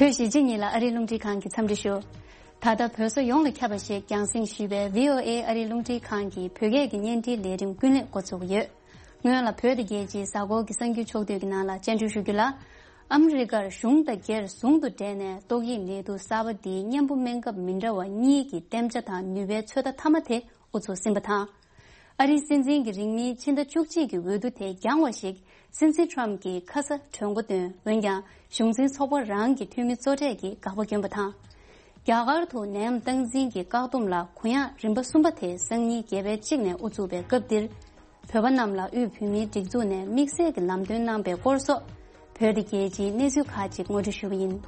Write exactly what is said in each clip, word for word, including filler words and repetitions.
བོད་གཞིས་བྱེས་གཉིས་ལ་ཨ་རིའི་རླུང་འཕྲིན་ཁང་གིས་འཚམས་འདྲི་ཞུ། ད་ལྟ་བོད་ས་ཡོངས་ལ་ཁྱབ་པ་ཞིག་རྒྱང་སྲིང་ཞུས་པའི་བྷི་ཨོ་ཨེ་ཨ་རིའི་རླུང་འཕྲིན་ཁང་གི་བོད་སྐད་ཀྱི་བརྙན་འཕྲིན་ལས་རིམ་ཀུན་གླེང་འགོ་ཚུགས་ཀྱི་ཡོད། སྔོན་ལ་བོད་དང་རྒྱལ་སྤྱིའི་གཟའ་འཁོར་གྱི་གསར་འགྱུར་ཕྱོགས་བསྡུས་ཀྱི་ནང་ལ་སྤྱན་འབུལ་ཞུ་རྒྱུ་ལ། ཨ་མི་རི་ཀར་གཞུང་དང་སྒེར་ཟུང་དུ་འབྲེལ་ནས་ཏོག་དབྱིབས་ནད་དུག་གསར་པ་འདིའི་གཉེན་པོ་སྨན་ཁབ་མི་འདྲ་བ་གཉིས་ཀྱི་བརྟན་འཇགས་དང་ནུས་པའི་ཚོད་ལྟ་མཐའ་མ་དེ་དབུ་ཚུགས་ཟིན་པ་དང་། ཨ་རིའི་སྲིད་འཛིན་གྱི་རིང་མིན་ཕྱི་ཟླ་བཅུ་གཅིག་གི་འོས་བསྡུ་དེ་འགྱངས་བ་ཞིག་སྲིད་འཛིན་ཊམ་གྱིས་ཁ་ས་གྲོས་འགོ་བཏོན། འོན་ཀྱང་གཞུང་འཛིན་ཚོགས་པ་རང་གི་འཐུས་མི་གཙོ་གྲས་ཀྱིས་དགག་པ་བསྐྱོན་པ་དང་། རྒྱ་གར་དུ་ནད་ཡམས་སྟངས་འཛིན་གྱི་བཀག་སྡོམ་ལ་གུ་ཡངས་རིམ་པ་གསུམ་པ་དེ་སང་ཉིན་བརྒྱད་པའི་གཅིག་ནས་དབུ་ཚུགས་པའི་སྐབས་འདིར། བོད་པ་རྣམས་ལ་དབུས་བོད་མིའི་སྒྲིག་འཛུགས་ནས་དམིགས་བསལ་གྱི་ལམ་སྟོན་གནང་པའི་སྐོར་སོགས། བོད་དང་རྒྱལ་སྤྱིའི་གནས་ཚུལ་ཁག་ཅིག་ངོ་སྤྲོད་ཞུ་བ་ཡིན།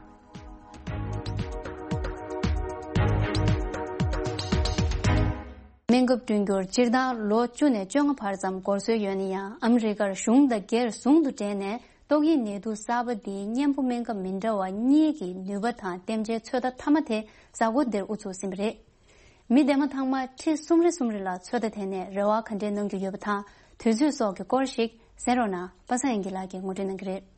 སྨན་ཁབ་བསྐྲུན་རྒྱུར་སྤྱིར་བཏང་ལོ་བཅུ་ནས་བཅོ་ལྔ་བར་ཙམ་འགོར་སྲོལ་ཡོད་ན་ཡང་། ཨ་མི་རི་ཀར་གཞུང་དང་སྒེར་ཟུང་དུ་འབྲེལ་ནས་ཏོག་དབྱིབས་ནད་དུག་གསར་པ་འདིའི་གཉེན་པོ་སྨན་ཁབ་མི་འདྲ་བ་གཉིས་ཀྱི་ནུས་པ་དང་བརྟན་འཇགས་ཚོད་ལྟ་མཐའ་མ་དེ་གཟའ་འཁོར་འདིར་དབུ་ཚུགས་ཟིན་པ་རེད། མི་སྡེ་མ་ཚང་མ་ཁྲི་གསུམ་རེ་གསུམ་རེ་ལ་ཚོད་ལྟ་དེ་ནས་རེ་བ་ག་འདྲས་གནང་རྒྱུ་ཡོད་པ་དང་། དུས་ཚོད་སོགས་ཀྱི་སྐོར་ཞིག་གསན་རོགས་གནང་། པ་སངས་དབྱངས་སྐྱིད་ལགས་ཀྱིས་ངོ་སྤྲོད་གནང་གི་རེད།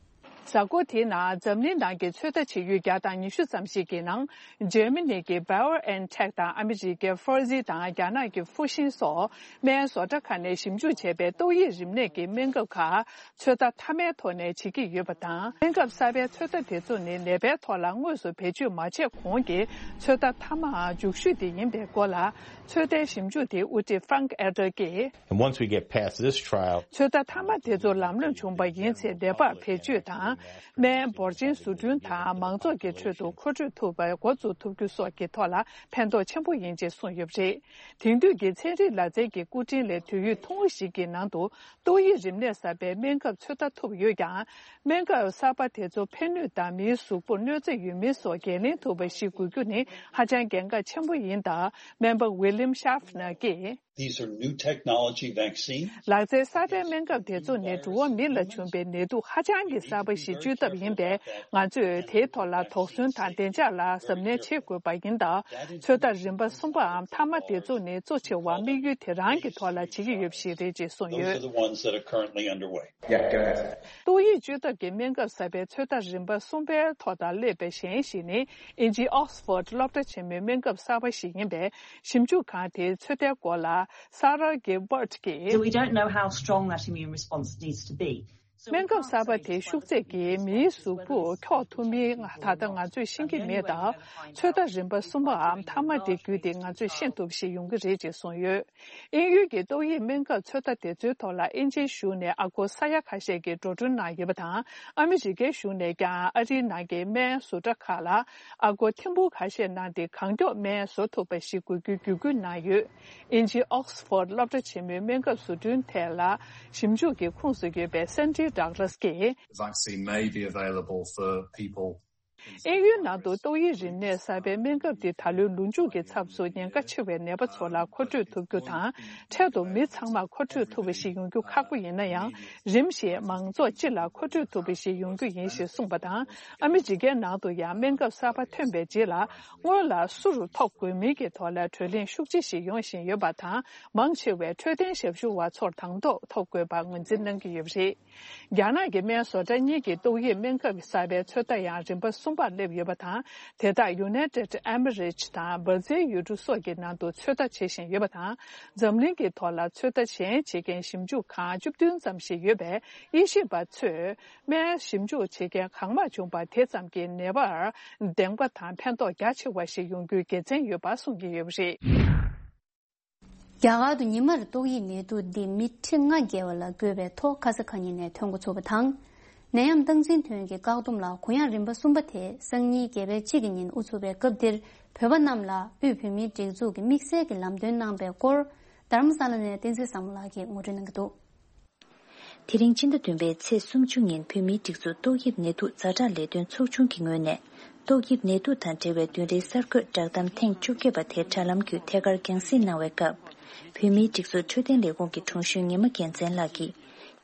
གཟའ་འཁོར་དེའི་ནང་འཛམ་གླིང་ནང་གི་ཚོད་ལྟ་བྱེད་ཡུལ་བརྒྱ་དང་ཉི་ཤུ་ཙམ་ཞིག་གི་ནང་འཇར་མ་ནི་གི་BioNTech དང་ཨ་མི་རི་ཀའི་Pfizer དང་རྒྱ་ནག་གི་ཧྥུ་ཤིན་སོགས་སྨན་བཟོ་གྲྭ་ཁག་ནས་ཞིབ་འཇུག་བྱས་པའི་ཏོག་དབྱིབས་རིམས་ནད་ཀྱི་སྨན་ཁབ་ཁག་ཚོད་ལྟ་མཐའ་མའི་ཐོག་ནས་བྱེད་ཀྱི་ཡོད་པ་དང་། སྨན་ཁབ་གསར་པའི་ཚོད་ལྟ་དེ་ཚོ་ནི་ནད་པའི་ཐོག་ལ་དངོས་སུ་བེད་སྤྱོད་མ་བྱས་གོང་གི་ཚོད་ལྟ་མཐའ་མའམ་མཇུག་ཤོས་དེ་ཡིན་པའི་སྐོར་ལ། ཚོད་ལྟའི་ཞིབ་འཇུག་དེའི་དབུ་ཁྲིད་Frank Eder གྱིས། And once we get past this trial, ཚོད་ལྟ་མཐའ་མ་དེ་ཚོ་ལམ་ལྷོང་བྱུང་བ་ཡིན་ཚེ། ནད་པར་བེད་སྤྱོད་དང་། སྨན་འབོར་ཆེན་བཟོ་སྐྲུན་དང་མང་ཚོགས་ཀྱི་ཁྲོད་དུ་མཁོ་སྤྲོད་ཐུབ་པ་འགོ་འཛུགས་ཐུབ་རྒྱུ་སོགས་ཀྱི་ཐོག་ལ་ཕན་ཐོགས་ཆེན་པོ་ཡིན་ཅེས་གསུངས་ཡོད་པ་རེད། དེང་དུས་ཀྱི་ཚན་རིག་ལག་རྩལ་གྱི་སྐུ་དྲིན་ལས། དུས་ཡུན་ཐུང་ངུ་ཞིག་གི་ནང་དུ་ཏོག་དབྱིབས་རིམས་ནད་གསར་པའི་སྨན་ཁབ་ཚོད་ལྟ་ཐུབ་ཡོད་ཀྱང་། སྨན་ཁབ་གསར་པ་དེ་ཚོ་ཕན་ནུས་དང་མིའི་གཟུགས་པོར་གནོད་འཚེ་ཡོད་མེད་སོགས་འགན་ལེན་ཐུབ་པ་ཞིག་དགོས་རྒྱུ་ནི་ཧ་ཅང་གལ་འགངས་ཆེན་པོ་ཡིན་སྟབས། སྨན་པ་William Schaffner གྱིས། These are new technology vaccines. ལག་རྩལ་གསར་པའི་སྨན་ཁབ་དེ་ཚོ་ནི་འགྲོ་བ་མི་ལ་བྱུང་བའི་ནད་དུག་ཧ་ཅང་གི་གསར་པ་ཞིག་བཅོས་ཐབས་ཡིན་པས། ང་ཚོས་དེའི་ཐོག་ལ་དོགས་ཟོན་དང་བདེ་འཇགས་ལ་གཟབ་ནན་བྱེད་དགོས་པ་ཡིན་སྟབས། ཚོད་ལྟ་རིམ་པ་གསུམ་པའམ་མཐའ་མ་དེ་ཚོ་ནི་གཙོ་ཆེ་བ་དམིགས་ཡུལ་དེ་རང་གི་ཐོག་ལ་བྱེད་ཀྱི་ཡོད་པ་ཞིག་རེད་ཅེས་གསུངས་ཡོད། Those are the ones that are currently underway. Yeah, go ahead. ཏོག་དབྱིབས་བཅོས་ཐབས་ཀྱི་སྨན་ཁབ་གསར་པའི་ཚོད་ལྟ་རིམ་པ་གསུམ་པའི་ཐོག་དང་སླེབས་པའི་གཞན་ཞིག་ནི། དབྱིན་ཇིའི་Oxford སློབ་གྲྭ་ཆེན་མོའི་སྨན་ཁབ་གསར་པ་ཞིག་ཡིན་པས། ཞིབ་འཇུག་ཁང་དེའི་ཚོད་ལྟའི་སྐོར་ལ་Sarah Gilbert གྱིས། So we don't know how strong that immune response needs to be. སྨན་ཁབ་གསར་པ་དེ་ཤུགས་ཚད་ཀྱིས་མིའི་གཟུགས་པོ་འཁྱོག་ཐུབ་མིན་ད་ལྟ་ང་ཚོས་ཤེས་ཀྱི་མེད་སྟབས། ཚོད་ལྟ་རིམ་པ་གསུམ་པའམ་མཐའ་མ་དེ་བརྒྱུད་དེ་ང་ཚོས་ཤེས་ཐུབ་པ་ཞིག་ཡོང་གི་རེད་ཅེས་གསུངས་ཡོད། དབྱིན་ཡུལ་གྱི་ཏོག་དབྱིབས་སྨན་ཁབ་ཚོད་ལྟ་དེ་ཚོའི་ཐོག་ལ་དབྱིན་ཇིའི་གཞུང་ནས་ཨ་སྒོར་ས་ཡ་ཁ་ཤས་ཀྱིས་འགྲོ་གྲོན་གནང་ཡོད་པ་དང་། ཨ་མི་རི་ཀའི་གཞུང་ནས་ཀྱང་ཨ་རིའི་ནང་གི་སྨན་བཟོ་གྲྭ་ཁག་ལ་ཨ་སྒོར་ཐེར་འབུམ་ཁ་ཤས་གནང་སྟེ། གང་མགྱོགས་སྨན་བཟོ་ཐུབ་པ་ཞིག་དགོས་རྒྱུའི་བརྒྱུད་སྐུལ་གནང་ཡོད། དབྱིན་ཇིའི་Oxford སློབ་གྲྭ་ཆེན་མོའི་སྨན་ཁབ་བཟོ་སྐྲུན་ཐད་ལ་ཞིབ་འཇུག་གི་ཁོངས་སུ་ཡོད་པའི་Sandy Douglas གྱིས། The vaccine may be available for people དབྱིན་ཡུལ་ནང་དུ་ཏོག་དབྱིབས་རིམས་ནད་གསར་པའི་སྨན་ཁབ་འདི་ད་ལོའི་ལོ་མཇུག་གི་ཚབ་ཏུ་ཉེན་ཁ་ཆེ་བའི་ནད་པ་ཚོ་ལ་མཁོ་སྤྲོད་ཐུབ་རྒྱུ་དང་། འཕྲལ་དུ་མི་ཚང་མར་མཁོ་སྤྲོད་ཐུབ་པ་ཞིག་ཡོང་རྒྱུ་ཁག་པོ་ཡིན་ན་ཡང་། རིམ་བཞིན་མང་ཚོགས་སྤྱི་ལ་མཁོ་སྤྲོད་ཐུབ་པ་ཞིག་ཡོང་རྒྱུ་ཡིན་ཞེས་གསུངས་པ་དང་། ཨ་མི་རི་ཀའི་ནང་དུ་ཡང་སྨན་ཁབ་གསར་པ་ཐོན་པའི་རྗེས་ལ། སྔོན་ལ་སུ་རུ་ཐོབ་དགོས་མིན་གྱི་ཐོག་ལ་གྲོས་གླེང་ཤུགས་ཆེ་ཞིག་ཡོང་བཞིན་ཡོད་པ་དང་། མང་ཆེ་བས་འཕྲོད་བསྟེན་ཞབས་ཞུ་བ་ཚོར་དང་ཐོག་ཐོབ་དགོས་པར་ངོས་འཛིན་གནང་གི་ཡོད་པ་རེད། རྒྱ་ནག་གི་སྨན་བཟོ་གྲྭ་གཉིས་ཀྱིས་ཏོག་དབྱིབས་སྨན་ཁབ་གསར་པའི་ཚོད་ལྟ་ཡང་རིམ་པ་གསུམ་པར་སླེབས་ཡོད་པ་དང་། དེ་དག་United Emirates དང་སྦར་ཛིལ་ཡུལ་གྲུ་སོགས་ཀྱི་ནང་དུ་ཚོད་ལྟ་བྱེད་བཞིན་ཡོད་པ་དང་། འཛམ་གླིང་གི་ཐོག་ལ་ཚོད་ལྟ་གཞན་བྱེད་མཁན་ཞིབ་འཇུག་ཁང་བཅུ་བདུན་ཙམ་ཞིག་ཡོད་པས། དབྱེ་ཞིབ་པ་ཚོས་སྨན་ཞིབ་འཇུག་བྱེད་མཁན་གང་མང་བྱུང་བ་དེ་ཙམ་གྱིས་ནད་པར་བདེན་པ་དང་ཕན་ཐོགས་རྒྱ་ཆེ་བ་ཞིག་ཡོང་རྒྱུའི་དགེ་མཚན་ཡོད་པ་གསུང་གི་ཡོད་པ་རེད། རྒྱ་གར་དུ་ཉི་མར་ཏོག་དབྱིབས་ནད་དུག་འདི་མི་ཁྲི་ལྔ་བརྒལ་བ་ལ་འགོས་པའི་ཐོག་ཁ་ས་ཁ་ཉིན་ནས་ཐོན་འགོ་ཚུགས་པ་དང་། ནད་ཡམས་སྟངས་འཛིན་ཐོན་གྱི་བཀག་སྡོམ་ལ་གུ་ཡངས་རིམ་པ་གསུམ་པ་དེ་སང་ཉིན་བརྒྱད་པའི་གཅིག་གི་ཉིན་དབུ་ཚུགས་པའི་སྐབས་འདིར། བོད་པ་རྣམས་ལ་དབུས་བོད་མིའི་སྒྲིག་འཛུགས་ཀྱིས་དམིགས་བསལ་གྱི་ལམ་སྟོན་གནང་པའི་སྐོར། རྡ་རམ་ས་ལ་ནས་བསྟན་འཛིན་བཟང་མོ་ལགས་ཀྱིས་ངོ་སྤྲོད་གནང་གི་འདུག། དེ་རིང་སྤྱི་ཟླ་བདུན་པའི་ཚེས་སུམ་ཅུ་ཉིན་བོད་མིའི་སྒྲིག་འཛུགས་ཏོག་དབྱིབས་ནད་དུག་ཛ་དྲག་ལས་དོན་ཚོགས་ཆུང་གི་ངོས་ནས། ཏོག་དབྱིབས་ནད་དུག་དང་འབྲེལ་བའི་བདུན་རེའི་གསར་འགོད་བསྒྲགས་གཏམ་ཐེངས་བཅོ་བརྒྱད་པ་དེ་དྲ་ལམ་བརྒྱུད་ཐད་ཀར་རྒྱང་སྲིང་གནང་བའི་སྐབས། བོད་མིའི་སྒྲིག་འཛུགས་འཕྲོད་བསྟེན་ལས་ཁུངས་ཀྱི་དྲུང་གཞོན་ཉི་མ་རྒྱལ་མཚན་ལགས་ཀྱིས།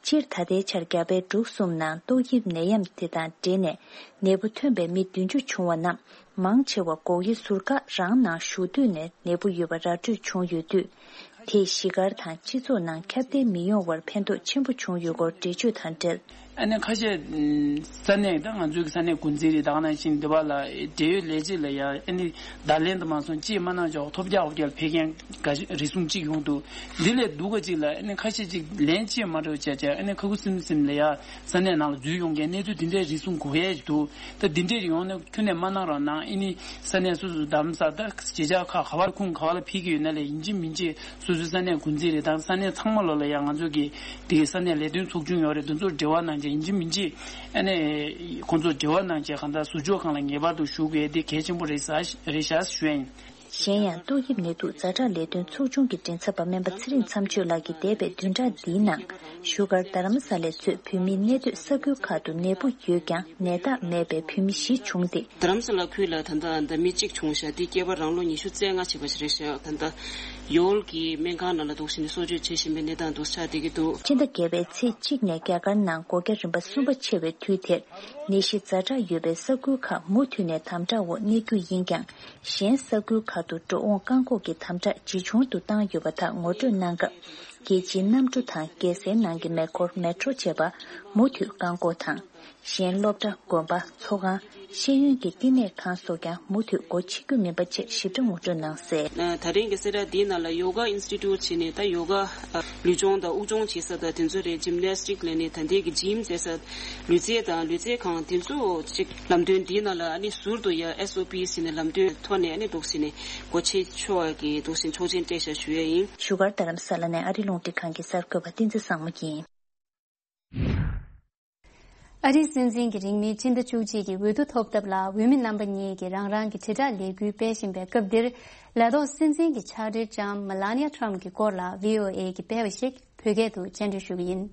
སྤྱིར་ད་ལྟའི་ཆར་རྒྱ་བལ་འབྲུག་གསུམ་ནང་ཏོག་དབྱིབས་ནད་ཡམས་དེ་དང་འབྲེལ་ནས་ནད་འབུ་ཐོན་པའི་མི་བདུན་ཅུ་བྱུང་བ་རྣམས། མང་ཆེ་བ་སྒོ་དབྱེ་ཟུར་བཀག་རང་ནང་བཞུགས་དུས་ནས་ནད་འབུ་ཡོད་པ་ར་སྤྲོད་བྱུང་ཡོད་དུས། དེས་གཞིས་སྒར་དང་སྤྱི་ཚོགས་ནང་ཁྱབ་གདལ་མི་ཡོང་བར་ཕན་ཐོགས་ཆེན་པོ་བྱུང་ཡོད་སྐོར་འགྲེལ་བརྗོད་དང་འབྲེལ། ཨ་ནི་ཁ་ཤས་ས་གནས་ད་ང་ཚོའི་ས་གནས་འགོ་འཛིན་རེད། ད་ག་ནང་བཞིན་འདི་བ་ལ་འབྲེལ་ཡོད་ལས་བྱེད་ལ་ཡང་ཨ་ནི་བརྡ་ལན་དུ་མ་སོང་ཅིས་མ་གནང་ཆོག་ཐོབ་རྒྱག་ཧོབ་རྒྱག་ཕེབས་མཁན་འགའ་ཞིག་རེ་ཟུང་གཅིག་ཡོང་འདུག་འདི་ལས་སྡུག་ག་ཅིག་ལ་ཨ་ནི་ཁ་ཤས་ཅིག་ལན་ཅིས་མ་འགྲོ་བྱས་བྱས་ཨ་ནི་ཁ་ཁུ་སིམ་སིམ་ལ་ཡང་ས་གནས་ནང་ལ་འཛུལ་ཡོང་མཁན་གནས་ཚུལ་འདི་འདྲའི་རེ་ཟུང་གོ་ཡས་འདུག་ད་འདི་འདྲའི་ཡོང་ན་ཁྱོན་ནས་མ་གནང་རོགས་གནང་། ཨ་ནི་ས་གནས་སོ་སོ་རྡ་རམ་ས་ད་གཞིས་ཆགས་ཁག་ག་བར་ཁུངས་ག་བ་ལ་ཕེབས་ཀྱི་ཡོད་ན་ལས་ཡིན་གཅིག་མིན་གཅིག་སོ་སོའི་ས་གནས་འགོ་འཛིན་རེད་དང་ས་གནས་ཚང་མ་ལོ་ལ་ཡང་ང་ཚོ་གི་དེ་གི་ས་གནས་ལས་དོན་ཚོགས་ཆུང་ཡོད་རེད། དེ་ཚོར་འབྲེལ་བ་གནང་བྱས་ཡིན་གཅིག་མིན་གཅིག་ཨ་ནི་ཁོང་ཚོར་འབྲེལ་བ་གནང་བྱས་གང་ལྟར་ཟུར་འཇོག་ཁང་ལ་ངེས་པར་དུ་ཞུགས་དགོས་དེ་གལ་ཆེན་པོ་རེད་ས་རེད་ཤག་ཞུ་ཡ་ཡིན། གཞན་ཡང་ཏོག་དབྱིབས་ནད་དུག་ཛ་དྲག་ལས་དོན་ཚོགས་ཆུང་གི་མགྲིན་ཚབ་པ་སྨན་པ་ཚེ་རིང་མཚམས་གཅོད་ལགས་ཀྱིས་འདས་པའི་བདུན་ཕྲག་འདིའི་ནང་བཞུགས་སྒར་རྡ་རམ་ས་ལའི་གཙོས་བོད་མིའི་གནས་སྡོད་ས་ཁུལ་ཁག་ཏུ་ནད་འབུ་ཡོད་ཀྱང་ནད་རྟགས་མེད་པའི་བོད་མི་བཞི་བྱུང་སྟེ། རྡ་རམ་ས་ལ་ཁུལ་ལ་ད་ལྟ་ད་མི་གཅིག་བྱུང་ཤག་འདི་སྐྱེས་པ་རང་ལོ་ཉི་ཤུ་རྩ་ལྔ་བྱས་པ་ཞིག་རེད་ཤག་ད་ལྟ་ཡོལ་གྱི་སྨན་ཁང་ནང་ལ་འདུག་བཞིན་གསོ་བཅོས་བྱེད་བཞིན་པའི་གནས་སྟངས་འདུག་ཆགས་བསྡད་ཀྱི་འདུག་ཕྱི་ཟླ་བརྒྱད་པའི་ཚེས་གཅིག་ནས་རྒྱ་གར་ནང་སྒོ་རྒྱ་རིམ་པ་གསུམ་པ་ཆེ་བའི་དུས་དེར་ནད་གཞི་ཛ་དྲག་ཡོད་པའི་ས་ཁུལ་ཁག་མུ་མཐུད་ནས་དམ་དྲག་འོག་གནས་རྒྱུ་ཡིན་ཀྱང་། གཞན་ས་ཁུལ་ཁག་ཏུ་འགྲོ་འོང་བཀག་འགོག་གི་དམ་དྲག་ཇེ་ཆུང་དུ་བཏང་ཡོད་པ་དག་ངོ་སྤྲོད་གནང་སྐབས། རྒྱལ་སྤྱིའི་གནམ་གྲུ་དང་རྒྱལ་སའི་ནང་གི་མེ་འཁོར་མེ་ཊྲོ་བཅས་པ་མུ་མཐུད་བཀག་འགོག་དང་། གཞན་སློབ་གྲྭ། དགོན་པ། ཚོགས་ཁང་། ཤེས་ཡོན་གྱི་བསྟི་གནས་ཁང་སོགས་ཀྱང་མུ་མཐུད་སྒོ་ཕྱེ་རྒྱུ་མིན་པ་བཅས་ཞིབ་ཕྲ་ངོ་སྤྲོད་གནང་གསལ། ད་རིང་གི་གསལ་བསྒྲགས་འདིའི་ནང་ལ་ཡོ་ག་ཨིན་སི་ཊི་ཊུཊ་བྱས་ནས་ད་ཡོ་ག་ལུས་སྦྱོང་དང་དབུགས་སྦྱོང་བྱེད་ས་དང་དེ་ཚོ་རེད། ཇིམ་ནེ་སི་ཊིག་ལབ་ནས་ད་ལྟའི་གི་ཇིམ་ཟེར་ས་ལུས་རྩལ་དང་ལུས་རྩལ་ཁང་དེ་ཚོ་ཅིག་ལམ་སྟོན་འདིའི་ནང་ལ་ཨ་ནི་ཟུར་དུ་ཡ་ཨེས་ཨོ་པི་ཟེར་ནས་ལམ་སྟོན་ཐོག་ནས་ཨ་ནི་འདུག་ཟེར་ནས་སྒོ་ཕྱེ་ཆོག་གི་འདུག་ཟེར་ཆོག་མཆན་སྤྲད་བཞག་ཞུ་ཡ་ཡིན། བཞུགས་སྒར་རྡ་རམ་ས་ལ་ནས་ཨ་རི་རླུང་འཕྲིན་ཁང་གི་གསར་འགོད་པ་བསྟན་འཛིན་བཟང་མོ་ཡིན། ཨ་རིའི་སྲིད་འཛིན་གྱིས་རིང་མིན་ཕྱི་ཟླ་བཅུ་གཅིག་གི་འོས་བསྡུ་ཐོབ་ཐབས་ལ་འོས་མི་རྣམ་པ་གཉིས་ཀྱིས་རང་རང་གི་དྲིལ་བསྒྲགས་ལས་འགུལ་སྤེལ་བཞིན་པའི་སྐབས་འདིར། ལས་ཐོག་སྲིད་འཛིན་གྱི་ཕྱག་སྦྲེལ་ལྕམ་མེ་ལ་ནི་ཡ་ཊམ་གྱི་སྐོར་ལ་བྷི་ཨོ་ཨེ་གིས་སྤེལ་བ་ཞིག་བོད་སྐད་དུ་སྤྱན་འགྲེལ་ཞུ་གི་ཡིན།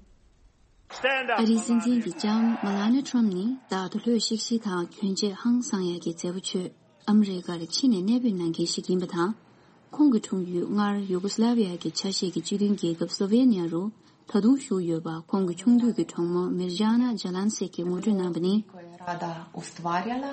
ཨ་རིའི་སྲིད་འཛིན་གྱི་ལྕམ་མེ་ལ་ནི་ཡ་ཊམ་ནི་རྟག་ཏུ་ལྷོད་ཤིག་ཤིག་དང་གྱོན་ཆས་ཧང་སང་ཡག་གི་མཛེས་པོ་བྱོས། ཨ་མི་རི་ཀར་ཕྱི་ནས་གནས་སྤོས་གནང་མཁན་ཞིག་ཡིན་པ་དང་། ཁོང་གི་འཁྲུངས་ཡུལ་སྔར་ཡུ་གོ་སི་ལ་བི་ཡ་གི་ཆ་ཤས་ཀྱི་སྤྱི་མཐུན་རྒྱལ་ཁབ་སློ་ཝེ་ནི་ཡ་རུ་ད་དུང་བཞུགས་ཡོད་པ་ཁོང་གི་ཆུང་དུས་ཀྱི་གྲོགས་མོ་མིར་ཇཱ་ན་ཇཱ་ལན་སིག་གིས་ངོ་སྤྲོད་གནང་པ་ནི། Rada ustvarjala.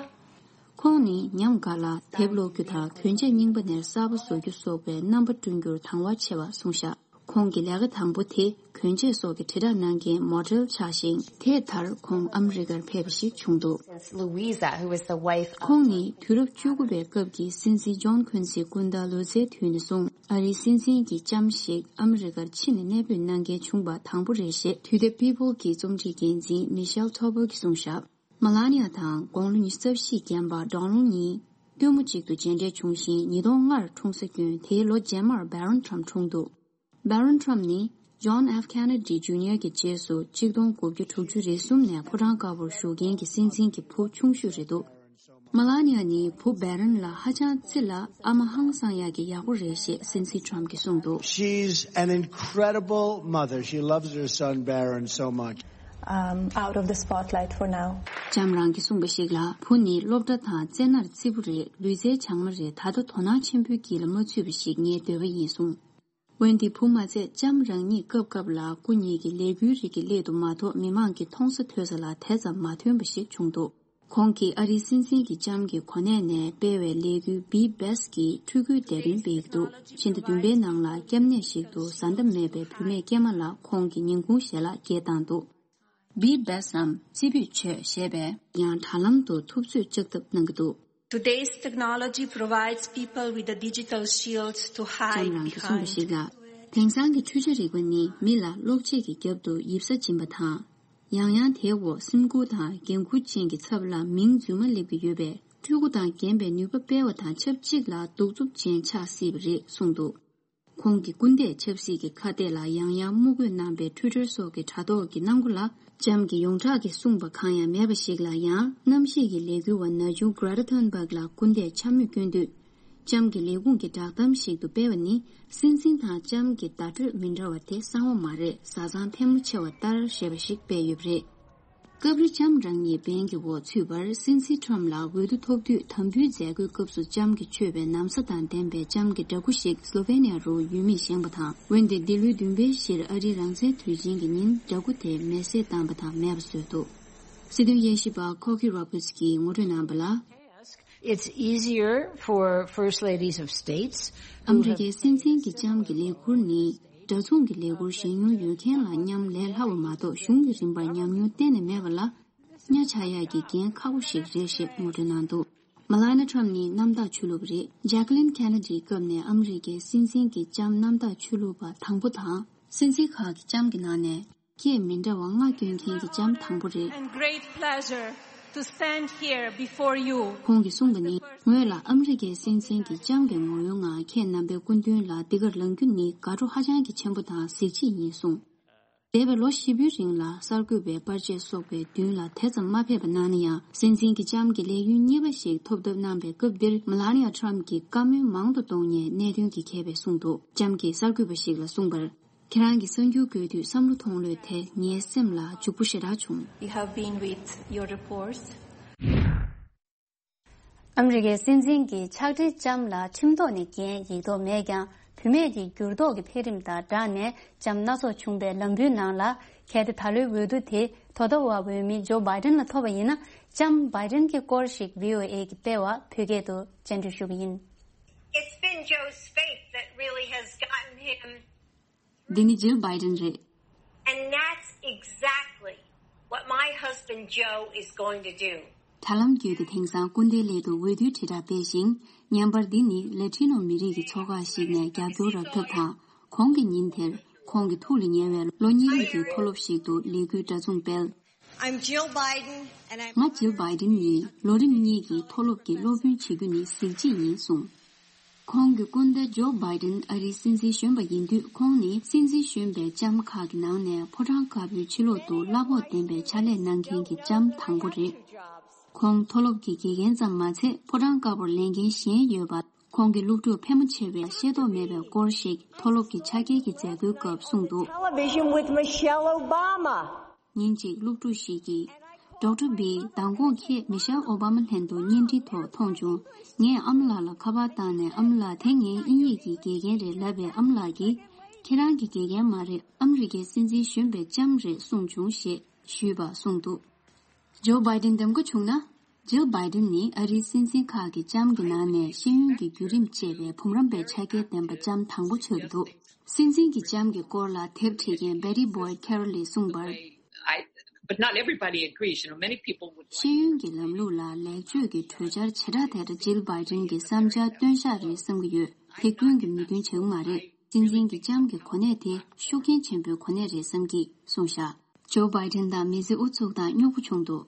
ཁོང་ནི་ཉམས་དགའ་ལ་དེབ་ཀློག་རྒྱུ་དང་གྱོན་ཆས་རྙིང་པ་ནས་གསར་པ་བཟོ་རྒྱུ་སོགས་པའི་རྣམ་པ་བསྐྲུན་རྒྱུར་དང་བ་ཆེ་བ་གསུངས་ཤག་ཁོང་གི་ལས་ཀ་དང་པོ་དེ་གྱོན་ཆས་སོགས་ཀྱི་དྲིལ་བསྒྲགས་གནང་མཁན་མོ་ཌེལ་ཆགས་ཤིང་། དེ་མཐར་ཁོང་ཨ་མི་རི་ཀར་ཕེབས་པ་ཞིག་བྱུང་འདུག Louisa, who is the wife of ཁོང་ནི་དུས་རབས་བཅུ་དགུ་པའི་སྐབས་ཀྱི་སྲིད་འཛིན་ཇོན་ཁུན་སིའི་སྐུ་ཟླ་ལོ་ཙཱའི་དུས་ནས་བཟུང་ཨ་རིའི་སྲིད་འཛིན་གྱི་ལྕམ་ཞིག་ཨ་མི་རི་ཀར་ཕྱི་ནས་གནས་སྤོས་གནང་མཁན་བྱུང་པ་དང་པོ་རེད་ཞེས་དུས་དེབ་People གྱི་རྩོམ་སྒྲིག་འགན་འཛིན་མི་ཤེལ་ཐོ་བོ་གིས་གསུངས་ཤག་མ་ལ་ནི་ཡ་དང་དགུང་ལོ་ཉི་ཤུ་རྩ་བཞི་རྐྱེན་པ་ཌོ་ནལ་གཉིས་སྟོན་མོ་གཅིག་ཏུ་མཇལ་འཕྲད་བྱུང་ཞིང་ཉིས་སྟོང་ལྔར་འཁྲུངས་ས་ཀྱོན། དེའི་ལོ་རྗེས་མར་བྷ་རོན་ཊམ་འཁྲུངས་འདུག་བྷ་རོན་ཊམ་ནི་ཇོན་ཨེཕ་ཁེ་ནེ་ཌི་ཇུ་ནི་ཡར་གྱི་རྗེས་སུ་གཅིག་སྟོང་དགུ་བརྒྱ་དྲུག་ཅུ་རེ་གསུམ་ནས་ཕོ་བྲང་དཀར་པོར་བཞུགས་མཁན་གྱི་སྲིད་འཛིན་གྱི་བུ་ཆུང་ཤོས་རེད་འདུག་མ་ལ་ནི་ཡ་ནི་བུ་བྷ་རོན་ལ་ཧ་ཅང་བརྩི་ལ་ཨ་མ་ཧང་སང་ཡག་གི་ཡག་པོ་རེད་ཞེས་སྲིད་འཛིན་ཊམ་གྱིས་གསུངས་འདུག She's an incredible mother. She loves her son Barron so much. Um, out of the spotlight for now. ལྕམ་རང་གིས་གསུངས་པ་ཞིག་ལ་བུ་ནི་སློབ་གྲྭ་དང་རྩེད་མོར་བརྩི་པོ་རེད། ལུས་རྩལ་སྦྱང་མ་རེད། ད་ལྟ་དོ་སྣང་ཆེན་པོའི་དཀྱིལ་ལ་མ་ཚུད་པ་ཞིག་ངའི་འདོད་པ་ཡིན་གསུངས། འོན་ཏེ་བུ་མ་ཚད་ལྕམ་རང་ཉིད་སྐབས་སྐབས་ལ་སྐུ་ཉིད་ཀྱི་ལས་འགུལ་རིགས་ཀྱི་སླད་དུ་མ་གཏོགས་མི་མང་གི་མཐོང་ས་ཐོས་ས་ལ་དེ་ཙམ་མ་ཐོན་པ་ཞིག་བྱུང་འདུག་ཁོང་གིས་ཨ་རིའི་སྲིད་འཛིན་གྱི་ལྕམ་གྱི་གོ་གནས་ནས་སྤེལ་བའི་ལས་འགུལ་Be Best གྱི་ཕྲུ་གུའི་དེ་རིང་སྤེལ་གྱི་འདུག་ཕྱི་ཟླ་བདུན་པའི་ནང་ལ་སྐྱབས་གནས་ཤིག་ཏུ་བཟའ་ཟླ་མེད་པའི་བུད་མེད་སྐྱེས་མ་ལ་ཁོང་གིས་ཉིན་གུང་ཞལ་ལག་འཁྱེར་བཏང་འདུག Be Best འམ་རྩེ་ཕུད་མཆོད་ཞེས་པས་ཡང་དྲ་ལམ་དུ་ཐུབ་ཚོད་ལྕགས་ཐབ་གནང་གི་འདུག Today's technology provides people with a digital shield to hide behind. ལྕམ་རང་གིས་གསུངས་པ་ཞིག་ལ། དེང་སང་གི་འཕྲུལ་ཆ་རིག་པ་ནི་མི་ལ་གློག་ཆས་ཀྱི་རྒྱབ་ཏུ་ཡིབ་ས་སྦྱིན་པ་དང་། ཡང་ཡང་དེའི་འོག་སེམས་ཁུར་དང་འགན་འཁུར་ཅན་གྱི་ཚབ་ལ་མིང་རྫུན་མ་སླེབས་ཀྱི་ཡོད་པས་སྤྲུལ་སྐུ་དང་རྒན་པའི་ནུས་པ་སྤེལ་བ་དང་ཆབས་ཅིག་ལ་གདུག་རྩུབ་ཅན་ཆགས་སྲིད་པ་རེད་གསུངས་འདུག་ཁོང་གི་སྐུ་འདས་ཆབ་སྲིད་ཀྱི་ཁ་གཏད་ལ་ཡང་ཡང་དམུ་རྒོལ་གནང་པའི་Twitter སོགས་ཀྱི་དྲ་ཐོག་གི་གནང་སྒོ་ལ་ལྕམ་གྱི་ཡོངས་གྲགས་ཀྱིས་གསུངས་པ་གང་ཡང་མེད་པ་ཞིག་ལ་ཡང་གནམ་གཤིས་ཀྱི་ལས་འགུལ་བ་ན་ཆུང་Greta Thunberg ལ་སྐུ་འདས་འཕྱ་སྨོད་སྐྱོན་དུས། ལྕམ་གྱི་ལས་ཁུངས་ཀྱི་བསྒྲགས་གཏམ་ཞིག་ཏུ་སྤེལ་བ་ནི་སྲིད་འཛིན་དང་ལྕམ་གྱི་བརྡ་སྤྲོད་མི་འདྲ་བ་དེ་གསང་བ་མ་རེད། བཟའ་ཚང་ཕལ་མོ་ཆེ་བ་ལྟར་ཞེས་པ་ཞིག་སྤེལ་ཡོད་པ་རེད། སྐབས་རེ་ལྕམ་རང་ཉིད་འབེན་གྱི་འོག་ཚུད་པར་སྲིད་འཛིན་ཁྲོམ་ལ་འོས་བསྡུ་ཐོབ་དུས་དམ་འབུལ་མཛད་སྒོའི་སྐབས་སུ་ལྕམ་གྱིས་མཆོད་པའི་ན་བཟའ་དང་ལྡན་པའི་ལྕམ་གྱི་འདྲ་སྐུ་ཞིག་སློ་ཝེ་ནི་ཡ་རུ་ཡུལ་མིས་བཞེངས་པ་དང་། འོན་ཏེ་འདི་ལོའི་བདུན་པའི་གཞིར་ཨ་རིའི་རང་བཙན་དུས་ཆེན་གྱི་ཉིན་འདྲ་སྐུ་དེ་མེ་བསྲེགས་བཏང་པ་དང་མེད་པ་བཟོས་འདུག་སྲིད་དོན་དབྱེ་ཞིབ་པ་Cokie Roberts གྱིས་ངོ་སྤྲོད་གནང་པ་ལ། It's easier for first ladies of states ཨ་མི་རི་ཀའི་སྲིད་འཛིན་གྱི་ལྕམ་གྱི་ལས་ཁུར་ནི། འདྲ་མཚུངས་ཀྱི་ལས་འཁུར་བཞེས་མྱོང་ཡོད་མཁན་ལ་མཉམ་ལས་སླ་བོ་མ་གཏོགས་གཞུང་གི་རིམ་པར་ཉམས་མྱོང་གཏན་ནས་མེད་པ་ལ། གཉའ་ཆག་ཡག་གི་འགན་ཁག་པོ་ཞིག་རེད་ཞེས་ངོ་སྤྲོད་གནང་འདུག་མ་ལ་ནི་ཁྲམ་ནི་གནམ་བདག་ཆོས་ལུགས་རེད། ཇེ་ཀ་ལིན་ཁེ་ན་ཌིའི་སྐབས་ནས་ཨ་མི་རི་ཀའི་སྲིད་འཛིན་གྱི་ལྕམ་གནམ་བདག་ཆོས་ལུགས་པ་དང་པོ་དང་། སྲིད་འཛིན་ཁག་གི་ལྕམ་གྱི་ནང་ནས་སྐད་མི་འདྲ་བ་ལྔ་སྐྱོན་མཁན་གྱི་ལྕམ་དང་པོ་རེད། And great pleasure to stand here before you. ཁོང་གིས་གསུངས་པ་ནི། ངོས་ལ་ཨ་མི་རི་ཀའི་སྲིད་འཛིན་གྱི་ལྕམ་གྱི་ངོ་བོའི་ངང་ཁྱེད་རྣམ་པའི་སྐུ་མདུན་ལ་འདི་གར་ལངས་རྒྱུ་ནི་དགའ་སྤྲོ་ཧ་ཅང་གི་ཆེན་པོ་དང་གཟི་བརྗིད་ཡིན་གསུངས། འདས་པའི་ལོ་བཞི་པོའི་རིང་ལ་གསར་འགོད་པའི་པར་ཆས་སོགས་པའི་མདུན་ལ་དེ་ཙམ་མ་ཕེབས་པ་གནང་ན་ཡང་། སྲིད་འཛིན་གྱི་ལྕམ་གྱི་ལས་ཡུན་གཉིས་པ་ཞིག་ཐོབ་ཐབས་གནང་བའི་སྐབས་འདིར། མ་ལ་ནི་ཡ་ཁྲམ་གྱིས་བཀའ་མོལ་མང་དུ་གཏོང་མཁན་གནད་དོན་གྱི་མཁས་པས་གསུངས་འདུག་ལྕམ་གྱིས་གསར་འགོད་པ་ཞིག་ལ་གསུངས་པར། ཁྱེད་རང་གི་གསར་འགྱུར་འགོད་དུས་བསམ་བློ་ཐོངས་ལོས་དེ་ངའི་སེམས་ལ་འཇུག་པོ་ཞེ་དྲག་བྱུང་། You have been with your reports. ཨ་མི་རི་ཀའི་སྲིད་འཛིན་གྱི་ཕྱག་སྦྲེལ་ལྕམ་ལ་ཁྲིམས་ཐོག་ནས་འགན་ཡིག་ཐོག་མེད་ཀྱང་། བུད་མེད་ཀྱི་འགྱུར་ལྡོག་གི་འཕེལ་རིམ་དང་སྦྲགས་ནས་ལྕམ་སྣ་ཚོགས་བྱུང་པའི་ལམ་བུའི་ནང་ལ། གལ་ཏེ་ད་ལོའི་འོས་བསྡུ་དེ་དོ་བདག་པ་འོས་མི་ཇོ་བྷའི་ཌེན་ལ་ཐོབ་པ་ཡིན་ན། ལྕམ་བྷའི་ཌེན་གྱི་སྐོར་ཞིག་བྷི་ཨོ་ཨེ་གིས་སྤེལ་བ་བོད་སྐད་དུ་སྤྱན་འབུལ་ཞུ་གི་ཡིན། It's been Joe's faith that really has gotten him འདི་ནི་ཇིལ་བྷའི་ཌེན་རེད། And that's exactly what my husband Joe is going to do. དྲ་ལམ་བརྒྱུད་དེ་དེང་སང་སྐུ་ཟླའི་སླད་དུ་འོས་བསྡུའི་དྲིལ་བསྒྲགས་སྤེལ་ཞིང་། བརྙན་པར་འདི་ནི་ལ་ཊི་ནོ་མི་རིགས་ཀྱི་ཚོགས་ཁག་ཞིག་ནས་རྒྱབ་སྐྱོར་རག་ཐབས་དང་། གོང་གི་ཉིན་དེར་ཁོང་གི་ཐུགས་ལ་ཉེ་བའི་ལོ་གཉིས་རིང་གི་མཐོ་སློབ་ཞིག་ཏུ་ལས་འགུལ་འདྲ་མཚུངས་སྤེལ། I'm Jill Biden, and I'm ང་ཇིལ་བྷའི་ཌེན་ཡིན། ལོ་རིམ་གཉིས་ཀྱི་མཐོ་སློབ་ཀྱི་སློབ་དཔོན་བྱེད་རྒྱུ་ནི་གཟི་བརྗིད་ཡིན་གསུངས། ཁོང་གི་སྐུ་ཟླ་ཇོ་བྷའི་ཌེན་ཨ་རིའི་སྲིད་འཛིན་གཞོན་པ་ཡིན་དུས། ཁོང་ནི་སྲིད་འཛིན་གཞོན་པའི་ལྕམ་ཁག་གི་ནང་ནས་ཕོ་བྲང་དཀར་པོའི་ཕྱི་ལོགས་ཏུ་གླ་ཕོགས་ལྡན་པའི་ཕྱག་ལས་གནང་མཁན་གྱི་ལྕམ་དང་པོ་རེད། ཁོང་མཐོ་སློབ་ཀྱི་དགེ་རྒན་ཙམ་མ་ཚད། ཕོ་བྲང་དཀར་པོར་ལས་འགན་གཞན་ཡོད་པ། ཁོང་གི་སློབ་ཕྲུག་ཕལ་མོ་ཆེ་བས་ཤེས་རྟོགས་མེད་པའི་སྐོར་ཞིག་མཐོ་སློབ་ཀྱི་ཕྱག་འཁྱེར་གྱི་མཛད་སྒོའི་སྐབས་གསུངས་འདུག Television with Michelle Obama. ཉིན་གཅིག་སློབ་ཕྲུག་ཞིག་གིས། ཌོག་ཊར་བྷི། མདང་དགོང་ཁྱེད་མི་ཤེལ་ཨོ་བྷ་མ་ལྷན་དུ་བརྙན་འཕྲིན་ཐོག་མཐོང་བྱུང་། ངས་ཨ་མ་ལགས་ལ་ཁ་པར་བཏང་ནས། ཨ་མ་ལགས། དེ་ངའི་དབྱིན་ཡིག་གི་དགེ་རྒན་རེད་ལབ་པས། ཨ་མ་ལགས་ཀྱིས། ཁྱེད་རང་གི་དགེ་རྒན་མ་རེད། ཨ་མི་རི་ཀའི་སྲིད་འཛིན་གཞོན་པའི་ལྕམ་རེད་གསུངས་བྱུང་ཞེས་ཞུས་པ་གསུངས་འདུག་ཇོ་བྷའི་ཌེན་འདེམས་བསྐོ་བྱུང་ན། ཇིལ་བྷའི་ཌེན་ནི་ཨ་རིའི་སྲིད་འཛིན་ཁག་གི་ལྕམ་གྱི་ནང་ནས་ཤེས་ཡོན་གྱི་བརྒྱུད་རིམ་བཅད་པའི་བུམ་རམས་པའི་ཕྱག་འཁྱེར་ལྡན་པ་ལྕམ་དང་པོ་ཆགས་ཀྱི་འདུག་སྲིད་འཛིན་གྱི་ལྕམ་གྱི་སྐོར་ལ་དེབ་ཁྲིད་མཁན་Betty Boyd Carroll ལས་གསུངས་པར། I, but not everybody agrees. You know, many people would ཤེས་ཡོན་གྱི་ལམ་ལུགས་ལ་ལེགས་བཅོས་ཀྱི་གྲོས་འཆར་ཇི་ལྟར་དེ་ལྟར་ཇིལ་བྷའི་ཌེན་གྱི་བསམ་འཆར་སྟོན་ཤག་རེད་བསམ་གྱི་ཡོད། དེ་ཀུན་གྱིས་མོས་མཐུན་བྱེད་ཀྱི་མ་རེད། སྲིད་འཛིན་གྱི་ལྕམ་གྱི་གོ་གནས་དེ་ཤུགས་རྐྱེན་ཆེན་པོའི་གོ་གནས་རེད་བསམ་གྱི་གསུངས་བཞག་ཇོ་བྷའི་ཌེན་དང་མི་ཚེ་ཨུ་ཚུགས་དང་རྙོག་པོ་བྱུང་འདུག་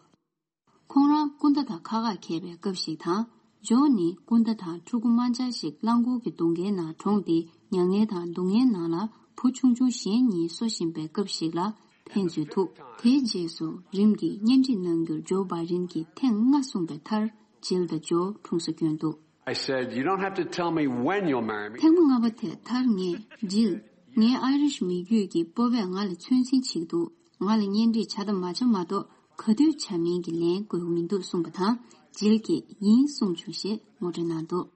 ཁོང་རང་སྐུ་ཟླ་དང་ཁ་ཁ་འཁྱེར་བའི་སྐབས་ཤིག་དང་། ཇོ་ནི་སྐུ་ཟླ་དང་ཕྲུ་གུ་དམར་འབྱར་ཞིག་རླངས་འཁོར་གྱི་སྡུག་བསྔལ་ནང་གྲོངས་ཏེ། མྱ་ངན་དང་སྡུག་བསྔལ་ནང་ལ་བུ་ཆུང་ཆུང་གཞན་གཉིས་གསོ་བཞིན་པའི་སྐབས་ཤིག་ལ་ཕན་ཚུན་ཐུག་དེའི་རྗེས་སུ་རིམ་གྱིས་གཉེན་སྒྲིག་གནང་རྒྱུར་ཇོ་བྷའི་ཌེན་གྱིས་ཐེངས་ལྔ་གསུངས་པའི་མཐར། ཇིལ་དང་ཇོ་གྲོངས་སུ་བསྐྱོན་འདུག I said, "You don't have to tell me when you'll marry me." ཐེངས་མ་ལྔ་པ་དེ་མཐར་ངས། ཇིལ། ངའི་ཨའི་རིཤ་མི་རྒྱུད་ཀྱི་སྤོབས་པས་ང་ལ་ཚོད་འཛིན་བྱེད་ཀྱི་འདུག་ང་ལ་གཉེན་སྒྲིག་བྱ་དང་མ་བྱ་མ་གཏོགས། ག་དུས་བྱ་མིན་གྱི་ལན་དགོས་ཀྱི་མི་འདུག་གསུངས་པ་དང་། ཇིལ་གྱིས་ཡིན་གསུངས་བྱུང་ཞེས་ངོ་སྤྲོད་གནང་འདུག་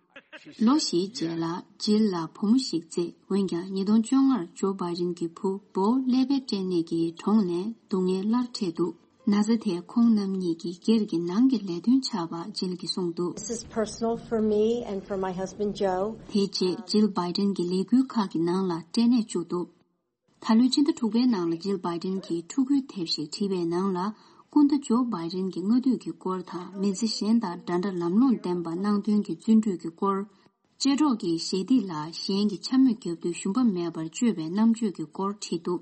ལོ་བཞིའི་རྗེས་ལ་ཇིལ་ལ་བུ་མོ་ཞིག་བཙས། འོན་ཀྱང་ཉིས་སྟོང་བཅོ་ལྔར་ཇོ་བྷའི་ཌེན་གྱི་བུ་བོ་ཀླད་པའི་སྐྲན་ནད་ཀྱིས་གྲོངས་ནས་སྡུག་བསྔལ་སླར་འཕྲད་འདུག་ན་ཚ་དེས་ཁོང་རྣམ་གཉིས་ཀྱི་སྒེར་གྱི་ནང་གི་ལས་དོན་ཆགས་པ་ཇིལ་གྱིས་གསུངས་འདུག This is personal for me and for my husband Joe. དེའི་རྗེས་ཇིལ་བྷའི་ཌེན་གྱི་ལས་འགུལ་ཁག་གི་ནང་ལ་སྐྲན་ནད་བཅུག་འདུག་ད་ལོའི་ཕྱི་ཟླ་དྲུག་པའི་ནང་ལ་ཇིལ་བྷའི་ཌེན་གྱིས་ཕྲུ་གུའི་དེབ་ཞིག་བྲིས་པའི་ནང་ལ། སྐུ་ཟླ་ཇོ་བྷའི་ཌེན་གྱི་སྔ་དུས་ཀྱི་སྐོར་དང་། མི་ཚེ་གཞན་དང་འདྲ་འདྲ་ལམ་ལྷོང་ལྡན་པ་གནང་དོན་གྱི་བརྩོན་འགྲུས་ཀྱི་སྐོར། ཅལ་སྒྲོག་གི་ཞལ་འདེབས་ལ་གཞན་གྱི་འཕྱ་སྨོད་བརྒྱབ་དུས་ཞུམ་པ་མེད་པར་སྤྱོད་པའི་རྣམ་དཔྱོད་ཀྱི་སྐོར་བྲིས་འདུག་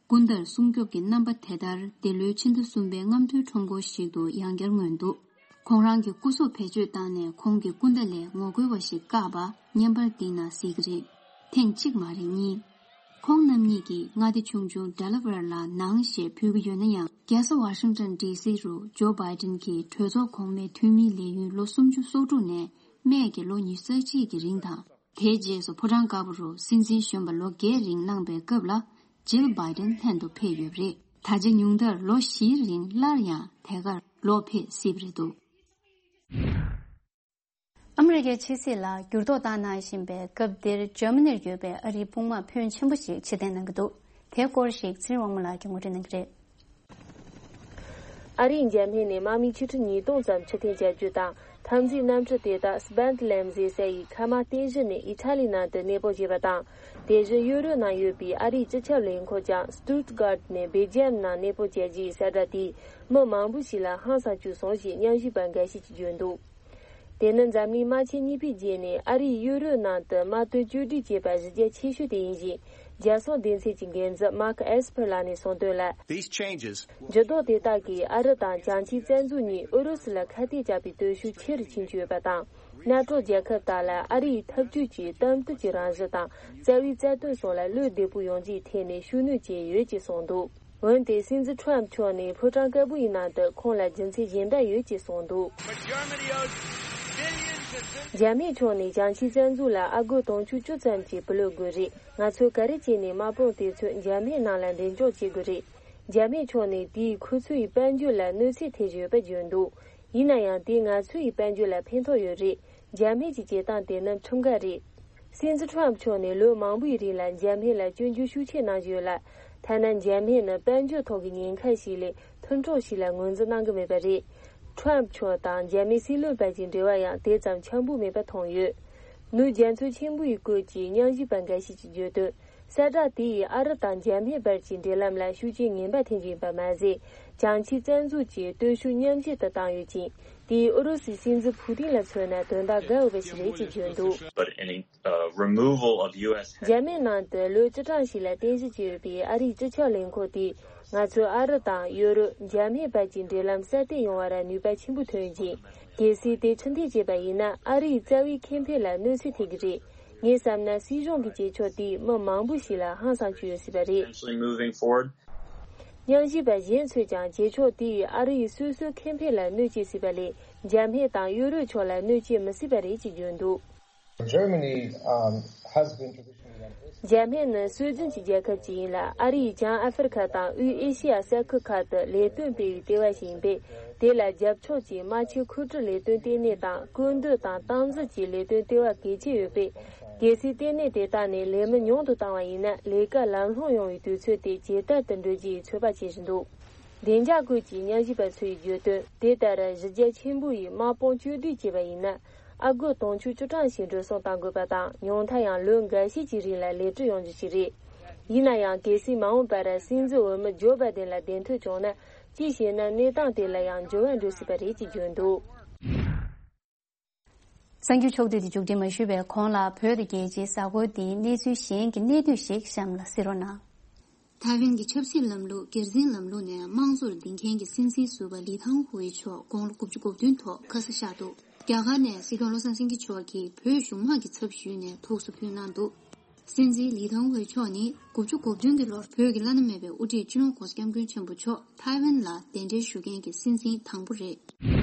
སྐུ་ཟླར་སྲུང་སྐྱོབ་ཀྱི་རྣམ་པ་དེ་ལྟར་འདི་ལོའི་ཕྱི་ཟླ་གསུམ་པའི་རྔམ་སྟོན་ཁྲོམ་སྐོར་ཞིག་ཏུ་ཡང་བསྐྱར་མངོན་འདུག་ཁོང་རང་གི་སྐུ་གཟུགས་བེད་སྤྱོད་བཏང་ནས་ཁོང་གི་སྐུ་ཟླ་ལས་ངོ་རྒོལ་བ་ཞིག་བཀག་པ་བརྙན་པར་འདི་ན་གཟིགས་ཀྱི་རེད། ཐེངས་གཅིག་མ་རེད་གཉིས། ཁོང་རྣམ་གཉིས་ཀྱིས་མངའ་སྡེ་ཆུང་ཆུང་ཌེ་ལ་ཝེར་ལ་ནང་ཞེས་འབོད་ཀྱི་ཡོད་ན་ཡང་། རྒྱལ་ས་ཝ་ཤིང་ཏོན་ཌི་སི་རུ་ཇོ་བྷའི་ཌེན་གྱིས་གྲོས་ཚོགས་གོང་མའི་འཐུས་མིའི་ལས་ཡུན་ལོ་སུམ་ཅུ་སོ་དྲུག་ནས་སྨད་ཀྱི་ལོ་ཉི་ཤུ་རྩ་གཅིག་གི་རིང་དང་། དེའི་རྗེས་སུ་ཕོ་བྲང་དཀར་པོ་རུ་སྲིད་འཛིན་གཞོན་པ་ལོ་བརྒྱད་རིང་གནང་པའི་སྐབས་ལ་ཇིལ་བྷའི་ཌེན་ལྷན་དུ་ཕེབས་ཡོད་པ་རེད། ད་ཆ་ཉུང་མཐར་ལོ་བཞིའི་རིང་སླར་ཡང་དེ་གར་ལོག་ཕེབས་སྲིད་པ་རེད་འདུག་ཨ་མི་རི་ཀའི་ཕྱི་སྲིད་ལ་འགྱུར་ལྡོག་བཏང་གནང་བཞིན་པའི་སྐབས་འདིར་འཇར་མ་ནིར་ཡོད་པའི་ཨ་རིའི་དཔུང་དམག་ཕོན་ཆེན་པོ་ཞིག་ཕྱིར་འཐེན་གནང་གི་འདུག་དེའི་སྐོར་ཞིག་ཚེ་རིང་དབང་མོ་ལགས་ཀྱིས་ངོ་སྤྲོད་གནང་གི་རེད། ཨ་རིའི་འཇར་མན་ནས་དམག་མི་ཆིག་ཁྲི་ཉིས་སྟོང་ཙམ་ཕྱིར་འཐེན་བྱ་རྒྱུ་དང་ འཐབ་འཛིང་གནམ་གྲུ་དེ་དག་སྦན་ལེམ་ཟེར་ས་ཡི་ཁ་མ་རྟེན་གཞི་ནས་ཨི་ཊ་ལི་ནང་དུ་གནས་སྤོ་བྱས་པ་དང་། དེ་བཞིན་ཡུ་རོབ་ནང་ཡོད་པའི་ཨ་རིའི་སྤྱི་ཁྱབ་ལས་འཁོར་ཀྱང་སྟུད་གྷར་ནས་སྦེལ་ཇམ་ནང་གནས་སྤོ་བྱས་རྗེས་གསལ་བསྒྲགས་དེས་མི་མང་པོ་ཞིག་ལ་ཧང་སང་བཅུག་སོང་ཞེས་མཉམ་ཞུགས་པ་འགའ་ཤས་ཀྱིས་བརྗོད་འདུག་དེ་ནི་འཛམ་གླིང་དམག་ཆེན་གཉིས་པའི་རྗེས་ནས་ཨ་རིས་ཡུ་རོབ་ནང་དུ་དམག་དོན་བཅོས་སྒྲིག་བྱས་པ་གཞི་རྒྱ་ཆེ་ཤོས་དེ་ཡིན་ཞིང་། རྒྱལ་སྲུང་སྡེ་ཚན་གྱི་འགན་འཛིན་མཱརྐ་ཨེས་ཕེར་ལགས་ནས་གསུངས་དོན་ལ། These changes འགྱུར་ལྡོག་དེ་དག་གིས་ཨ་རི་དང་བྱང་ཆིངས་རྩ་འཛུགས་གཉིས་ཨུ་རུ་སུ་ལ་ཁ་གཏད་བཅག་པའི་སྟོབས་ཤུགས་ཆེ་རུ་ཕྱིན་ཡོད་པ་དང་། ནེ་ཊོ་རྒྱལ་ཁབ་དག་ལ་ཨ་རིའི་འཐབ་ཇུས་ཀྱི་གཏམ་བསྟུན་གྱི་རང་བཞིན་དང་རྩ་བའི་རྩ་དོན་སོགས་ལ་བློ་བདེ་པོ་ཡོང་རྒྱུའི་ཐད་ནས་ཤུགས་སྣོན་བྱས་ཡོད་ཅེས་གསུངས་འདུག་འོན་ཏེ་སྲིད་འཛིན་ཁྲོམ་མཆོག་ནས་ཕོ་བྲང་དཀར་པོ་ཡི་ནང་དུ་ཁོང་ལ་རྒྱུ་མཚན་གཞན་པ་ཡོད་ཅེས་གསུངས་འདུག་འཇར་མན་ཕྱོགས་ནས་བྱང་ཆིངས་རྩ་འཛུགས་ལ་ཨ་སྒོར་དུང་ཕྱུར་བཅུ་ཙམ་གྱི་བུ་ལོན་དགོས་རེད། ང་ཚོས་ག་རེ་བྱས་ནས་དམག་དཔུང་དེ་ཚོ་འཇར་མན་ནང་ལ་འགྲེམས་འཇོག་བྱེད་དགོས་རེད། འཇར་མན་ཕྱོགས་ནས་དེས་ཁོ་ཚོའི་དཔལ་འབྱོར་ལ་གནོད་འཚེ་ཐེབས་ཡོད་པ་བརྗོད་འདུག་ཡིན་ན་ཡང་དེས་ང་ཚོའི་དཔལ་འབྱོར་ལ་ཕན་ཐོགས་ཡོད་རེད། འཇར་མན་གྱི་བྱེད་སྟངས་དེ་ནི་ཁྲིམས་འགལ་རེད། སྲིད་འཛིན་ཁྲོམ་མཆོག་ནས་ལོ་མང་པོའི་རིང་ལ་འཇར་མན་ལ་སྐྱོན་བརྗོད་ཤུགས་ཆེ་གནང་བཞིན་ཡོད་ལ། ཐ་ན་འཇར་མན་ནི་དཔལ་འབྱོར་ཐོག་གི་ཉེན་ཁ་ཞིག་ལས་མཐུན་གྲོགས་ཤིག་ལ་ངོས་འཛིན་གནང་གི་མེད་པ་རེད། ཁྲོམ་མཆོག་དང་འཇར་མན་སྲིད་བློན་བར་གྱི་འབྲེལ་བ་ཡང་དེ་ཙམ་འཆམ་པོ་མེད་པ་མཐོང་ཡོད། ནུབ་རྒྱ་མཚོ་ཆེན་པོའི་སྐོར་གྱི་མཉམ་ཞུགས་པ་འགའ་ཞིག་གིས་བརྗོད་དོན། གསལ་བསྒྲགས་དེས་ཨ་རི་དང་འཇར་མན་བར་གྱི་འབྲེལ་ལམ་ལ་ཤུགས་རྐྱེན་ངན་པ་ཐེབས་ཀྱི་ཡིན་པ་མ་ཟད། བྱང་ཆིངས་རྩ་འཛུགས་ཀྱི་སྟོབས་ཤུགས་ཉམས་ཞན་དུ་བཏང་ཡོད་ཅིང་། དེས་ཨུ་རུ་སུའི་སྲིད་འཛིན་ཕུ་ཏིན་ལ་མཚོན་ན་དོན་དག་དགའ་འོས་པ་ཞིག་རེད་ཅེས་བརྗོད་འདུག But any, uh, removal of U S འཇར་མན་ནང་དུ་ལོ་བཅུ་གྲངས་ཤིག་ལ་རྟེན་གཞི་བྱས་ཡོད་པའི་ཨ་རིའི་སྤྱི་ཁྱབ་ལས་འཁོར་དེས། ང་ཚོས་ཨ་རི་དང་ཡུ་རོབ། འཇར་མན་བར་གྱི་འབྲེལ་ལམ་སྲ་བརྟན་ཡོང་བར་ནུས་པ་ཆེན་པོ་ཐོན་ཡོད་ཅིང་། གལ་སྲིད་དེ་ཕྱིར་འཐེན་བྱས་པ་ཡིན་ན། ཨ་རིའི་རྩ་བའི་ཁེ་ཕན་ལ་གནོད་འཚེ་ཐེབས་ཀྱི་རེད། ངས་བསམ་ན་སྲིད་གཞུང་གི་བྱེད་ཕྱོགས་དེས་མི་མང་པོ་ཞིག་ལ་ཧང་སང་བཅུག་ཡོད་སྲིད་པ་རེད། Potentially moving forward. མཉམ་ཞུགས་པ་གཞན་ཚོས་ཀྱང་བྱེད་ཕྱོགས་དེས་ཨ་རིའི་སོ་སོའི་ཁེ་ཕན་ལ་གནོད་སྐྱེལ་སྲིད་པ་ལས། འཇར་མན་དང་ཡུ་རོབ་ཕྱོགས་ལ་གནོད་སྐྱེལ་མི་སྲིད་པ་རེད་ཅེས་བརྗོད་འདུག Germany, um, has been traditionally འཇར་མན་ནི་སྲོལ་རྒྱུན་གྱི་རྒྱལ་ཁབ་ཅིག་ཡིན་ལ། ཨ་རིས་བྱང་ཨ་ཧྥེ་རི་ཁ་དང་དབུས་ཨེ་ཤེ་ཡ་ས་ཁུལ་ཁག་ཏུ་ལས་དོན་སྤེལ་བའི་ལྟེ་བ་ཞིག་ཡིན་པས། དེ་ལ་རྒྱབ་ཕྱོགས་ཀྱི་དམག་ཆས་མཁོ་སྤྲོད་ལས་དོན་ལྟེ་གནས་དང་། བཀོད་འདོམས་དང་སྟངས་འཛིན་གྱི་ལས་དོན་ལྟེ་བ་གལ་ཆེ་ཡོད་པས། གལ་སྲིད་ལྟེ་གནས་དེ་དག་ནས་ལས་མི་ཉུང་དུ་བཏང་བ་ཡིན་ན། ལས་ཀ་ལམ་ལྷོང་ཡོང་བའི་དུས་ཚོད་དེ་ཇེ་དལ་དུ་འགྲོ་རྒྱུའི་ཚོད་དཔག་བྱེད་བཞིན་འདུག་བདེ་འཇགས་ཁུལ་གྱི་མཉམ་ཞུགས་པ་ཚོས་བརྗོད་དོན། དེ་ལྟར་གཞི་རྒྱ་ཆེན་པོ་ཡི་དམག་དཔུང་བཅོས་སྒྲིག་བྱས་པ་ཡིན་ན། ཨ་སྒོར་དུང་ཕྱུར་བཅུ་གྲངས་ཤིག་འགྲོ་སོང་གཏང་དགོས་པ་དང་། ཉུང་མཐའ་ཡང་ལོ་འགའ་ཤས་ཀྱི་རིང་ལ་ལས་སྒྲུབ་ཡོང་རྒྱུ་ཞིག་རེད། ཡིན་ན་ཡང་། གལ་སྲིད་མ་འོངས་པར་སྲིད་འཛིན་འོས་མི་ཇོ་བྷའི་ཏིན་ལ་གདན་ཐོན་བྱུང་ན། ཅིའི་ཕྱིར་ན་གནས་སྟངས་དེ་ལ་ཡང་འགྱུར་བ་འགྲོ་སྲིད་པ་རེད་ཅེས་བརྗོད་འདུག་གསར་འགྱུར་ཕྱོགས་བསྡུས་དེ་མཇུག་སྒྲིལ་མ་ཞུས་པའི་གོང་ལ། བོད་དང་རྒྱལ་སྤྱིའི་གཟའ་འཁོར་འདིའི་གནས་ཚུལ་གཞན་གྱི་གནད་བསྡུས་ཤིག་གཤམ་ལ་གསན་རོགས་གནང་། ཐའེ་ཝན་གྱི་ཆབ་སྲིད་ལམ་ལུགས། སྒེར་འཛིན་ལམ་ལུགས་ནས་དམངས་གཙོར་འདིང་མཁན་གྱི་སྲིད་འཛིན་ཟུར་པ་ལི་ཐང་ཧུའེ་མཆོག་དགུང་ལོ་དགུ་བཅུ་གོ་བདུན་ཐོག་ཁ་ས་བཞག་འདུག་རྒྱ་གར་ནས་སྲིད་སྐྱོང་བློ་བཟང་སེང་གེ་མཆོག་གིས་བོད་གཞུང་དམངས་ཀྱི་ཚབ་ཞུས་ནས་ཐུགས་གསོ་ཕུལ་གནང་འདུག་སྲིད་འཛིན་ལི་ཐང་ཧུའེ་མཆོག་ནི་དགུ་བཅུ་གོ་བདུན་གྱི་ལོར་བོད་ཀྱི་བླ་ན་མེད་པའི་དབུ་ཁྲིད་སྤྱི་ནོར་༧གོང་ས་༧སྐྱབས་མགོན་ཆེན་པོ་མཆོག་ཐའེ་ཝན་ལ་གདན་འདྲེན་ཞུ་མཁན་གྱི་སྲིད་འཛིན་དང་པོ་རེད།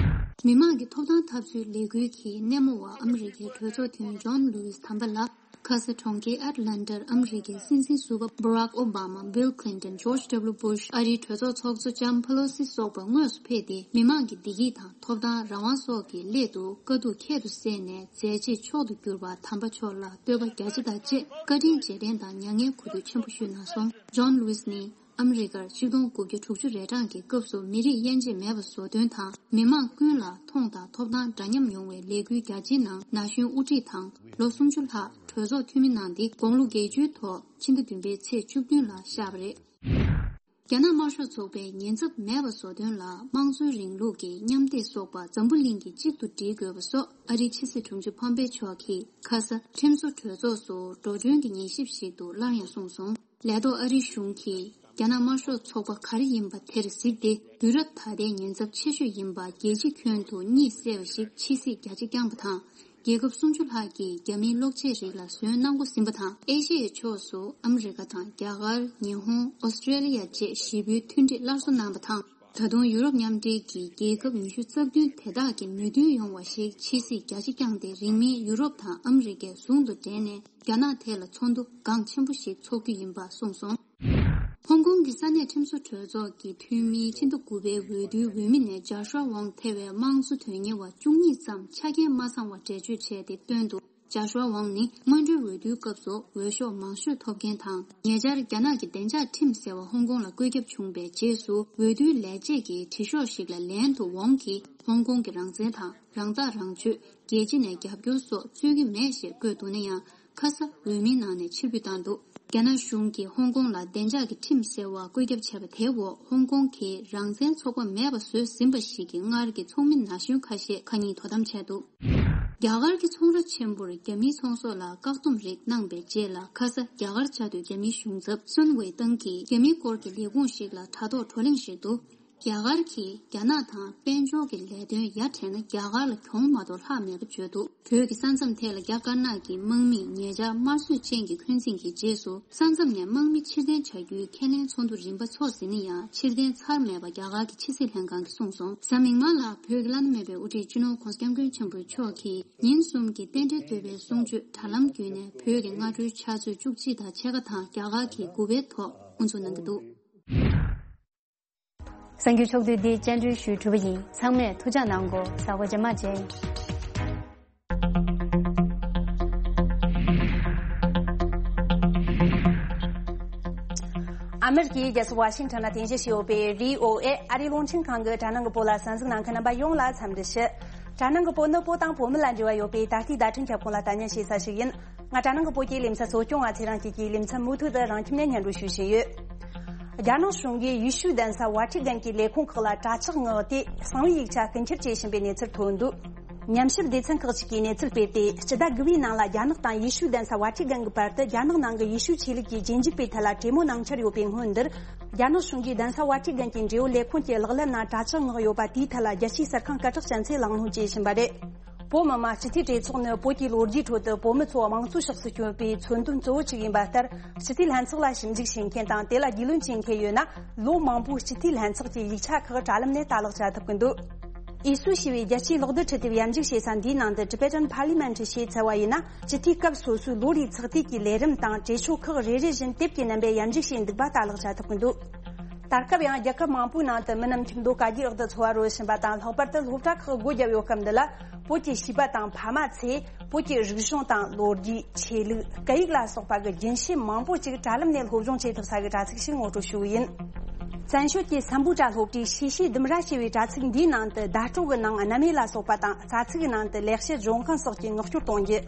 མི་དམངས་ཀྱི་ཐོབ་ཐང་འཐབ་རྩོད་ལས་འགུལ་གྱི་སྣེ་མོ་བ་ཨ་མི་རི་ཀའི་གྲོས་ཚོགས་འཐུས་མི་ཇོན་ལུའུ་ཨིས་དམ་པ་ལགས། ཁ་ས་གྲོང་ཁྱེར་ཨེཊ་ལན་ཊར་ཨ་མི་རི་ཀའི་སྲིད་འཛིན་ཟུར་པ་Barack Obama, Bill Clinton, George W Bush, ཨ་རིའི་གྲོས་ཚོགས་ཚོགས་གཙོ་ལྕམ་Pelosi སོགས་པ་དངོས་སུ་ཕེབས་ཏེ། མི་དམངས་ཀྱི་བདེ་སྐྱིད་དང་ཐོབ་ཐང་རང་དབང་སོགས་ཀྱི་སླད་དུ་དཀའ་སྡུག་ཁྱད་དུ་བསད་ནས་མཛད་རྗེས་མཆོག་ཏུ་གྱུར་པ་དམ་པ་མཆོག་ལ་བསྟོད་པ་རྒྱ་ཆེ་དང་བཅས་བཀའ་དྲིན་རྗེས་དྲན་དང་མྱ་ངན་གུས་འདུད་ཆེན་པོ་ཞུས་གནང་སོང་། ཇོན་ལུའུ་ཨིས་ནི་ཨ་མི་རི་ཀར་ཆིག་སྟོང་དགུ་བརྒྱ་དྲུག་ཅུ་རེ་གྲངས་ཀྱི་སྐབས་སུ་མི་རིགས་དབྱེ་འབྱེད་མེད་པ་བཟོ་དོན་དང་། མི་དམངས་ཀུན་ལ་མཐོང་དང་ཐོབ་ཐང་འདྲ་མཉམ་ཡོང་བའི་ལས་འགུལ་རྒྱ་ཆེའི་ནང་ན་གཞོན་དབུ་ཁྲིད་དང་། ལོ་སུམ་ཅུ་ལྷག་གྲོས་ཚོགས་འཐུས་མི་གནང་སྟེ། དགུང་ལོ་བརྒྱད་ཅུའི་ཐོག་ཕྱི་ཟླ་བདུན་པའི་ཚེས་བཅུ་བདུན་ལ་གཤེགས་པ་རེད། རྒྱ་ནག་དམར་ཤོག་ཚོགས་པའི་ཉེན་ཚབས་མེད་པ་བཟོ་དོན་ལ། དམངས་གཙོའི་རིང་ལུགས་ཀྱི་མཉམ་སྡེབ་སོགས་པ་འཛམ་བུ་གླིང་གིས་གཅིག་ཏུ་སྒྲིལ་དགོས་པ་སོགས། ཨ་རིའི་ཕྱི་སྲིད་དྲུང་ཆེ་ཕོམ་པེ་མཆོག་གིས་ཁ་ས་ཁྲིམས་བཟོ་གྲོས་ཚོགས་སུ་འགྲོ་གྲོན་གྱི་ཉན་ཞིབ་ཞིག་ཏུ་སླར་ཡང་གསུངས་སོང་། ལས་ཐོག་ཨ་རིའི་གཞུང་གིས་རྒྱ་ནག་དམར་ཤོག་ཚོགས་པ་ག་རེ་ཡིན་པ་དེར་གཟིགས་ཏེ། དུས་རབས་ད་ལྟའི་ཉེན་ཚབས་ཆེ་ཤོས་ཡིན་པ་རྒྱལ་སྤྱིའི་ཁྱོན་དུ་གཉིད་སད་པ་ཞིག་ཕྱི་གཟིགས་རྒྱ་ཆེ་བསྐྱངས་པ་དང་། རྒྱལ་ཁབ་སུམ་ཅུ་ལྷག་གིས་རྒྱ་མིའི་གློག་ཆས་རིགས་ལ་ཟོན་གནང་འགོ་ཟིན་པ་དང་། ཨེ་ཤེ་ཡའི་ཕྱོགས་སུ་ཨ་མི་རི་ཀ་དང་རྒྱ་གར། ཉི་ཧོང་། ཨོ་སི་ཀྲེ་ལི་ཡ་བཅས་བཞི་པོའི་མཐུན་སྒྲིལ་སླར་གསོ་གནང་པ་དང་། ད་དུང་ཡུ་རོབ་མཉམ་འབྲེལ་གྱི་རྒྱལ་ཁབ་ཉི་ཤུ་རྩ་བདུན་དེ་དག་གི་མོས་མཐུན་ཡོང་བ་ཞིག་ཕྱི་གཟིགས་རྒྱ་ཆེ་བསྐྱངས་ཏེ། རིང་མིན་ཡུ་རོབ་དང་ཨ་མི་རི་ཀས་ཟུང་དུ་འབྲེལ་ནས་རྒྱ་ནག་ཐད་ལ་ཚོགས་འདུ་འགངས་ཆེན་པོ་ཞིག་འཚོགས་རྒྱུ་ཡིན་པ་གསུངས་སོང་། ཧོང་ཀོང་གི་ས་གནས་ཁྲིམས་བཟོ་གྲོས་ཚོགས་ཀྱི་འཐུས་མིའི་ཕྱི་ཟླ་དགུ་པའི་འོས་བསྡུའི་འོས་མི་ནས་ཇཱ་ཤུ་ཝ་ཝང་ཐེ་བའི་དམངས་གཙོ་དོན་གཉེར་བ་བཅུ་གཉིས་ཙམ་ཆ་རྐྱེན་མ་ཚང་བ་འགྲེལ་བརྗོད་བྱས་ཏེ། སྟོན་དུ་ ཅཱ་ཤུའ་ཝང་ནི་སྔོན་འགྲོའི་འོས་བསྡུའི་སྐབས་སུ་འོས་ཤོག་མང་ཤོས་ཐོབ་མཁན་དང་། ཉེ་ཆར་རྒྱ་ནག་གི་བདེ་འཇགས་ཁྲིམས་ཟེར་བ་ཧོང་ཀོང་ལ་བཀོད་ཁྱབ་བྱུང་བའི་རྗེས་སུ་འོས་བསྡུའི་ལས་བྱེད་ཀྱི་དྲི་ཤོག་ཞིག་ལ་ལན་དུ་ཝང་གིས་ཧོང་ཀོང་གི་རང་བཙན་དང་། རང་ཐག་རང་གཅོད། རྒྱལ་སྤྱི་ནས་རྒྱབ་སྐྱོར་སོགས་རྩོད་ཀྱི་མེད་ཞེས་བཀོད་འདུག་ན་ཡང་། ཁ་ས་འོས་མིའི་ནང་ནས་ཕྱིར་འབུད་བཏང་འདུག་རྒྱ་ནག་གཞུང་གིས་ཧོང་ཀོང་ལ་བདེ་འཇགས་ཀྱི་ཁྲིམས་ཟེར་བ་བཀོད་ཁྱབ་བྱས་པ་དེའི་འོག་ཧོང་ཀོང་གིས་རང་བཙན་ཚོགས་པ་མེད་པ་བཟོས་ཟིན་པ་ཞིག་གི་སྔར་གྱི་ཚོགས་མི་ན་གཞོན་ཁ་ཤས་ཁ་ཉིན་དོ་དམ་བྱས་འདུག་རྒྱ་གར་གྱི་ཚོང་ར་ཆེན་པོར་རྒྱ་མིའི་ཚོང་ཟོག་ལ་བཀག་སྡོམ་རིགས་གནང་པའི་རྗེས་ལ། ཁ་ས་རྒྱ་གར་བཅའ་སྡོད་རྒྱ་མིའི་གཞུང་ཚབ་སུན་ཝེ་ཏང་གིས་རྒྱ་མིའི་སྐོར་གྱི་ལས་ཁུངས་ཤིག་ལ་དྲ་ཐོག་བགྲོ་གླེང་ཞིག་ཏུ། རྒྱ་གར་གྱིས་རྒྱ་ནག་དང་དཔལ་འབྱོར་གྱི་ལས་དོན་ཡ་བྲལ་ན་རྒྱ་གར་ལ་གྱོང་མ་གཏོགས་ལྷག་མེད་པ་བརྗོད་འདུག་བོད་ཀྱི་ས་མཚམས་ཐད་ལ་རྒྱ་དཀར་ནག་གི་དམག་མིས་ཉེ་ཆར་དམར་གསོད་ཅན་གྱི་འཁོན་འཛིན་གྱི་རྗེས་སུ། ས་མཚམས་ནས་དམག་མི་ཕྱིར་འཐེན་བྱ་རྒྱུའི་ཁས་ལེན་ཚོགས་འདུ་རིམ་པ་འཚོགས་ཟིན་ན་ཡང་། ཕྱིར་འཐེན་ཚར་མེད་པ་རྒྱ་གར་གྱི་ཕྱི་སྲིད་ལྷན་ཁང་གིས་གསུངས་སོང་། གཟའ་མིག་དམར་ལ་བོད་ཀྱི་བླ་ན་མེད་པའི་དབུ་ཁྲིད་སྤྱི་ནོར་༧གོང་ས་༧སྐྱབས་མགོན་ཆེན་པོ་མཆོག་གིས་ཉིན་གསུམ་གྱི་རྟེན་འབྲེལ་དོད་པའི་གསུང་ཆོས་དྲ་ལམ་བརྒྱུད་ནས་བོད་ཀྱི་སྔ་དྲོའི་ཕྱག་ཚོད་བཅུ་གཅིག་དང་ཕྱེད་ཀ་དང་རྒྱ་གར་གྱི་དགུ་པའི་ཐོག་དབུ་འཛུགས་གནང་གི་འདུག་གསར་འགྱུར་ཕྱོགས་བསྡུས་འདི་བཅར་འདྲི་ཞུས་གྲུབ་པ་ཡིན། ཚང་མས་ཐུགས་ཅག་གནང་གོ། གཟའ་འཁོར་རྗེས་མ་མཇལ། ཨ་མེ་རི་ཀའི་རྒྱལ་ས་ཝ་ཤིང་ཊོན་ལ་རྟེན་གཞི་བྱས་ཡོད་པའི་བྷི་ཨོ་ཨེ་ཨ་རིའི་རླུང་འཕྲིན་ཁང་གི་དྲ་ནང་གི་བོད་ལ་གསན་གཟིགས་གནང་མཁན་རྣམ་པ་ཡོངས་ལ་འཚམས་འདྲི་ཞུ། དྲ་ནང་གི་བོད་ནི་བོད་དང་བོད་མི་ལ་འབྲེལ་བ་ཡོད་པའི་ད་ལྟའི་བརྡ་འཕྲིན་ཁྱབ་ཁོངས་ལ་བརྡ་ཉན་བྱེད་ས་ཞིག་ཡིན། ང་དྲ་ནང་གི་བོད་ཀྱི་ལེ་ཚན་གཙོ་སྐྱོང་བ་ཚེ་རིང་སྐྱིད་ཀྱིས་ལེ་ཚན་མུ་མཐུད་དུ་རང་ཁྱིམ་ནས་སྙན་སྒྲོན་ཞུ་བཞིན་ཡོད། རྒྱ་ནག་གཞུང་གིས་ཡེ་ཤུའི་གདན་ས་ཝ་ཊི་ཀན་གྱི་ལས་ཁུངས་ཁག་ལ་དྲ་ཇག་མངགས་ཏེ་གསང་བའི་ཡིག་ཆ་རྐུ་འཁྱེར་བྱེད་བཞིན་པའི་གནས་ཚུལ་ཐོན་འདུག་ཉམས་ཞིབ་སྡེ་ཚན་ཁག་ཅིག་གིས་གནས་ཚུལ་སྤེལ་ཏེ། སྤྱི་ཟླ་དགུ་པའི་ནང་ལ་རྒྱ་ནག་དང་ཡེ་ཤུའི་གདན་ས་ཝ་ཊི་ཀན་གྱི་བར་དུ་རྒྱ་ནག་ནང་གི་ཡེ་ཤུའི་ཆོས་ལུགས་ཀྱི་རྗེས་འཇུག་པའི་ཐད་ལ་གྲོས་མོལ་གནང་འཆར་ཡོད་པའི་སྔོན་འདིར། རྒྱ་ནག་གཞུང་གིས་གདན་ས་ཝ་ཊི་ཀན་གྱི་འབྲེལ་ཡོད་ལས་ཁུངས་ཀྱི་གློག་ཀླད་ནང་དྲ་ཇག་མངགས་ཡོད་པ་དེའི་ཐད་ལ་རྒྱལ་སྤྱིའི་གསར་ཁང་སྐད་གྲགས་ཅན་ཚོས་གླེང་སློང་བྱེད་བཞིན་པ་རེད། བོད་མི་མང་སྤྱི་འཐུས་གྲོས་ཚོགས་ནི་བོད་ཀྱི་ལོ་རྒྱུས་ཁྲོད་དུ་བོད་མི་ཚོ་དམངས་གཙོའི་ཕྱོགས་སུ་བསྐྱོད་པའི་མཚོན་དོན་གཙོ་བོ་གཅིག་ཡིན་པ་ལྟར། སྤྱི་འཐུས་ལྷན་ཚོགས་ལ་ཞིབ་འཇུག་བྱེད་མཁན་དང་དེ་ལ་རྒྱུས་ལོན་བྱེད་མཁན་ཡོད་ན། ལོ་མང་པོའི་སྤྱི་འཐུས་ལྷན་ཚོགས་ཀྱི་ཡིག་ཆ་ཁག་དྲ་ལམ་ནས་ལྟ་ཀློག་བྱ་ཐུབ་ཀྱི་འདུག་ཨེ་སུ་ཞེས་པའི་རྒྱལ་སྤྱིའི་གློག་རྡུལ་འཕྲུལ་དེབ་ཡར་འཇུག་བྱེད་ས་འདིའི་ནང་དུ་Tibetan Parliament ཞེས་བཙལ་བ་ཡིན་ན། སྤྱི་འཐུས་སྐབས་སོ་སོའི་ལོ་རེའི་ཚགས་དུས་ཀྱི་ལས་རིམ་དང་གྲོས་ཆོད་ཁག་རེ་རེ་བཞིན་དེབ་ཀྱི་རྣམ་པས་ཡར་འཇུག་བྱས་འདུག་པ་ལྟ་ཀློག་བྱ་ཐུབ་ཀྱི་འདུག་ད་སྐབས་ཡང་རྒྱལ་ཁབ་མང་པོའི་ནང་དུ་མི་རྣམས་ཁྱིམ་སྡོད་ག་རྒྱའི་འོག་ཏུ་འཚོ་བ་རོལ་བཞིན་པ་དང་། ལྷག་པར་དུ་སློབ་གྲྭ་ཁག་སྒོ་བརྒྱབ་ཡོད་སྐབས་འདི་ལ། བོད་ཀྱི་བྱིས་པ་དང་ཕ་མ་ཚོས་བོད་ཀྱི་རིག་གཞུང་དང་ལོ་རྒྱུས། ཆོས་ལུགས། སྐད་ཡིག་ལ་སོགས་པ་གི་རྒྱུན་ཤེས་མང་པོ་ཅིག་དྲ་ལམ་ནས་སློབ་སྦྱོང་བྱེད་ཐུབ་ས་གི་དྲ་ཚིགས་ཤིག་ངོ་སྤྲོད་ཞུ་གི་ཡིན། བཙན་བྱོལ་གྱི་སམ་བྷོ་ཊ་སློབ་གྲྭའི་ཤེས་བྱའི་ལྡུམ་ར་ཞེས་པའི་དྲ་ཚིགས་འདིའི་ནང་དུ་བརྡ་སྤྲོད་ཀྱི་ནང་རྣམ་དབྱེ་ལ་སོགས་པ་དང་། རྩ་ཚིག་གི་ནང་དུ་ལེགས་བཤད་ལྗོན་དབང་སོགས་ཀྱི་ངག་སྐྱོར་གཏོང་རྒྱུ།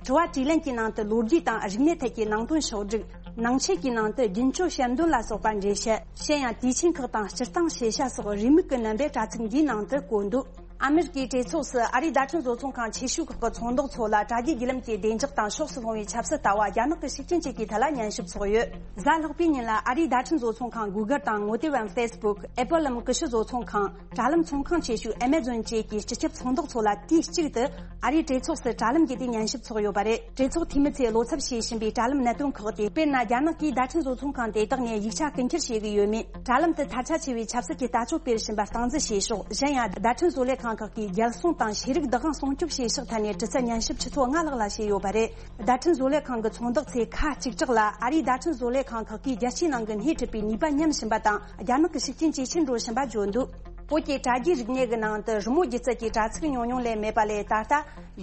དྲི་བ་དྲིས་ལན་གྱི་ནང་དུ་ལོ་རྒྱུས་དང་རིག་གནས་ཐད་ཀྱི་ནང་དོན་ཕྱོགས་བསྒྲིགས། ནང་ཆོས་ཀྱི་ནང་དུ་རྒྱུན་སྤྱོད་བཤད་འདོན་ལ་སོགས་པ་འགྲེལ་བཤད། གཞན་ཡང་དུས་ཆེན་ཁག་དང་སྤྱིར་བཏང་ཤེས་བྱ་སོགས་རེའུ་མིག་གི་རྣམ་པས་དྲ་ཚིགས་འདིའི་ནང་དུ་བཀོད་འདུག་ཨ་མེ་རི་ཀའི་གྲོས་ཚོགས་སུ་ཨ་རིའི་བརྡ་འཕྲིན་བཟོ་ཚོང་ཁང་ཆེ་ཤོས་ཁག་གི་ཚོང་བདག་ཚོ་ལ་དྲ་རྒྱའི་བརྒྱུད་ལམ་གྱི་བདེ་འཇགས་དང་ཕྱོགས་སུ་ལྷུང་བའི་ཆབ་སྲིད་ལྟ་བ། རྒྱ་ནག་གི་ཤུགས་རྐྱེན་བཅས་ཀྱི་ཐད་ལ་ཉན་ཞིབ་ཚོགས་ཡོད། གཟའ་ལྷག་པའི་ཉིན་ལ་ཨ་རིའི་བརྡ་འཕྲིན་བཟོ་ཚོང་ཁང་Google དང་ངོ་དེབ་བམ་Facebook། Apple འམ་ཀུ་ཤུ་བཟོ་ཚོང་ཁང་། དྲ་ལམ་ཚོང་ཁང་ཆེ་ཤོས་Amazon བཅས་ཀྱི་སྤྱི་ཁྱབ་ཚོང་བདག་ཚོ་ལ་དུས་གཅིག་ཏུ་ཨ་རིའི་གྲོས་ཚོགས་སུ་དྲ་ལམ་བརྒྱུད་དེ་ཉན་ཞིབ་ཚོགས་ཡོད་པ་རེད། གྲོས་ཚོགས་འཐུས་མི་ཚོས་བློ་འཚབ་བྱེད་བཞིན་པའི་དྲ་ལམ་གནད་དོན་ཁག་སྟེ། དཔེར་ན། རྒྱ་ནག་གིས་བརྡ་འཕྲིན་བཟོ་ཚོང་ཁང་དེ་དག་ནས་ཡིག་ཆ་རྐུ་འཁྱེར་བྱེད་ཀྱི་ཡོད་མེད། དྲ་ལམ་དུ་ཐལ་ཆ་ཆེ་བའི་ཆབ་སྲིད་ཀྱི་ལྟ་སྤྱོད་སྤེལ་བཞིན་པ་སྟངས་འཛིན་བྱེད་ཕྱོགས། གཞན་ཡང་། བརྡ་འཕྲིན་བཟོ་ལས་ཁང་ཁག་གིས་རྒྱལ་སྲུང་དང་ཤེས་རིག་བདག་དབང་སྲུང་སྐྱོབ་བྱེད་ཕྱོགས་ཐད་ནས་དྲི་རྩད་ཉན་ཞིབ་ཆུ་ཚོད་ལྔ་ལྷག་ལ་བྱས་ཡོད་པ་རེད། བརྡ་འཕྲིན་བཟོ་ལས་ཁང་གི་ཚོང་བདག་ཚོས་ཁ་གཅིག་གྲགས་ལ་ཨ་རིའི་བརྡ་འཕྲིན་བཟོ་ལས་ཁང་ཁག་གིས་རྒྱལ་སྤྱིའི་ནང་གི་སྣེ་ཁྲིད་པའི་ནུས་པ་ཉམས་བཞིན་པ་དང་། རྒྱ་ནག་གི་ཤུགས་རྐྱེན་ཇེ་ཆེར་འགྲོ་བཞིན་པ་བརྗོད་འདུག་བོད་ཀྱི་དྲ་རྒྱའི་རིག་གནས་ཀྱི་ནང་དུ་རི་མོ་སྒྱུ་རྩལ་གྱི་དྲ་ཚིགས་ཉུང་ཉུང་ལས་མེད་པ་ལས། ད་ལྟ་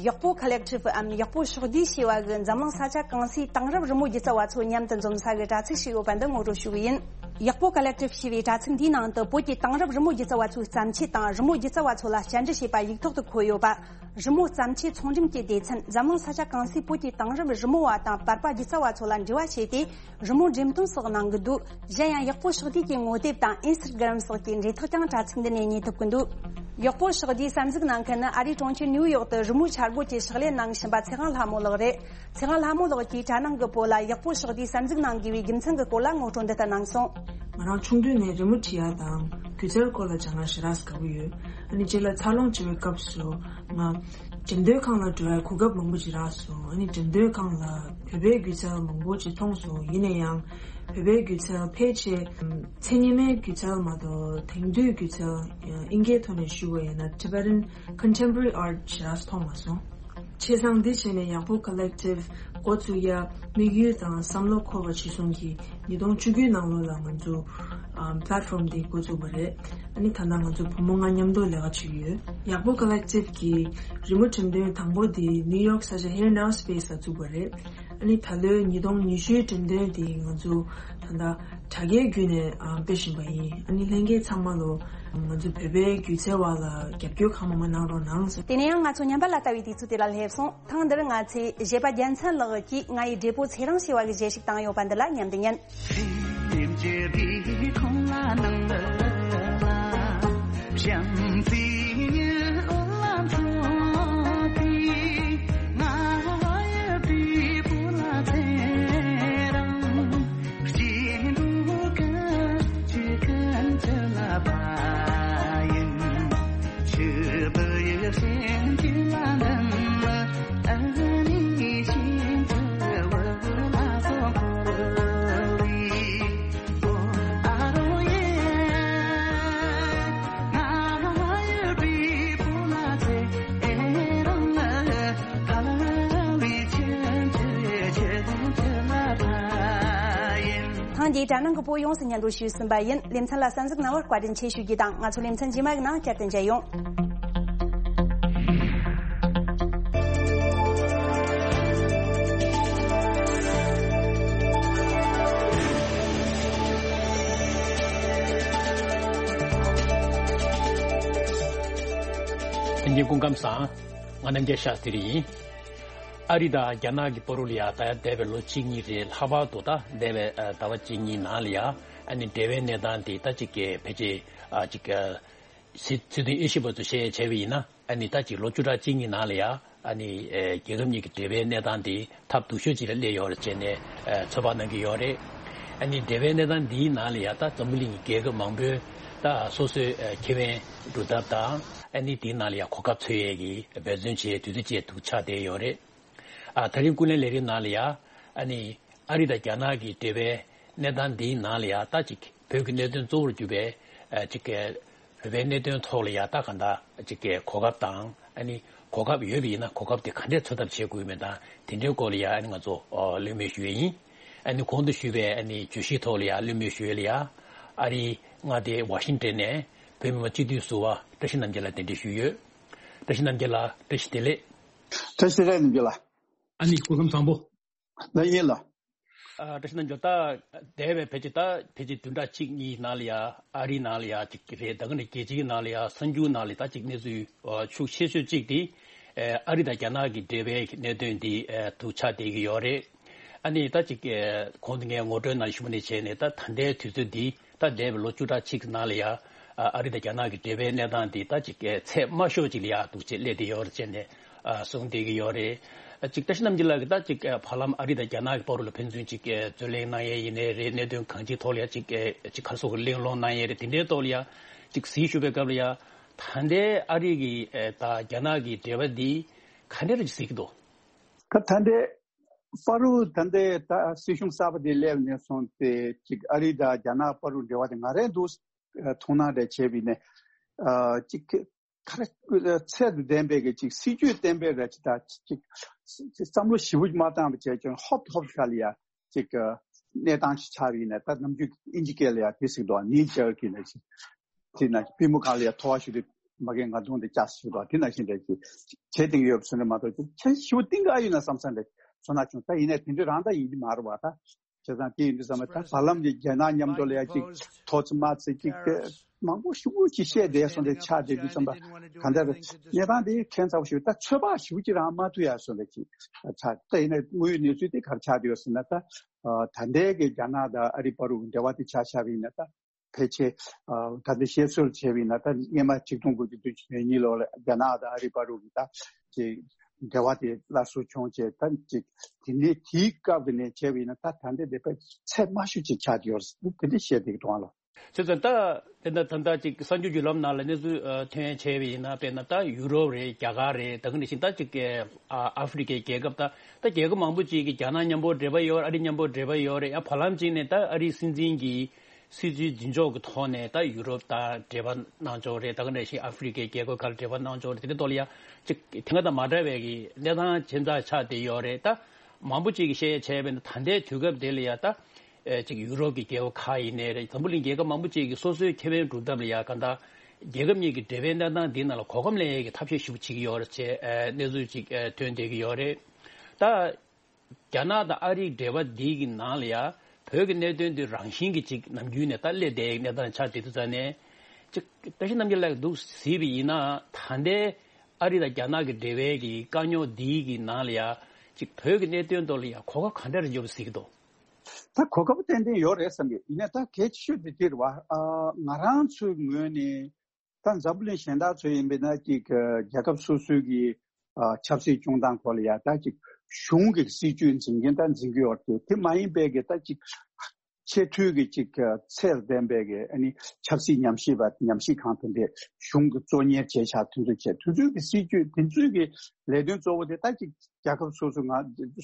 ཡག་པོ་ཁོ་ལེག་ཊིབ་འམ་ཡག་པོ་ཕྱོགས་བསྡུས་ཞེས་པ་གི་འཛམ་གླིང་ས་ཆ་གང་སའི་དེང་རབས་རི་མོ་སྒྱུ་རྩལ་བ་ཚོ་མཉམ་དུ་འཛོམས་ས་གི་དྲ་ཚིགས་ཤིག་ཡོད་པ་འདི་ངོ་སྤྲོད་ཞུ་གི་ཡིན། ཡག་པོ་ཁོ་ལེག་ཊིབ་ཞེས་པའི་དྲ་ཚིགས་འདིའི་ནང་དུ་བོད་ཀྱི་དེང་རབས་རི་མོ་སྒྱུ་རྩལ་བ་ཚོའི་བརྩམས་ཆོས་དང་། རི་མོ་སྒྱུ་རྩལ་བ་ཚོ་ལ་བཅར་འདྲི་བྱས་པ་ཡིག་ཐོག་ཏུ་འཁོད་ཡོད་པ། རི་མོ་བརྩམས་ཆོས་ཚོང་འགྲེམས་ཀྱི་སྡེ་ཚན། འཛམ་གླིང་ས་ཆ་གང་སའི་བོད་ཀྱི་དེང་རབས་རི་མོ་བ་དང་པར་པ་སྒྱུ་རྩལ་བ་ཚོ་ལ་འབྲེལ་བ་བྱས་ཏེ། རི་མོ་འགྲེམས་སྟོན་སོགས་གནང་གི་འདུག་གཞན་ཡང་། ཡག་པོ་ཕྱོགས་བསྡུས་ཀྱི་ངོ་དེབ་དང་Instagram སོགས་ཀྱི་འབྲེལ་ཐག་ཀྱང་དྲ་ཚིགས་འདི་ནས་རྙེད་ཐུབ་ཀྱི་འདུག་ཡག་པོ་ཕྱོགས་བསྡུས་གསར་འཛུགས་གནང་མཁན་ནི་ཨ་རིའི་གྲོང་ཁྱེར་ནིའུ་ཡོག་ཏུ་རི་མོའི་འཆར་སྒོ་བཅས་ཕྱག་ལས་གནང་བཞིན་པ་ཚེ་དབང་ལྷ་མོ་ལགས་རེད། ཚེ་དབང་ལྷ་མོ་ལགས་ཀྱིས་དྲ་ནང་གི་བོད་ལ་ཡག་པོ་ཕྱོགས་བསྡུས་གསར་འཛུགས་གནང་དགོས་པའི་རྒྱུ་མཚན་གྱི་སྐོར་ལ་ངོ་སྤྲོད་འདི་ལྟར་གནང་སོང་། ང་རང་ཆུང་དུས་ནས་རི་མོ་འབྲི་ཡ་དང་སྒྱུ་རྩལ་སྐོར་ལ་སྦྱང་ཡ་ཞེ་དྲག་དགའ་པོ་ཡོད། ཨ་ནི་རྗེས་ལ་འཚར་ལོངས་བྱེད་པའི་སྐབས་སུ་ང་འགྲེམས་སྟོན་ཁང་ལ་འགྲོ་ཡ་གོ་སྐབས་མང་པོ་ཅིག་རག་སོང་། ཨ་ནི་འགྲེམས་སྟོན་ཁང་ལ་བོད་པའི་སྒྱུ་རྩལ་མང་པོ་ཅིག་མཐོང་སོང་། ཡིན་ན་ཡང་བོད་པའི་སྒྱུ་རྩལ་ཕལ་ཆེར་མཚན་ཉི་མའི་སྒྱུ་རྩལ་མ་གཏོགས་དེང་དུས་སྒྱུ་རྩལ་ཨིན་སྐད་ཐོག་ནས་ཞུ་བ་ཡིན་ན་Tibetan Contemporary Art ཞེ་དྲག་མཐོང་མ་སོང་། བྱས་ཙང་འདི་བྱས་ནས་ཡག་པོ་Collective་འགོ་བཙུགས་ཡ་དམིགས་ཡུལ་དང་བསམ་བློ་འཁོར་བ་གཞིར་བཟུང་གིས་ཉིས་སྟོང་བཅུ་དགུའི་ནང་ལོགས་ལ་ང་ཚོ་ཨམ་platform་འདི་འགོ་བཙུགས་པ་རེད། ཨ་ནི་ད་ལྟ་ང་ཚོ་བུ་མོ་ལྔ་མཉམ་དུ་ལས་ཀ་བྱེད་ཀྱི་ཡོད། ཡག་པོ་Collective་གི་རི་མོ་འགྲེམས་སྟོན་དང་པོ་འདི་New York་ས་ཆ་Here Now Space་ལ་བཙུགས་པ་རེད། ཨ་ནི་ད་ལོའི་ཉིས་སྟོང་ཉི་ཤུའི་འགྲེམས་སྟོན་འདི་ང་ཚོ་ད་ལྟ་དྲ་རྒྱའི་བརྒྱུད་ནས་ཨ་སྤེལ་བཞིན་པ་ཡིན། ཨ་ནི་ལྷན་རྒྱས་ཚང་མ་ལོ་ང་ཚོ་བོད་པའི་སྒྱུ་རྩལ་བ་ལ་རྒྱབ་སྐྱོར་གང་མང་མང་གནང་རོགས་གནང་ཟེར། དེ་ནས་ཡང་ང་ཚོ་ཉམས་པ་ལ་ལྟ་བའི་དུས་ཚོད་དེ་ལ་སླེབས་སོང་། ཐེངས་འདིར་ང་ཚོས་བཞད་པ་རྒྱལ་མཚན་ལགས་ཀྱིས་ང་ཡི་བགྲེས་པོ་ཚེ་རིང་ཞེས་པ་གི་གཞས་ཤིག་བཏང་ཡོད་པ་འདི་ལ་ཉམས་འདི་ཉན། ཐེངས་འདིའི་དྲ་ནང་གི་བོད་ཡོངས་སུ་སྙན་སྒྲོན་ཞུས་ཟིན་པ་ཡིན། ལེ་ཚན་ལ་གསན་གཟིགས་གནང་བར་བཀའ་དྲིན་ཆེ་ཞུ་རྒྱུ་དང་། ང་ཚོ་ལེ་ཚན་རྗེས་མ་ཡི་ནང་བསྐྱར་དུ་མཇལ་ཡོང་། ལྷན་རྒྱས་སྐུ་ཁམས་བཟང་། ང་རྣམ་རྒྱལ་ཤཱ་སྟི་རི་ཡིན། ཨ་རི་དང་རྒྱ་ནག་གི་བར་དུ་ལ་ཡ་ད་ཡ་འདས་པའི་ལོ་གཅིག་གཉིས་རེ་ལྷག་པར་དུ་ད་འདས་པའི་ཨ་ཟླ་བ་གཅིག་གཉིས་ནང་ལ་ཡ་ཨ་ནི་འབྲེལ་བའི་གནས་སྟངས་དེ་ད་ཅིག་གི་ཕལ་ཆེར་ཨ་ཅིག་གི་སྲིད་སྲིད་དོན་དབྱེ་ཞིབ་པ་ཚོ་བཤད་བྱས་པ་ཡིན་ན་ཨ་ནི་ད་ཅིག་ལོ་བཅུ་ཕྲག་གཅིག་གཉིས་ནང་ལ་ཡ་ཨ་ནི་ཨེ་རྒྱལ་ཁབ་གཉིས་ཀྱི་འབྲེལ་བའི་གནས་སྟངས་དེ་ཐབས་སྡུག་ཤོས་ཅིག་ལ་སླེབས་ཡོད་རེད་ཅེས་ནས་ཨེ་ཚོད་དཔག་གནང་གི་ཡོད་རེད། ཨ་ནི་འབྲེལ་བའི་གནས་སྟངས་འདིའི་ནང་ལ་ཡ་ད་འཛམ་བུ་གླིང་གི་རྒྱལ་ཁབ་མང་པོས་ད་སོ་སོའི་ཨེ་ཁེ་ཕན་སྒྲུབ་ཐབས་དང་ཨ་ནི་དེའི་ནང་ལ་ཡ་གོ་སྐབས་འཚོལ་ཡས་ཀྱི་འབད་བརྩོན་བྱེད་དུས་ཚོད་ཅིག་ཏུ་ཆགས་བསྡད་ཡོད་རེད། ཨ་ད་རིང་ཀུན་གླེང་ལས་རིམ་ནང་ལ་ཡ་ཨ་ནི་ཨ་རི་དང་རྒྱ་ནག་གི་འབྲེལ་བའི་གནས་སྟངས་འདིའི་ནང་ལ་ཡ་ད་ཅིག་བོད་ཀྱི་གནད་དོན་གཙོ་བོར་གྱུར་པའི་ཨ་ཅིག་གི་བོད་པའི་གནད་དོན་ཐོག་ལ་ཡ་ད་གང་ལྟར་ཅིག་གི་གོ་སྐབས་དང་ཨ་ནི་གོ་སྐབས་ཡོད་པ་ཡིན་ན་གོ་སྐབས་དེ་ག་འདྲས་འཚོལ་ཐབས་བྱེད་དགོས་མིན་དང་དེ་འདྲའི་སྐོར་ལ་ཡ་ཨ་ནི་ང་ཚོ་ཨ་གླེང་མོལ་ཞུ་ཡས་ཡིན། ཨ་ནི་གོང་དུ་ཞུས་པའི་ཨ་ནི་བརྗོད་གཞིའི་ཐོག་ལ་ཡ་གླེང་མོལ་ཞུ་ཡས་ལ་ཡ་ཨ་རིའི་མངའ་སྡེ་ཝ་ཤིང་ཏན་ནས་བོད་མི་མང་སྤྱི་འཐུས་ཟུར་པ་བཀྲ་ཤིས་རྣམ་རྒྱལ་ལགས་གདན་འདྲེན་ཞུས་ཡོད། བཀྲ་ཤིས་རྣམ་རྒྱལ་ལགས་བཀྲ་ཤིས་བདེ་ལེགས། བཀྲ་ཤིས་བདེ་ལེགས་རྣམ་རྒྱལ་ལགས། ཨ་ནི་སྐུ་ཁམས་བཟང་པོ། ལགས་ཡིན་ལགས། ཨ་བཀྲ་ཤིས་རྣམ་རྒྱལ། ད་འདས་པའི་ཕལ་ཆེར་ད་ཕལ་ཆེར་བདུན་ཕྲག་གཅིག་གཉིས་ནང་ལ་ཡ་ཨ་རིའི་ནང་ལ་ཡ་ཅིག་རེད། ད་ག་ནས་རྒྱལ་སྤྱིའི་ནང་ལ་ཡ་གསར་འགྱུར་ནང་ལ་ད་ཅིག་གནས་ཚུལ་ཨ་ཤུགས་ཆེ་ཤོས་གཅིག་དེ་ཨ་རི་དང་རྒྱ་ནག་གི་འབྲེལ་བའི་གནད་དོན་དེ་ཨ་ཐུགས་ཆགས་བསྡད་ཀྱི་ཡོད་རེད། ཨ་ནི་ད་ཅིག་ཨ་གོང་དུ་ངས་ངོ་སྤྲོད་ནང་ཞུས་པ་ནས་བྱས་ནས་ད་ད་ལྟའི་དུས་ཚོད་འདི་ད་འདས་པའི་ལོ་བཅུ་ཕྲག་གཅིག་ནང་ལ་ཡ་ཨ་ཨ་རི་དང་རྒྱ་ནག་གི་འབྲེལ་བའི་གནས་སྟངས་འདི་ད་ཅིག་ཨ་ཚད་དམའ་ཤོས་ཅིག་ལ་ཡ་འདུག་ཅེས་སླེབས་བསྡད་ཡོད་རེད་ཅེས་ནས་ཨ་གསུངས་བསྡད་ཀྱི་ཡོད་རེད། ཨ་ཅིག་བཀྲ་ཤིས་རྣམ་རྒྱལ་ལགས་ཀྱིས་ད་ཅིག་ཨ་བར་ལམ་ཨ་རི་དང་རྒྱ་ནག་གི་བར་ལ་ཕན་ཚུན་ཅིག་ཨ་རྩོད་གླེང་གནང་ཡས་ཡིན་ནའི་རེད། གནད་དོན་གང་ཅིའི་ཐོག་ལ་ཡ་ཅིག་ཨ་ཅིག་ག་རེ་ཟེར་དགོས་གླེང་སློང་གནང་ཡས་རེད། དེ་འདྲའི་ཐོག་ལ་ཡ་ཅིག་གཟིགས་ཞུ་བའི་སྐབས་ལ་ཡ་ད་ལྟའི་ཨ་རི་གི་ཨ་དང་རྒྱ་ནག་གི་འབྲེལ་བ་འདི་ག་འདྲ་རེ་ཅིག་གཟིགས་ཀྱི་འདུག་ག་ད་ལྟའི་བར་དུ་ད་ལྟའི་ད་སྲིད་གཞུང་གསར་པ་དེ་སླེབས་ནས་བཟུང་སྟེ་ཅིག་ཨ་རི་དང་རྒྱ་ནག་བར་དུ་འབྲེལ་བ་དེ་ང་རང་འདུག་མཐོང་སྣང་རེ་བྱས་པ་ཡིན་ན་ཅིག་ག་རེ་ཚད་དང་ལྡན་པའི་གི་ཅིག་སྲིད་ཇུས་བརྟན་པོའི་ར་ཅིག་ད་ཅིག་བསམ་བློ་ཞེ་པོ་ཅིག་མ་བཏང་བ་བྱས་ཀྱང་ཧོབ་ཧོབ་ཁ་ལ་ཡ་ཅིག་གནས་སྟངས་ཤིག་ཆགས་པ་ཡིན་ན། ད་ནམ་རྒྱུན་ཨིན་ཇི་སྐད་ལ་ཡ་དེ་ཟེར་གི་འདུག knee jerk་ཡིན་ན་ཅིག་དེ་ན་པུས་མོ་སྒང་ལ་ཡ་ཐོ་བ་ཞིག་དེ་མ་གི་ང་གདོང་དེ་བཅག་ཞིག་དང་དེ་ནང་བཞིན་རེད་ཅིག་བྱེད་བསྡད་ཀྱི་ཡོད་པ་བཟོ་འདྲ་མ་གཏོགས་ཅིག་ཁྱེད་ཞུ་སྟེང་ག་ཡིན་ན་བསམ་བསམ་རེད་བཟོ་ན་བྱུང་། ད་ཡིན་ནའི་དེ་འདྲ་རང་ད་ཡིན་གྱི་མ་རེད་བ། ད་བྱས་ཙང་དེ་ཡིན་དུས་ཙམ་པ་ད་བར་ལམ་གྱི་རྒྱ་ནག་མཉམ་དུ་ལ་ཡ་ཅིག་ཐོག་ཚི་མ་ཚི་ཅིག་དེ་མང་པོ་ཞེ་པོ་ཅིག་བཤད་བསྡད་སོང་། དེ་ཆགས་བསྡད་དུས་ཙམ་པ་གང་ལྟར་གནས་སྟངས་དེ་ཁྱད་མཚར་པོ་ཞིག་ད་ཚོད་དཔག་ཞེ་པོ་ཅིག་རང་མ་ཐུབ་ཡ་བཟོ་འདྲ་ཅིག་ཆགས། ད་ཡིན་ནའི་དངོས་ཡོད་གནས་ཚུལ་དེ་ག་རེ་ཆགས་བསྡད་ཡོད་ཟེར་ན་ད་ད་ལྟའི་གི་རྒྱ་ནག་དང་ཨ་རི་བར་དུ་འབྲེལ་བ་དེ་ཆ་བཞག་པ་ཡིན་ན་ད། ཕལ་ཆེར་ཨ་ད་ལྟ་བཤད་སྲོལ་བྱས་པ་ཡིན་ན་ད་སྔོན་མ་ཆིག་སྟོང་དགུ་བརྒྱ་བདུན་ཅུ་དོན་གཉིས་ལོ་ལ་རྒྱ་ནག་དང་ཨ་རི་བར་དུ་གི་ད་ཅིག་འབྲེལ་བ་དེ་སླར་གསོ་བྱུང་བྱས། ད་ཅིག་དེ་ནས་དེའི་སྐབས་ཀྱི་ནས་བྱས་པ་ཡིན་ན་ད་ད་ལྟ་དེ་དཔེ་ཚད་དམའ་ཤོས་ཅིག་ཆགས་ཀྱི་ཡོད་རེད། དེ་འདྲ་བཤད་བསྡད་ཀྱི་འདུག་ཨ་ལོ། བྱས་ཙང་ད་དེ་འདྲ་ད་ལྟ་ཅིག་གསར་འགྱུར་བརྒྱུད་ལམ་ནང་ལ་གནས་ཚུལ་ཨ་ཐོན་བྱས་པ་ཡིན་ན་དཔེར་ན་ད་ཡུ་རོབ་རེད། རྒྱ་གར་རེད། ད་ག་ནང་བཞིན་ད་ཅིག་ཨ་ཨ་ཧྥེ་རི་ཁའི་རྒྱལ་ཁབ་ད་ད་རྒྱལ་ཁབ་མང་པོ་ཅིག་གིས་རྒྱ་ནག་མཉམ་པོ་འབྲེལ་བ་ཡོད། ཨ་རི་མཉམ་པོ་འབྲེལ་བ་ཡོད་རེད། ཡང་བར་ལམ་ཅིག་ནས་ད་ཨ་རིའི་སྲིད་འཛིན་གྱིས་ སྲིད་ཇུས་འཛིན་ཕྱོགས་ཀྱི་ཐོག་ནས་ད་ཡུ་རོབ་དང་འབྲེལ་བ་གནང་ཕྱོགས་རེད། ད་ག་ནང་བཞིན་ཨ་ཧྥེ་རི་ཁའི་རྒྱལ་ཁབ་ཁག་ལ་འབྲེལ་བ་གནང་ཕྱོགས་རེད། དེ་འདྲའི་ཐོག་ལ་ཡ་ཅིག་དེ་སྔ་དང་མ་འདྲ་བའི་གི་གནས་སྟངས་ཇི་འདྲ་ཆགས་བསྡད་ཡོད་རེད། ད་མང་པོ་ཅིག་གིས་བཤད་ཡ་བྱས་པས་ན་ད་ལྟའི་དུས་སྐབས་དེ་ལ་ཡ་ད་ཨེ་ཅིག་ཡུ་རོབ་ཀྱི་རྒྱལ་ཁབ་ཁག་ཡིན་ནའི་རེད། འཛམ་བུ་གླིང་རྒྱལ་ཁབ་མང་པོ་ཅིག་གིས་སོ་སོའི་ཁེ་ཕན་སྒྲུབ་ཐབས་ལ་ཡ་གང་ལྟར་རྒྱལ་ཁབ་གཉིས་ཀྱི་འབྲེལ་བའི་གནས་སྟངས་འདི་ནང་ལ་གོ་སྐབས་ལེན་ཡས་ཀྱི་ཐབས་ཤེས་ཞིག་བྱེད་ཀྱི་ཡོད་རེད་ཅེས་ཨེ་གནས་ཚུལ་ཅིག་ཨེ་ཐོན་བསྡད་ཀྱི་ཡོད་རེད། ད་རྒྱ་ནག་དང་ཨ་རིའི་འབྲེལ་བ་འདི་གི་ནང་ལ་ཡ་བོད་ཀྱི་གནད་དོན་འདི་རང་བཞིན་གྱིས་ཅིག་ནམ་རྒྱུན་ནས་ད་སླེབས་བསྡད་ཡའི་གནས་སྟངས་ཆགས་བསྡད་དུས་ཙང་ནས་ཅིག་བཀྲ་ཤིས་རྣམ་རྒྱལ་ལགས་འདུག་གཟིགས་པ་ཡིན་ན་ད་ལྟའི་ཨ་རི་དང་རྒྱ་ནག་གི་འབྲེལ་བའི་གི་དཀའ་རྙོག་འདི་གི་ནང་ལ་ཡ་ཅིག་བོད་ཀྱི་གནད་དོན་ཐོག་ལ་ཡ་གོ་སྐབས་ག་འདྲ་རེ་འབྱོར་བ་གཟིགས་ཀྱི་འདུག་ད་གོ་སྐབས་ཏན་ཏན་ཡོད་རེད་བསམ་གི་ཡིན་ན་ད་གལ་ཆེ་ཤོས་དེ་དེ་རེད་བ། ཨ་ང་རང་ཚོའི་ངོས་ནས་ད་འཛམ་བུ་གླིང་གཞན་དག་ཚོ་ཡིན་པས་ན་ཅིག་རྒྱལ་ཁབ་སོ་སོའི་གི་ཨ་ཆབ་སྲིད་སྐྱོང་སྟངས་སྐོར་ལ་ཡ་ད་ཅིག་གཞུང་གི་སྲིད་ཇུས་འཛིན་མཁན་ད་འཛིན་གི་ཡོད་རེད། དེ་མ་ཡིན་པའི་གི་ད་ཅིག་ཆེས་མཐོའི་གི་ཅིག་ཚད་ལྡན་པའི་གི་ཨ་ནི་ཆབ་སྲིད་ཉམས་ཞིབ་པ་ཉམས་ཞིབ་ཁང་དེ་འདྲས་གཞུང་གི་གཙོ་གཉེར་བྱས་ཆགས་དེ་ཚོ་བྱས་དེ་ཚོའི་གི་སྲིད་ཇུས་དེ་ཚོའི་གི་ལས་དོན་གཙོ་བོ་དེ་ད་ཅིག་རྒྱལ་ཁབ་སོ་སོ་ང་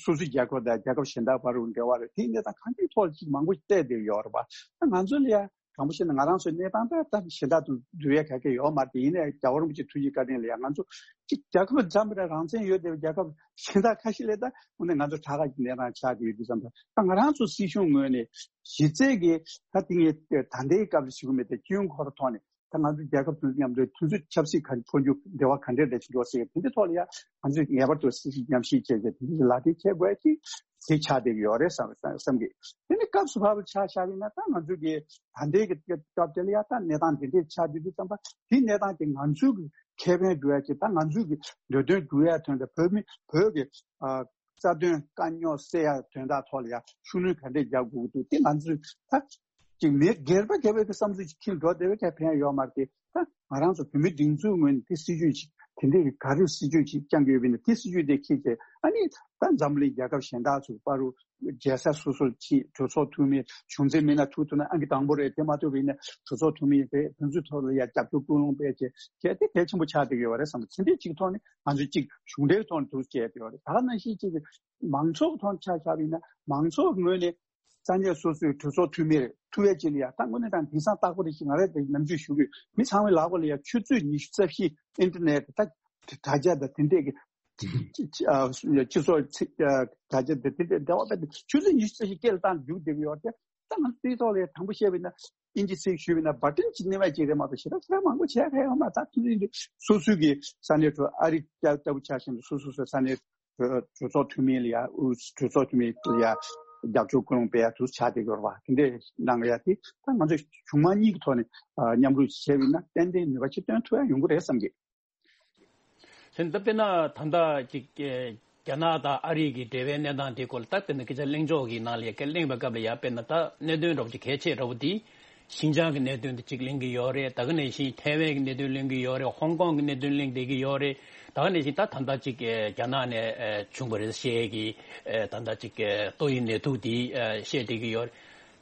སོ་སོའི་རྒྱལ་ཁབ་དང་རྒྱལ་ཁབ་གཞན་དག་བར་དུ་འབྲེལ་བ་རེད། དེ་གནས་སྟངས་གང་ཅིའི་ཐོག་ལ་ཅིག་མང་པོ་བལྟས་བསྡད་ཡོད་རེད་པ། ད་ང་ཚོ་ལ་ཡ་དྲང་པོ་བཤད་ན་ང་རང་ཚོའི་གནས་སྟངས་ད་ད་གཞན་དག་དང་བསྡུར་ཡས་ག་གེ་ཡོད་མ་རེད། དེ་ཡིན་ནའི་རྒྱལ་བ་རིན་པོ་ཆེ་ཐུགས་རྗེ་བཀའ་དྲིན་ལ་ཡ་ང་ཚོ་ཅིག་རྒྱལ་ཁབ་འཛམ་བུ་གླིང་རང་བཙན་ཡོད་བསྡད་པའི་རྒྱལ་ཁབ་གཞན་དག་ཁ་ཤས་ལ་ད་དངོས་གནས་ང་ཚོ་དྲག་ག་གི་གནས་སྟངས་ཆགས་ཀྱི་ཡོད་དུས་ཙམ་པ་ད་ང་རང་ཚོ་སྲིད་གཞུང་ངོས་ནས་གཞི་རྩའི་གི་ད་དེ་ངས་ད་ལྟའི་སྐབས་ལ་ཞུ་གི་མེད་དེ་སྤྱི་ཡོངས་ཁོ་རང་ཐོག་ནས། ད་ང་ཚོ་རྒྱལ་ཁབ་དེ་ཚོ་མཉམ་དུ་དུས་ཚོད་ཆབ་སྲིད་ག་འཕོ་འགྱུར་འབྲེལ་བ་ག་འདྲས་འདྲ་ཞིག་འགྲོ་སྲིད་དེ་འདྲའི་ཐོག་ལ་ཡང་ང་ཚོས་ངེས་པར་དུ་སྲིད་ཞུགས་མཉམ་ཞིབ་བྱས་བྱས་དེ་འདྲའི་ལག་དེབ་འཁྱེར་དགོས་ཀྱི་དེ་ཆགས་བསྡད་ཀྱི་ཡོད་རེད་བསམ་བསམ་གི། དེ་ནི་སྐབས་སུ་བབས་པ་ཆ་བཞག་པ་ཡིན་ན་ད་ང་ཚོ་གི་ད་ལྟའི་གི་སྐབས་དེ་ལ་ཡང་ད་གནས་སྟངས་དེ་འདྲས་ཆགས་བསྡད་དུས་ཙམ་པ་དེ་གནས་སྟངས་དེ་ང་ཚོའི་གི་ཁེ་ཕན་སྒྲུབ་ཡ་ཅིག་ད་ང་ཚོའི་གི་འདོད་དོན་སྒྲུབ་ཡ་དོན་དུ་བོད་མི་བོད་གི་ཨ། རྩ་དོན་དཀའ་རྙོག་སེལ་ཡག་དོན་དག་ཐོག་ལ་ཡང་ཤུགས་སྣོན་ག་འདྲས་རྒྱག་དགོས་ཀྱི་འདུག་དེ་ང་ཚོས་ད་ཅིག་མི་སྒེར་པ་སྒེར་པའི་གི་བསམ་ཚུལ་ཅིག་ཁྱེར་འགྲོ་བདེ་བའི་ག་ཕན་ཡོད་མ་རེད། དེ་ད་ང་རང་ཚོ་བོད་མི་སྒྲིག་འཛུགས་ངོས་ནས་དེ་སྲིད་ཇུས་ཅིག་དེ་འདྲས་ཀྱི་ག་རེ་སྲིད་ཇུས་ཅིག་བསྐྱང་གི་ཡོད་པ་ཡིན་ན་དེ་སྲིད་ཇུས་དེ་འཁྱེར་བྱས་ཨ་ནི་ད་འཛམ་བུ་གླིང་རྒྱལ་ཁབ་གཞན་དག་ཚོ་བར་དུ་རྒྱལ་ས་སོ་སོར་ཕྱིན་གྲོས་ཚོགས་འཐུས་མི་གཞུང་འཛིན་མི་སྣ་ཐུག་ཐུབ་ན་ཨང་ཀི་དང་པོ་རེད། དེ་མ་ཐུབ་པ་ཡིན་ན་གྲོས་ཚོགས་འཐུས་མི་རེད། དེ་ཚོའི་ཐོག་ལ་ཡང་རྒྱབ་སྐྱོར་ཀུན་སློང་སྤེལ་བྱས་བྱས་དེ་གལ་ཆེན་པོ་ཆགས་བསྡད་ཀྱི་ཡོད་རེད་བསམ་གི། དེ་འདྲའི་ཅིག་ཐོག་ནས། ང་ཚོས་གཅིག་གཞུང་འབྲེལ་ཐོག་ནས་འདུག་བྱས་ཡོད་རེད། ད་ག་ནང་བཞིན་གཅིག་མང་ཚོགས་ཐོག་ཆ་བཞག་པ་ཡིན་ན་མང་ཚོགས་ངོས་ནས་ས་གནས་སོ་སོའི་གྲོས་ཚོགས་འཐུས་མི་རེད་ཐུབ་པའི་ཆེད་ལ་ཡ་ད་དངོས་གནས་དྲང་གདེང་སང་རྟག་པ་རེད་ཅེས་ང་རང་དེ་ནམ་རྒྱུན་ཞུ་གི་ཡོད། མི་ཚང་མའི་ལག་པ་ལ་ཡ་ཆུ་ཚོད་ཉི་ཤུ་རྩ་བཞི་ཨིན་ཊར་ནེཊ་ད་དྲ་རྒྱ་དང་དེ་འདྲས་ཀྱི་སྤྱི་ཚོགས་དྲ་རྒྱ་དང་དེ་འདྲས་འབྲེལ་བ་སྤེལ་ཏེ་ཆུ་ཚོད་ཉི་ཤུ་རྩ་བཞི་སྐད་ལ་བཏང་རྒྱུག་བསྡད་ཀྱི་ཡོད་རེད། ད་ང་ཚོ་དེའི་ཐོག་ལ་དྲང་པོ་བཤད་པ་ཡིན་ན་ཨིན་ཇི་ཚིག་ཞུས་པ་ཡིན་ན་བ་ཊན་གཅིག་ནི་མ་གཅིག་རེད་མ་གཏོགས་ཞེ་དྲག་ཞེ་དྲག་མང་པོ་བྱས་ཁ་ཡོད་མ་རེད། ད་དེ་ཚོ་སོ་སོའི་གི་ས་གནས་ཁྲོད་ཨ་རི་ལྟ་བུ་ཆ་བཞིན་དུ་སོ་སོ་སོའི་ས་གནས་གྲོས་ཚོགས་འཐུས་མི་ལ་ཡ་གྲོས་ཚོགས་འཐུས་མི་ལ་ཡ་རྒྱབ་སྐྱོར་ཀུན་སློང་སྤེལ་ཡ་དུ་ཆགས་བསྡད་ཡོད་རེད་བ། དེ་འདྲས་གནང་ཡ་དེ་ད་ང་ཚོ་གཞུང་མང་གཉིས་ཀྱི་ཐོག་ནས་མཉམ་རུབ་བྱས་པ་ཡིན་ན་ཏན་ཏན་ནུས་པ་ཆེ་བཏོན་ཐུབ་ཡ་ཡོང་གི་རེད་བསམ་གི། ལན། ད་དཔེར་ན་ད་ལྟ་ཅིག་ཨེ་རྒྱ་ནག་དང་ཨ་རི་གི་འབྲེལ་བའི་གནས་སྟངས་དེ་སྐོར་ལ་ད་དཔེར་ན་སྐད་ཆ་གླེང་ཕྱོགས་ཀྱི་ནང་ལ་ཡ་སྐད་གླེང་བའི་སྐབས་ལ་ཡ་དཔེར་ན་ད་གནད་དོན་འདྲ་པོ་ཅིག་གལ་ཆེ་འདྲ་པོ་དེ་ཤིན་ཅང་གི་གནད་དོན་དེ་ཅིག་གླེང་གི་ཡོད་རེད། ད་ག་ནང་བཞིན་ཐའེ་ཝན་གྱི་གནད་དོན་གླེང་གི་ཡོད་རེད། ཧོང་ཀོང་གི་གནད་དོན་གླེང་བསྡད་ཀྱི་ཡོད་རེད། ད་ག་ནང་བཞིན་ད་ད་ལྟ་ཅིག་ཨེ་རྒྱ་ནག་ནས་ཨེ་བྱུང་བ་རེད་ཞེས་ཀྱི་ཨེ་ད་ལྟ་ཅིག་ཨེ་ཏོག་དབྱིབས་ནད་དུག་དེ་ཨེ་བཤད་བསྡད་ཀྱི་ཡོད་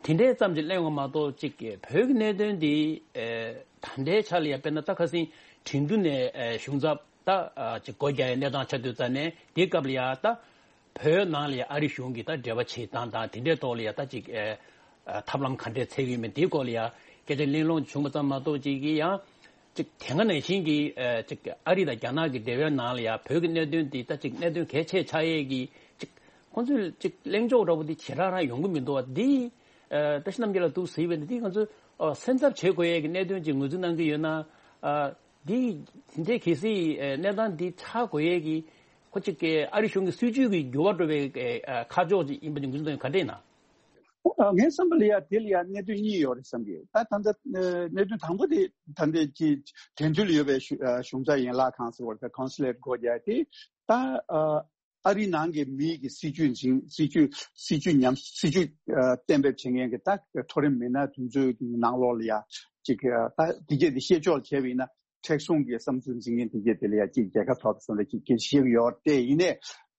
རེད། དེ་འདྲའི་ཙམ་ཅིག་གླེང་བ་མ་གཏོགས་ཅིག་བོད་ཀྱི་གནད་དོན་འདི་ཨེ་ད་ལྟའི་ཆ་ལ་ཡ་དཔེར་ན་ད་ཁ་སང་ཁྲིན་ཏུའུ་ནས་ཨེ་གཞུང་ཚབ་ད་ཨ་ཅིག་སྒོ་རྒྱག་ཡའི་གནས་སྟངས་ཆགས་དུས་ཙ་ནས་དེའི་སྐབས་ལ་ཡ་ད་བོད་ནང་ལ་ཡ་ཨ་རི་གཞུང་གིས་ད་འབྲེལ་བ་བྱེད་སྟངས་དང་དེ་འདྲའི་ཐོག་ལ་ཡ་ད་ཅིག་ཨེ་ཨ་ཐབས་ལམ་ག་འདྲས་འཚོལ་གྱི་ཡོད་མེད་དེའི་སྐོར་ལ་ཡ་སྐད་ཆ་གླེང་སློང་བྱུང་བ་ཙམ་མ་གཏོགས་ཅིག་གི་ཡང་ཅིག་དེ་སྔ་ནང་བཞིན་གྱི་ཨེ་ཅིག་ཨ་རི་དང་རྒྱ་ནག་གི་འབྲེལ་བའི་ནང་ལ་ཡ་བོད་ཀྱི་གནད་དོན་འདི་ད་ཅིག་གནད་དོན་གལ་ཆེ་ཆགས་ཡས་ཀྱི་ཅིག་ཁོང་ཚོས་ཅིག་གླེང་ཕྱོགས་འདྲ་པོ་འདི་ཇེ་དྲག་རང་ཡོང་གི་མི་འདུག་བ། འདི་ཨ་བཀྲ་ཤིས་རྣམ་རྒྱལ་ལགས་འདུག་ཟེར་བས་ན་འདི་ང་ཚོས་ཨ་སེམས་འཚབ་བྱེད་དགོས་ཡས་ཀྱི་གནད་དོན་ཅིག་ངོས་འཛིན་གནང་གི་ཡོད་ན། ཨ་འདི་དེ་འདྲའི་གལ་སྲིད་ཨ་གནས་སྟངས་འདི་ཆགས་དགོས་ཡས་ཀྱི་ཁོ་ཅིག་གི་ཨ་རི་གཞུང་གི་སྲིད་ཇུས་ཀྱི་འགྱུར་བ་འགྲོ་བའི་ཨ་ཁ་ཕྱོགས་ཅིག་ཡིན་པ་འདི་ངོས་འཛིན་གནང་ཡོད་ག་འདྲ་ཡིན་ན། ཨ་ངའི་བསམ་པ་ལ་ཡ་དེ་ལ་ཡ་གནད་དོན་གཉིས་ཡོད་རེད་བསམ་གི། ད་ད་ལྟ་ཨ་གནད་དོན་དང་པོ་དེ་ད་ལྟའི་ཅིག་དེ་འདྲའི་ལ་ཡོད་པའི་གཞུ་ཨ་གཞུང་ཚབ་ཡན་ལག་ཁང་ཟེར་བ་དང་ཀོན་སུ་ལེཊ་སྒོ་རྒྱག་དེ་ད་ཨ་ཨ་རི་ནང་གི་མིའི་གི་སྲིད་ཇུས་འཛིན་སྲིད་ཇུས་སྲིད་ཇུས་ཉམས་སྲིད་ཇུས་ཨ་གཏན་འབེབས་བྱེད་མཁན་གི་ད་མཐོ་རིམ་མི་སྣ་དེ་ཚོའི་གི་ནང་ལོགས་ལ་ཡ་ཅིག་ཨ་ད་དེ་གས་དེ་བཤད་ཕྱོགས་བྱས་པ་ཡིན་ན། མཁྲེགས་བཟུང་གི་བསམ་ཚུལ་འཛིན་མཁན་དེ་གས་དེ་ལ་ཡ་ཅིག་རྒྱལ་ཁ་ཐོབ་སོང་ལ་ཅིག་སྐད་ཆ་བཤད་ཀྱི་ཡོད་རེད། དེ་ཡིན་ནའི་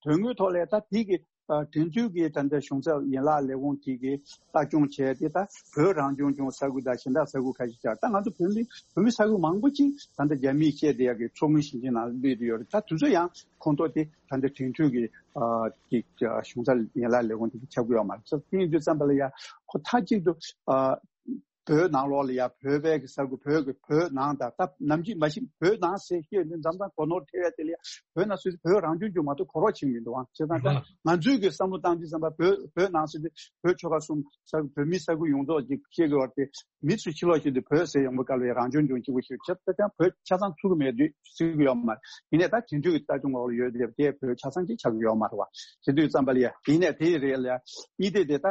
དོན་དངོས་ཐོག་ལ་ད་དེ་གི་ཨ་དེ་ཚོའི་གི་ད་ལྟ་གཞུང་ཚབ་ཡན་ལག་ལས་ཁུངས་ཀྱིས་གི་ལྟ་སྐྱོང་བྱས་ཏེ་ད་བོད་རང་སྐྱོང་ལྗོངས་ས་ཁུལ་དང་གཞན་དག་ས་ཁུལ་ཁ་ཤས་ཆགས། ད་ང་ཚོ་བོད་མི་བོད་མི་ས་ཁུལ་མང་པོ་ཅིག་ད་ལྟ་རྒྱ་མིས་བཤད་བསྡད་ཡ་གི་མཚོ་སྔོན་ཞིང་ཆེན་ནང་སླེབས་བསྡད་ཡོད་རེད། ད་དེ་ཚོ་ཡང་ཁོངས་གཏོགས་དེ་ད་ལྟ་དེ་ཚོའི་གི་ཨ་གི་གཞུང་ཚབ་ཡན་ལག་ལས་ཁུངས་དེ་གི་ཁྱབ་ཀྱི་ཡོད་མ་རེད། དེ་ཡིན་དུས་ཙམ་པ་ལ་ཡ་ཁོ་མཐའ་གཅིག་ཏུ་ཨ། བོད་ནང་ལོགས་ལ་ཡ་བོད་པའི་གི་ས་ཁུལ་བོད་ཀྱི་བོད་ནང་དང་ད་ནམ་རྒྱུན་མ་གཞི་བོད་ནང་ཟེར་ཤེས་ནས་འཛམ་ཐང་སྒོ་ནོར་ཐེབས་ཡ་དེ་ལ་ཡ་བོད་ནང་སུ་བོད་རང་སྐྱོང་ལྗོངས་མ་གཏོགས་གོ་རོགས་བྱེད་མི་འདུག་ཨང་། བྱས་ཙང་ད་ང་ཚོའི་གི་བསམ་བློ་བཏང་དུས་ཙམ་པ་བོད་བོད་ནང་ཟེར་དུས་བོད་ཆོལ་ཁ་གསུམ་ས་བོད་མི་ས་ཁུལ་ཡོངས་རྫོགས་ཅིག་ཤེས་དགོས་པ་དེ། མི་ཚོས་ཕྱི་ལོགས་ཤིག་ཏུ་བོད་ཟེར་ཡོང་བའི་སྐབས་ལ་རང་སྐྱོང་ལྗོངས་གཅིག་པུ་ཞིག་བྱེད་ད་ཀྱང་བོད་ཆ་ཚང་ཚུགས་ཀྱི་མེད་དུས་ཚུགས་ཀྱི་ཡོད་མ་རེད། ཡིན་ནའི་ད་དེང་དུས་ཀྱི་ལྟ་སྐྱོང་འོག་ལ་ཡོད་དེ་དེ་བོད་ཆ་ཚང་གཅིག་ཆགས་ཀྱི་ཡོད་མ་རེད་བ། བྱེད་དུས་ཙམ་པ་ལ་ཡ་ཡིན་ནའི་དེ་ཡི་རེད་ལ་ཡ་གཉིས་དེ་དེ་ད་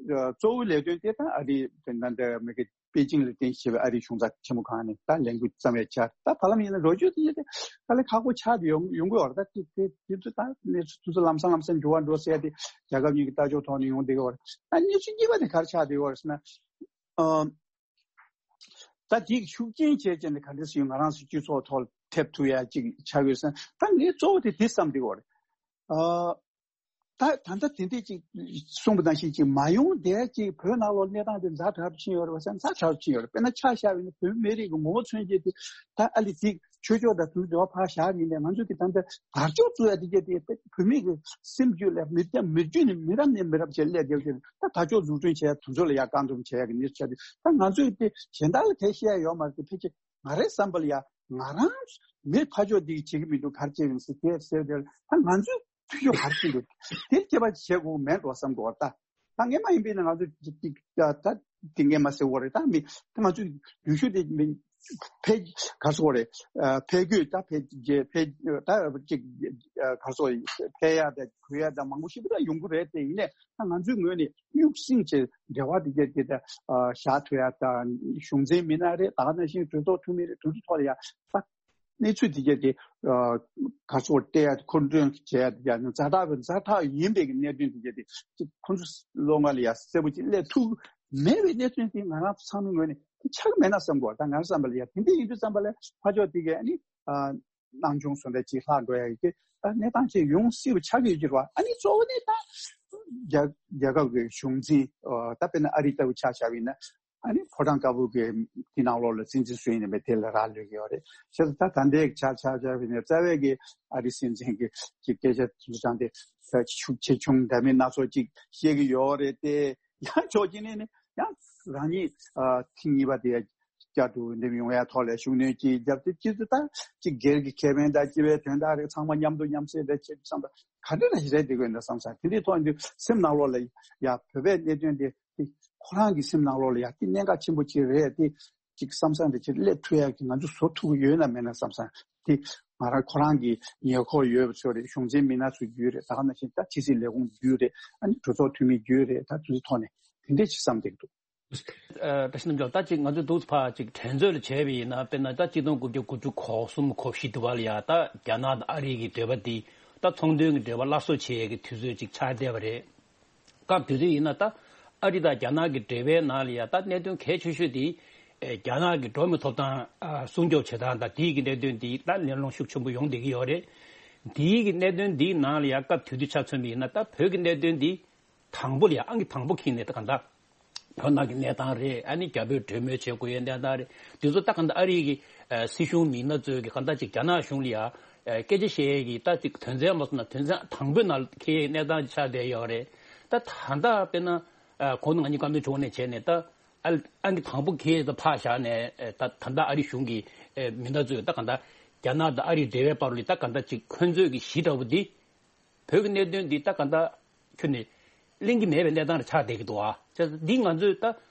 གཙོ་བོའི་ལས་དོན་དེ་ད་ཨ་རི་དེ་ད་འདྲ་མི་གི་པེ་ཅིང་ལ་རྟེན་གཞི་བྱས་པའི་ཨ་རིའི་གཞུང་ཚབ་ཆེན་མོ་ཁང་ནས་ད་ལས་འགུལ་བརྩམས་ཡ་ཆགས་ད་བར་ལམ་ཡིན་ན་ལོ་རྒྱུས་དེ་ཡིན་ཏེ་ད་ལས་ཁག་པོ་ཆགས་དེ་ཡོང་ཡོང་གི་ཡོད་རེད། ད་དེ་དེ་དུས་ད་ནས་དུས་ཚོད་ལམ་སང་ལམ་སང་འགྱུར་བ་འགྲོ་ཟེར་ཡ་དེ་རྒྱལ་ཁབ་གཉིས་ཀྱི་ལྟ་ཕྱོགས་ཐོག་ནས་ཡོང་བསྡད་ཀྱི་ཡོད་རེད། ད་གནས་ཚུལ་གཉིས་པ་དེ་ག་རེ་ཆགས་བསྡད་ཡོད་རེད་ཟེར་ན། ཨ། ད་དེའི་ཤུགས་རྐྱེན་བྱས་བྱས་ནས་ག་འདྲ་ཞིག་ང་རང་ཚོའི་སྤྱི་ཚོགས་ཐོག་ཐེབས་ཐུབ་ཡ་ཅིག་ཆགས་ཡོད་ཟེར་ན་ད་ངས་གཙོ་བོ་དེ་དེ་བསམ་བསྡད་ཡོད་རེད། ཨ། ད་ད་ལྟ་དེ་འདྲས་ཅིག་གསུངས་པ་ནང་བཞིན་ཅིག་མ་ཡོང་བསྡད་ཅིག་བོད་ནང་ལོགས་གནས་སྟངས་དེ་ཛ་དྲག་ཏུ་ཕྱིན་ཡོད་རེད་བ་ཟེར་ན་ཛ་དྲག་ཏུ་ཕྱིན་ཡོད་རེད། དཔེར་ན་ཆ་བཞག་པ་ཡིན་ན་བོད་མི་རིགས་ཀྱི་ངོ་བོ་མཚོན་བྱེད་དེ་ད་ཨ་ལི་ཅིག་ཆོས་ཕྱོགས་དང་དེ་ཚོ་འབྲེལ་བ་ཕར་བཞག་ཡིན་ནའི་ང་ཚོ་གི་ད་ལྟ་དར་ལྕོག་བཙུགས་ཡ་དེ་གྱད་དེ་བོད་མི་གི་སེམས་རྒྱུད་ལ་མི་མི་རྒྱུད་ནས་མི་རབས་ནས་མི་རབས་བྱས་སླེབས་བསྡད་ཀྱི་ད་དར་ལྕོག་འཛུགས་སྐྲུན་བྱས་དེ་ཚོ་ལ་ཡ་བཀག་སྡོམ་བྱས་ཡ་གི་གནས་ཚུལ་ཆགས་དུས་ད་ང་ཚོས་དེ་གཞན་དག་ལ་དེ་བཤད་ཡ་ཡོད་མ་རེད། དེ་ཕལ་ཆེར་ང་རའི་བསམ་པ་ལ་ཡ་ང་རང་མི་ཕར་ཕྱོགས་འདི་བྱེད་ཀྱི་མི་འདུག་ག་རེ་བྱེད་ཀྱི་ཡིན་ཟེར་དེ་ཟེར་དེ་ད་ང་ཚོས་ཕུལ་རྒྱུ་ག་རེ་བྱེད་འདུག་དེ་སྐྱེ་བ་བྱེད་དགོས་མེད་འགྲོ་བསམ་གྱི་ཡོད་ད། ད་ངས་མ་ཡིན་པས་ན་ང་ཚོ་ཅིག་ཅིག་ད་ད་དེ་ངས་མ་ཟེར་བ་རེད། ད་མི་ད་ང་ཚོ་ཡུལ་ཤུལ་དེ་མི་འཕེལ་ག་རེ་ཟེར་བ་རེད། ཨ། འཕེལ་རྒྱས་ད་འཕེལ་རྒྱས་འཕེལ་ད་ཅིག་ག་རེ་ཟེར་འཕེལ་ཡ་ད་འཕེལ་ཡ་ད་མང་པོ་ཞིག་ད་ཡོང་གི་རེད། དེ་ཡིན་ནའི་ད་ང་ཚོའི་ངོས་ནས་གཡུག་སྲིང་བྱས་འབྲེལ་བ་དེ་གྱད་དེ་ད་བཞག་ཐུབ་ཡ་ད་གཞུང་འཛིན་མི་སྣ་རེད། ད་ག་ནང་བཞིན་གྲོས་ཚོགས་འཐུས་མི་རེད། དེ་ཚོ་ཐོག་ལ་ཡ་ད། གནས་ཚུལ་དེ་གྱད་དེ་ག་ཚོད་བལྟས་ཡ་མཁོ་འདོན་བྱས་ཡ་དེ་གྱད་ཛ་དྲག་པའི་ཛ་དྲག་ཡིན་པའི་གི་གནད་དོན་དེ་གྱད་དེ་ཅིག་ཁོང་ཚོ་བློ་ངོ་ལ་ཡ་གསལ་པོ་ཅིག་སླེབས་ཐུབ་མེད་པའི་གནད་དོན་དེ་ང་རང་ཚོ་ཚང་མའི་ངོས་ནས་དེ་ཆགས་མེད་ན་བསམ་གྱི་ཡོད། ད་ང་རང་བསམ་པ་ལ་ཡ་དེ་འདྲ་ཡིན་དུས་ཙམ་པ་ལ་ཕར་ཕྱོགས་དེ་གྱད་ཨ་ནི་སྣང་ཆུང་བཟོ་འདྲ་ཅིག་ལྷག་འགྲོ་ཡ་ཡི་གེ་ད་གནས་སྟངས་ཅིག་ཡོང་སྲིད་པ་ཆགས་ཀྱི་ཡོད་ཀྱི་རེད་བ། ཨ་ནི་གཙོ་བོ་ནི་ད་རྒྱ་རྒྱལ་ཁབ་ཀྱི་གཞུང་འཛིན་ད་དཔེར་ན་ཨ་རི་ལྟ་བུ་ཆ་བཞག་པ་ཡིན་ན། ཨ་ནི་ཕོ་བྲང་དཀར་པོ་གི་དེ་ནང་ལོགས་ལ་སྲིད་འཛིན་སུ་ཡིན་ནའི་མེད་དེ་ལ་རག་ལུས་ཀྱི་ཡོད་རེད། བྱས་ཙང་ད་ད་ལྟའི་ཆ་ཆ་ཆ་བའི་ནས་རྩ་བའི་གི་ཨ་རི་སྲིད་འཛིན་གྱི་གི་སྐད་ཆ་དེ་ཚོ་དྲངས་ཏེ་ཤུགས་ཆེ་ཆུང་འདྲ་མིན་སྣ་ཚོགས་ཅིག་བཤད་ཀྱི་ཡོད་རེད་དེ། ཡང་ཕྱོགས་གཅིག་ནས་ནི་ཡང་རང་ཉིད་ཨ་ཐེངས་གཉིས་པ་དེ་བསྐྱར་དུ་འདེམས་ཡོང་ཡ་ཐོག་ལ་ཤུགས་སྣོན་ཅིག་བརྒྱབ་སྟེ་སྤྱི་ཚོགས་ད་ཅིག་སྒེར་གྱི་ཁེ་ཕན་དང་སྤྱི་པའི་དོན་དག་རེད། ཚང་མ་མཉམ་དུ་མཉམ་བསྲེས་རེད་བྱེད་དུས་ཙམ་པ་ག་འདྲ་ཞིག་རེད་དེ་དགོས་འདྲ་བསམ་ས་དེ་འདྲའི་ཐོག་ཡིན་དུས་སེམས་ནང་ལོགས་ལ་ཡ་བོད་པའི་གནད་དོན་དེ། དེ་ཁོ་རང་གི་སེམས་ནང་ལོགས་ལ་ཡ་དེ་གནད་འགག་ཆེན་པོ་ཅིག་རེད། དེ་ཅིག་བསམ་བསམ་དེ་ཅིག་སླེབས་ཐུབ་ཡ་གི་ང་ཚོ་བཟོ་ཐུབ་ཀྱི་ཡོད་ན་མེད་ན་བསམ་བསམ་དེ་ང་རང་ཁོ་རང་གི་ཉེ་འཁོར་ཡོད་པ་ཚོ་རེད། གཞུང་འཛིན་མི་སྣ་ཚོ་རྒྱུད་རེད། ད་ག་ནང་བཞིན་ད་ཕྱི་སྲིད་ལས་ཁུངས་རྒྱུད་རེད། ཨ་ནི་གྲོས་ཚོགས་འཐུས་མི་རྒྱུད་རེད། ད་དེ་ཚོའི་ཐོག་ནས་དེ་འདྲས་ཅིག་བསམ་བསྡད་ཀྱི་འདུག་ཨ། བཀྲ་ཤིས་རྣམ་རྒྱལ། ད་ཅིག་ང་ཚོས་འདུག་ཕར་ཅིག་དྲན་ཚོད་ལ་བྱས་པ་ཡིན་ན་དཔེར་ན་ད་གཅིག་སྟོང་དགུ་བརྒྱ་དགུ་བཅུ་གོ་གསུམ་གོ་བཞི་དུ་བ་ལ་ཡ་ད་རྒྱ་ནག་དང་ཨ་རི་གི་འབྲེལ་བ་འདི་ད་ཚོང་དོན་གྱི་འབྲེལ་བ་སླར་གསོ་བྱེད་ཡས་ཀྱི་དུས་ཚོད་ཅིག་ཆགས་བསྡད་པ་རེད། སྐབས་དེ་དུས་ཡིན་ན་ད་ཨ་རི་དང་རྒྱ་ནག་གི་འབྲེལ་བའི་ནང་ལ་ཡ་ད་གནད་དོན་གལ་ཆེ་ཤོས་དེ་ཨེ་རྒྱ་ནག་གི་འགྲོ་བ་མིའི་ཐོབ་ཐང་ཨ་སྲུང་སྐྱོབ་བྱེད་སྟངས་དང་དེའི་གི་གནད་དོན་དེ་ད་གླེང་སློང་ཤུགས་ཆེན་པོ་ཡོང་བསྡད་ཀྱི་ཡོད་རེད། དེའི་གི་གནད་དོན་དེའི་ནང་ལ་ཡ་སྐབས་དེ་དུས་ཆ་མཚོན་པ་ཡིན་ན་ད་བོད་ཀྱི་གནད་དོན་དེ་དང་པོ་ལ་ཡ་ཨང་ཀི་དང་པོ་འཁྱེར་ནས་ད་ག་འདྲ་བོད་ནང་གི་གནས་སྟངས་རེད། ཨ་ནི་རྒྱ་བོད་གྲོས་མོལ་བྱེད་དགོས་ཡའི་གནས་སྟངས་རེད། དེ་ཚོ་ད་ག་འདྲ་ཨ་རི་གི་ཨ་སྲིད་གཞུང་མི་སྣ་ཚོས་གི་ག་འདྲ་ཅིག་རྒྱ་ནག་གཞུང་ལ་ཡ་ཨ་སྐད་ཆ་བཤད་ཡས་ཀྱི་ད་ཅིག་དོན་ཚན་མ་སོང་ན་དོན་ཚན་དང་པོའི་ནང་ལ་འཁེལ་ཡའི་གནས་སྟངས་ཅིག་ཆགས་བསྡད་ཡོད་རེད། ད་ད་ལྟ་དཔེར་ན་ཨ་གོང་དུ་ང་གཉིས་བཀའ་མོལ་བྱུང་ནས་བྱས་ནས་ད་ཨ་ཨང་ཀི་དང་པོ་འཁེལ་ཡས་ད་ཕར་བཞག་ནས་ཨ་ད་ད་ལྟ་ཨ་རི་གཞུང་གི་ཨ་མི་སྣ་ཚོས་ད་ག་འདྲ་རྒྱ་ནག་དང་ཨ་རིའི་འབྲེལ་བའི་བར་ལ་ད་ག་འདྲ་ཅིག་ཁོན་ཚོས་ཀྱི་གཞི་འདྲ་བོ་འདི། བོད་ཀྱི་གནད་དོན་འདི་ད་ག་འདྲ་ཁྱོན་ནས་གླེང་གི་མེད་པའི་གནས་སྟངས་རེ་ཆགས་བསྡད་ཀྱི་འདུག་ཨ། བྱས་ཙང་འདི་ང་ཚོས་ད་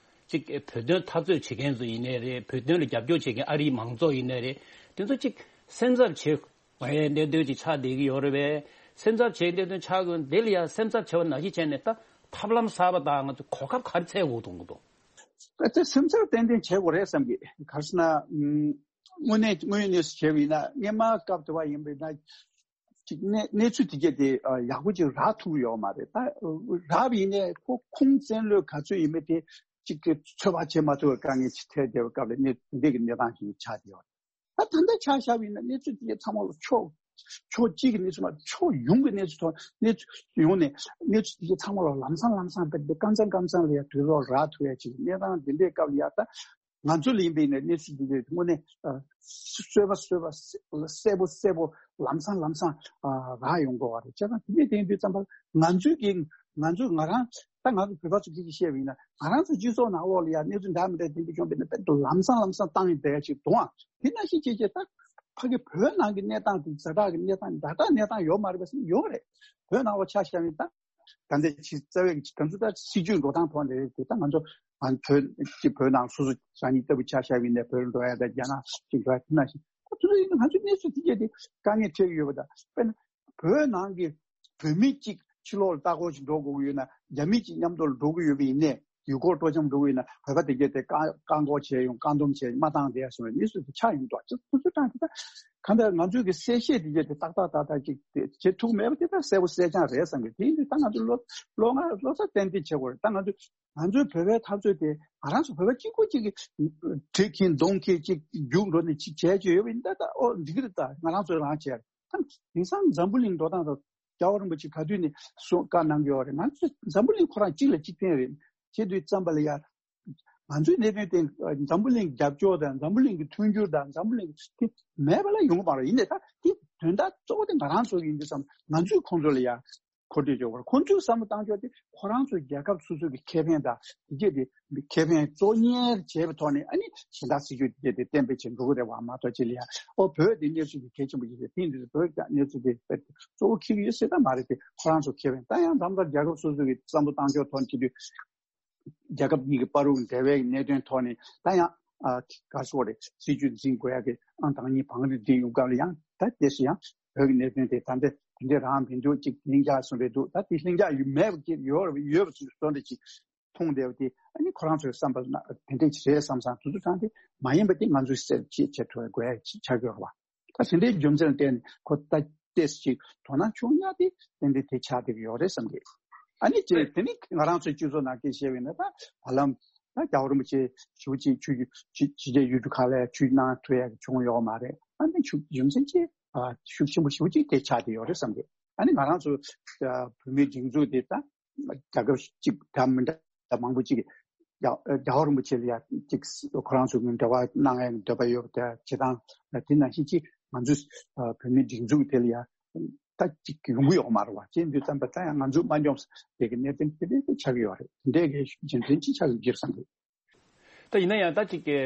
ཅིག་བོད་དོན་འཐབ་རྩོད་བྱེད་མཁན་ཚོ་ཡིན་ནའི་རེད། བོད་དོན་ལ་རྒྱབ་སྐྱོར་བྱེད་མཁན་ཨ་རིའི་མང་ཚོགས་ཡིན་ནའི་རེད། དེ་ཚོ་ཅིག་སེམས་འཚབ་བྱེད་དགོས་ཡའི་གནད་དོན་ཅིག་ཆགས་བསྡད་ཀྱི་ཡོད་རེད་པས། སེམས་འཚབ་བྱེད་གནད་དོན་ཆགས་དགོས་འདི་ལ་ཡང་སེམས་འཚབ་བྱེད་པ་ནང་བཞིན་བྱས་ནས་ད་ཐབས་ལམ་གསར་པ་དང་ང་ཚོ་གོ་སྐབས་ག་རེ་འཚོལ་དགོས་འདུག་གི་འདུག་ད་ལྟ་སེམས་འཚབ་ཏན་ཏན་བྱེད་དགོས་རེད་བསམ་གི། ག་རེ་ཟེར་ན། ཨུམ། དངོས་གནས་དངོས་ཡོད་གནས་ཚུལ་བྱས་པ་ཡིན་ན་སྔོན་མ་སྐབས་དུ་བ་ཡིན་པ་ཡིན་ན། ཅིག་གནས་གནས་ཚུལ་དེ་གྱད་དེ་ཨ་ཡག་པོ་ཅིག་རག་ཐུབ་ཀྱི་ཡོད་མ་རེད། ད་རག་པ་ཡིན་ནའི་ཁོ་ཁུངས་བཙན་ལོས་ག་ཚོད་ཡིན་མིན་དེ་ཅིག་གི་ཚོད་དཔག་བྱེད་མ་ཐུབ་པའི་དཀའ་ངལ་ཅིག་འཕྲད་བསྡད་པའི་སྐབས་ལ་གནས་འདི་གི་གནས་སྟངས་ཤིག་ཆགས་བསྡད་ཡོད་རེད། ད་ད་ལྟ་ཆ་བཞག་པ་ཡིན་ན་གནས་ཚུལ་དེ་གྱད་ཚང་མ་ལ་ཕྱོགས་ཕྱོགས་གཅིག་གི་གནས་ཚུལ་མ་ཕྱོགས་ཡོངས་ཀྱི་གནས་ཚུལ་ཐོག་གནས་ཚུལ་ཡོངས་ནས་གནས་ཚུལ་དེ་གྱད་ཚང་མ་ལ་ལམ་སང་ལམ་སང་དཔེ་འདི་ཀ་ཚང་ཀ་ཚང་ལ་ཡ་དུས་ཐོག་རག་ཐུབ་ཡ་ཅིག་གནས་སྟངས་འདི་འདྲའི་སྐབས་ལ་ཡ་ད། ང་ཚོ་ལ་ཡིན་པའི་ནས་གནས་ཚུལ་འདི་འདྲའི་དངོས་གནས་ཨ་གསལ་པོ་གསལ་པོ་གསལ་པོ་གསལ་པོ་ལམ་སང་ལམ་སང་ཨ་རག་ཡོང་དགོས་པ་རེད། བྱས་ཙང་དེ་འདྲའི་དེང་དུས་ཙམ་པ་ང་ཚོའི་གི་ང་ཚོས་ང་རང་ ད་ང་ཚོ་བོད་པ་ཚོ་སྐད་ཆ་བཤད་པ་ཡིན་ན་ང་རང་ཚོ་སྤྱི་ཚོགས་ནང་འོག་ལ་ཡ་གནས་ཚུལ་འདྲ་མི་འདྲ་དེ་འདྲ་བྱུང་བ་ཡིན་ན་དཔེ་ལམ་སང་ལམ་སང་བཏང་ཡིན་བསྡད་ཡ་ཅིག་འདུག་ཨང་། དེ་ནང་བཞིན་བྱས་བྱས་ད་ཕ་གི་བོད་ནང་གི་གནས་སྟངས་དེ་ཛ་དྲག་གི་གནས་སྟངས་ཛ་དྲག་གནས་སྟངས་ཡོད་མ་རེད་པ་ཟེར་ཡོད་རེད། བོད་ནང་ལ་ཆ་བཞག་ཡིན་ད། ད་ལྟའི་ཕྱི་རྩ་བའི་གི་ད་ཚོད་ད་སྲིད་ཇུས་འགྲོ་སྟངས་ཐོག་ནས་རེད་དེ་ད་ང་ཚོ་ང་བོད་ཀྱི་བོད་ནང་སོ་སོ་རང་ཉིད་ལྟ་བུ་ཆ་བཞག་ཡིན་ནས་བོད་འགྲོ་ཡ་ད་རྒྱ་ནག་ཅིག་འགྲོ་ཡ་དེ་ནང་བཞིན་ད་དེ་ཚོ་ཡིན་ན་ང་ཚོའི་གནས་ཚུལ་དེ་གས་དེ་དཀའ་ངལ་འཕྲད་ཀྱི་ཡོད་པ་ད་དཔེར་ན་བོད་ནང་གི་བོད་མི་གཅིག་ཕྱི་ལོགས་ལ་ལྟ་སྐོར་ཞིག་འགྲོ་དགོས་ཀྱི་ཡོད་ན་རྒྱ་མི་གཅིག་མཉམ་དུ་ལ་འགྲོ་གི་ཡོད་པ་ཡིན་ནས་ཡུལ་སྐོར་སྤྲོ་འཆམ་འགྲོ་གི་ཡོད་ན་བོད་པ་དེ་གས་དེ་བཀག་བཀག་འགོག་བྱས་ཡོང་བཀག་སྡོམ་བྱས་མ་བཏང་བསྡད་སོང་བའི་གནས་ཚུལ་དེ་ཆགས་ཡོང་འདུག་ཅེས་ཁོ་ཚོས་དྲངས་དེ་ད་གང་ལྟར་ང་ཚོའི་གི་གསལ་བཤད་དེ་གས་དེ་ཏག་ཏག་ཏག་ཏག་ཅིག་དེ་བྱེད་ཐུབ་མེད་པ་དེ་ད་གསལ་པོ་གསལ་རྐྱང་རེད་བསམ་གི། དེ་ཡིན་དུས་ད་ང་ཚོ་བློ་བློ་ང་བློ་རྩ་ཏན་ཏན་བྱེད་དགོས་རེད། ད་ང་ཚོ་ང་ཚོའི་བོད་པའི་འཐབ་རྩོད་དེ་ང་རང་ཚོ་བོད་པ་གཅིག་པོ་གཅིག་གིས་གྲི་འཁྱེར་གདོང་འཁྱེར་གཅིག་རྒྱུག་འགྲོ་ནས་གཅིག་བྱས་བྱས་ཡོད་པ་ཡིན་ད་ད་ཨོ་འགྲིག་གི་རེད། ད་ང་རང་ཚོས་རང་བྱས་རེད། ད་དེང་སང་འཛམ་བུ་གླིང་འགྲོ་སྟངས་དང་རྒྱལ་བ་རིན་པོ་ཆེ་ག་དུས་ནས་གསུང་བཀའ་གནང་གི་ཡོད་རེད། ང་ཚོས་འཛམ་བུ་གླིང་ཁོ་རང་གཅིག་ལ་གཅིག་བརྟེན་རེད། བྱེད་དུས་ཙམ་པ་ལ་ཡ། ང་ཚོའི་གནད་དོན་དེ་འཛམ་བུ་གླིང་རྒྱབ་སྐྱོར་དང་འཛམ་བུ་གླིང་གི་མཐུན་འགྱུར་དང་འཛམ་བུ་གླིང་གི་དེ་མེད་པ་ལ་ཡོང་གི་མ་རེད། ཡིན་ནའི་ད་དེ་དོན་དག་གཙོ་བོ་དེ་ང་རང་ཚོ་ཡིན་དུས་ཙམ་ང་ཚོས་ཁོང་ཚོ་ལ་ཡ་མཁོ་སྤྲོད་བྱེད་དགོས། ཁོང་ཚོས་བསམ་བློ་བཏང་ཕྱོགས་དེ་ཁོ་རང་ཚོའི་རྒྱལ་ཁབ་སོ་སོ་གི་ཁེ་ཕན་དང་དེ་གས་དེ་ཁེ་ཕན་གཙོ་གཉེར་བྱས་པའི་ཐོག་ནས་ཨ་ནི་གཞན་དག་སྲིད་ཇུས་དེ་གས་དེ་གཏན་འབེབས་བྱེད་འགྲོ་གི་རེད་བ་མ་གཏོགས་ཅི་ལ་ཡ་ཨོ་བོད་དེ་གནས་ཚུལ་དེ་གལ་ཆེན་པོ་ཡིན་ཟེར་དེ་འདི་བོད་ཀྱི་གནས་ཚུལ་དེ་གཙོ་བོ་འཁྱེར་གི་ཡོད་ཟེར་ད་མ་རེད། དེ་ཁོ་རང་ཚོ་ཁེ་ཕན་ད་ཡང་ད་ལྟ་རྒྱལ་ཁབ་སོ་སོ་གི་བསམ་བློ་བཏང་ཕྱོགས་ཐོག་ནས་བྱེད་དུས། རྒྱལ་ཁབ་གཉིས་ཀྱི་བར་དུ་འབྲེལ་བའི་གནད་དོན་ཐོག་ནས་ད་ཡང་ཨ་ག་རེ་ཟེར་དགོས་རེད། སྲིད་ཇུས་འཛིན་དགོས་ཡ་གི་ཨང་དང་གཉིས་བང་རིམ་འདི་ཡོང་སྐབས་ལ་ཡང་ད་དེ་སུ་ཡང་བོད་ཀྱི་གནད་དོན་དེ་ད་ལྟ་དེ་འདྲ་རང་མི་འདུག་ཅིག་ལྷིང་འཇགས་སུ་རེད་འདུག་ད་དེ་ལྷིང་འཇགས་ཡོད་མེད་ཀྱི་ཡོད་ཡོད་པ་ཚོ་འདྲ་ཅིག་མཐོང་བསྡད་པ་དེ་ཨ་ནི་ཁོ་རང་ཚོའི་བསམ་པ་ན་དེ་འདྲ་ཅིག་རེད་བསམ་བསམ་དུ་དུ་དྲང་དེ་མ་ཡིན་པ་དེ་ང་ཚོས་སེལ་བྱེད་བྱེད་ཐུབ་དགོས་ཡ་ཅིག་ཆགས་ཡོད་རེད་བ། ད་དེ་འདྲའི་རྒྱུ་མཚན་བརྟེན་ནས་ཁོ་ད་ཏེས་ཅིག་དོ་སྣང་བྱུང་ཡ་དེ་ཏན་ཏན་དེ་ཆགས་བསྡད་ཀྱི་ཡོད་རེད་བསམ་གི། ཨ་ནི་ཅེ་དེ་ནི་ང་རང་ཚོའི་སྤྱི་ཚོགས་ནང་སྐད་བཤད་པ་ཡིན་ན་ད་བར་ལམ་ད་རྒྱལ་བ་རིན་པོ་ཆེ་ཞུ་ཅིག་ཆུ་ཆུ་ཆུ་རྒྱལ་ཡུལ་གྲུ་ཁག་ལ་ཆུ་གནང་ཐུབ་ཡ་གི་བྱུང་ཡོད་མ་རེད། ཨ་ནི་ཆུ་རྒྱུ་མཚན་ཅེ་ཤུགས་ཆེན་པོ་ཞེ་པོ་ཅིག་དེ་ཆགས་བསྡད་ཡོད་རེད་བསམ་གི། ཨ་ནི་ང་རང་ཚོ་བོད་མིའི་སྒྲིག་འཛུགས་དེ་ད་རྒྱལ་ཁབ་གཅིག་འདྲ་མི་འདྲ་མང་པོ་གཅིག་གིས་རྒྱལ་རྒྱལ་བ་རིན་པོ་ཆེ་ལ་ཡ་གཅིག་ཁོ་རང་ཚོ་གི་འབྲེལ་བ་གནང་ཡ་འདོད་པ་ཡོད་པ་དེ་བྱེད་སྟངས་དེ་ནང་བཞིན་གཅིག་ང་ཚོ་བོད་མིའི་སྒྲིག་འཛུགས་དེ་ལ་ཡ་ད་གཅིག་ཡོང་གི་ཡོད་མ་རེད་བ། ཅེས་འདུག་བསམ་པ་ད་ཡང་ང་ཚོ་མ་འཇོམས་དེ་གི་གནད་དོན་དེ་འདྲ་ཆགས་ཀྱི་ཡོད་རེད། དེ་འདྲའི་གི་རྒྱུ་མཚན་གཅིག་ཆགས་ཀྱི་འགྱུར་བསམ་གི། ད་ཡིན་ན་ཡང་ད་ཅིག་གི་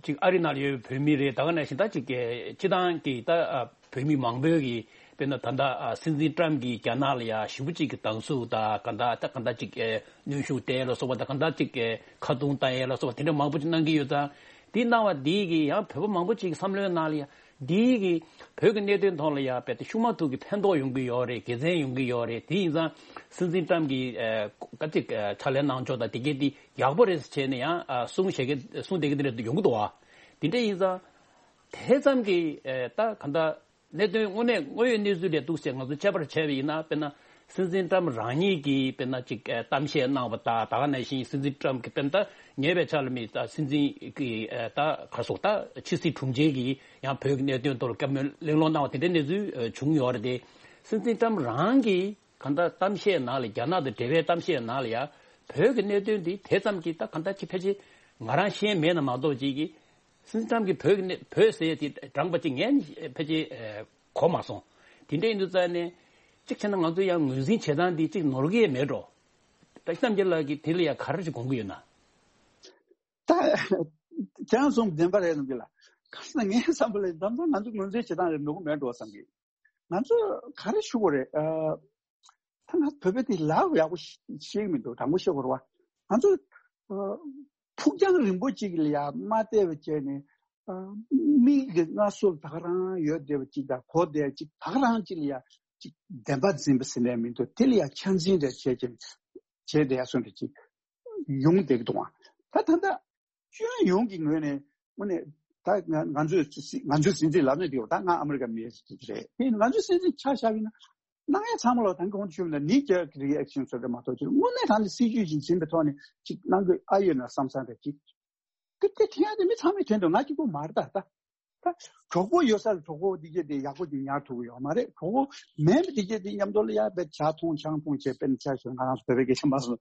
ཅིག་ཨ་རི་ནང་ལ་ཡོད་པའི་བོད་མི་རེད། ད་ག་ནང་བཞིན་ད་ཅིག་གི་སྤྱི་བཏང་གི་ད་ཨ་བོད་མི་མང་པོས་གི་དཔེར་ན་ད་ལྟ་ཨ་སྲིད་འཛིན་ཏྲམ་གྱིས་རྒྱ་ནག་ལ་ཡ་ཞེ་པོ་ཅིག་གི་སྡང་ཟུག་ད་ག་ད་ད་ག་ད་ཅིག་གི་གནོན་ཤུགས་སྤྲད་ལ་སོགས་པ་ད་ག་ད་ཅིག་གི་ཁ་རྡུང་བཏང་ཡས་ལ་སོགས་པ་དེ་འདྲ་མང་པོ་ཅིག་གནང་གི་ཡོད་ཙང་། དེ་གནང་བ་དེ་གི་ཡང་བོད་པ་མང་པོ་ཅིག་གི་བསམ་བློའི་ནང་ལ་ཡ་དེ་གི་བོད་ཀྱི་གནད་དོན་ཐོག་ལ་ཡ་དཔེ་དེ་ཤུགས་མ་ཐུག་གི་ཕན་ཐོགས་ཡོང་གི་ཡོད་རེད། དགེ་མཚན་ཡོང་གི་ཡོད་རེད། དེ་ཡིན་ཙང་སྲིད་འཛིན་ཏྲམ་གྱིས་ཨ་ག་ཅིག་ཨ་ཕྱག་ལས་གནང་ཕྱོགས་དང་དེ་གས་དེ་ཡག་པོ་རེད་ཟེར་བྱས་ནས་ཡང་ཨ་གསུང་བྱེད་ཀྱི་གསུང་བསྡད་ཀྱི་དེ་འདྲ་ཡོང་གི་འདུག་བ། དེ་འདྲ་ཡིན་ཙང་དེ་ཙམ་གྱིས་ཨ་ད་ག་འདྲ་གནད་དོན་དངོས་གནས་དངོས་ཡོད་གནས་ཚུལ་ལས་འདུག་ཟེར་ང་ཚོ་དཔྱད་པ་བྱས་པ་ཡིན་ན། དཔེར་ན་སྲིད་འཛིན་ཏྲམ་རང་ཉིད་ཀྱིས་དཔེར་ན་ཅིག་ཨ་གཏམ་བཤད་གནང་བ་དང་། ད་ག་ནང་བཞིན་སྲིད་འཛིན་ཏྲམ་གྱིས་དཔེར་ན་ད་ཉེ་བའི་ཆར་ལ་མི་ད་སྲིད་འཛིན་གྱི་ཨ་ད་ག་རེ་ཟེར་ད་ཕྱི་སྲིད་དྲུང་ཆེ་གིས་ཡང་བོད་ཀྱི་གནད་དོན་ཐོག་ལ་བཀའ་མོལ་གླེང་སློང་གནང་བ་དེ་འདྲའི་གནས་ཚུལ་ཨ་བྱུང་ཡོད་རེད་དེ། སྲིད་འཛིན་ཏྲམ་རང་གིས་གང་ལྟར་གཏམ་བཤད་ནང་ལ་རྒྱ་ནག་དང་འབྲེལ་བའི་གཏམ་བཤད་ནང་ལ་ཡང་བོད་ཀྱི་གནད་དོན་འདི་དེ་ཙམ་གྱིས་ད་གང་ལྟར་ཅིག་ཕལ་ཆེར་ང་རང་ཤེས་མེད་ན་མ་གཏོགས་ཅིག་གིས་སྲིད་འཛིན་ཏྲམ་གྱིས་བོད་ཀྱི་གནད་བོད་ཟེར་ཡས་དེ་དྲངས་པ་ཅིག་ངས་ཕལ་ཆེར་ཨ་གོ་མ་སོང་། དེ་འདྲ་ཡིན་དུས་ཙང་ནས་གཅིག་བྱས་ན་ང་ཚོ་ཡང་ངོས་འཛིན་བྱེད་སྟངས་འདི་གཅིག་ནོར་གྱི་མེད་འགྲོ། ད་བསམ་རྒྱལ་ལགས་ཀྱིས་དེ་ལ་ཡང་ག་རེ་ཞིག་དགོངས་ཀྱི་ཡོད་ན། ད་ཁྱེད་རང་གསུངས་བདེན་པ་རེད་བསམ་གྱི་ལ། ག་ཟེར་ན་ངའི་བསམ་པ་ལ་ད་ལྟ་ང་ཚོ་ངོས་འཛིན་བྱེད་སྟངས་རེད་ནོར་གྱི་མེད་འགྲོ་བསམ་གྱི། ང་ཚོ་ག་རེ་ཞུ་དགོས་རེད། ཨ། ད་ང་བོད་པའི་དེ་ལབ་ཡག་པོ་ཤེས་ཤེས་ཀྱི་མི་འདུག་དྲང་པོ་བཤད་དགོས་རེད་བ། ང་ཚོ་ཨ་ཕུགས་རྒྱང་རིང་པོ་གཅིག་ལ་ཡ་མ་བལྟས་པ་བྱས་ནས་ཨ་མིག་གི་སྔ་སོར་ད་ག་རང་ཡོད་བསྡད་པ་གཅིག་དང་གོ་བསྡད་གཅིག་ད་ག་རང་གཅིག་ལ་ཡ་གཅིག་བདེན་པ་འཛིན་པ་ཟེར་ནས་མི་འདུག་དེ་ལ་ཡ་ཆ་འཛིན་རེ་བྱས་ཀྱི་བྱས་བསྡད་ཡ་སོང་དེ་གཅིག་ཡོང་བསྡད་ཀྱི་འདུག་ཨང་། ད་ད་ལྟ། སྤྱི་ཡོངས་ཀྱི་ངོས་ནས་དངོས་གནས་ད་ང་ང་ཚོས་ང་ཚོའི་སྲིད་འཛིན་ལབ་ནས་དེ་ད་ང་ཨ་མི་རི་ཀ་མི་ཞིག་རེད། དེ་ང་ཚོའི་སྲིད་འཛིན་ཆ་བཞག་པ་ཡིན་ན་གནང་ཡ་ཚང་མ་ལ་ད་གོང་དུ་ཞུས་པ་ནང་knee jerk reaction ཟེར་བ་མ་གཏོགས་ཅིག་དངོས་གནས་དྲང་གནས་སྲིད་ཇུས་ཅིག་འཛིན་པའི་ཐོག་ནས་ཅིག་གནང་དགོས་ཨ་ཡོད་ན་བསམ་བསམ་རེད་ཅིག་དེ་དེ་དྲན་ཡ་དེ་མི་ཚང་མས་དྲན་འདུག་ང་གཅིག་པུ་མ་རེད་ད། ད་གྲོགས་པོ་ཡོད་ས་ལ་གྲོགས་པོ་འདི་གས་དེ་ཡག་པོ་ཅིག་ཉར་ཐུབ་ཀྱི་ཡོད་མ་རེད། གྲོགས་པོ་མེད་པ་འདི་གས་དེ་མཉམ་དུ་ལ་ཡ་དཔེ་ཇ་འཐུང་ཆང་འཐུང་བྱས་དཔེར་ན་ཆ་བཞག་ང་རང་ཚོ་བོད་པའི་སྐད་ཆ་མ་སོང་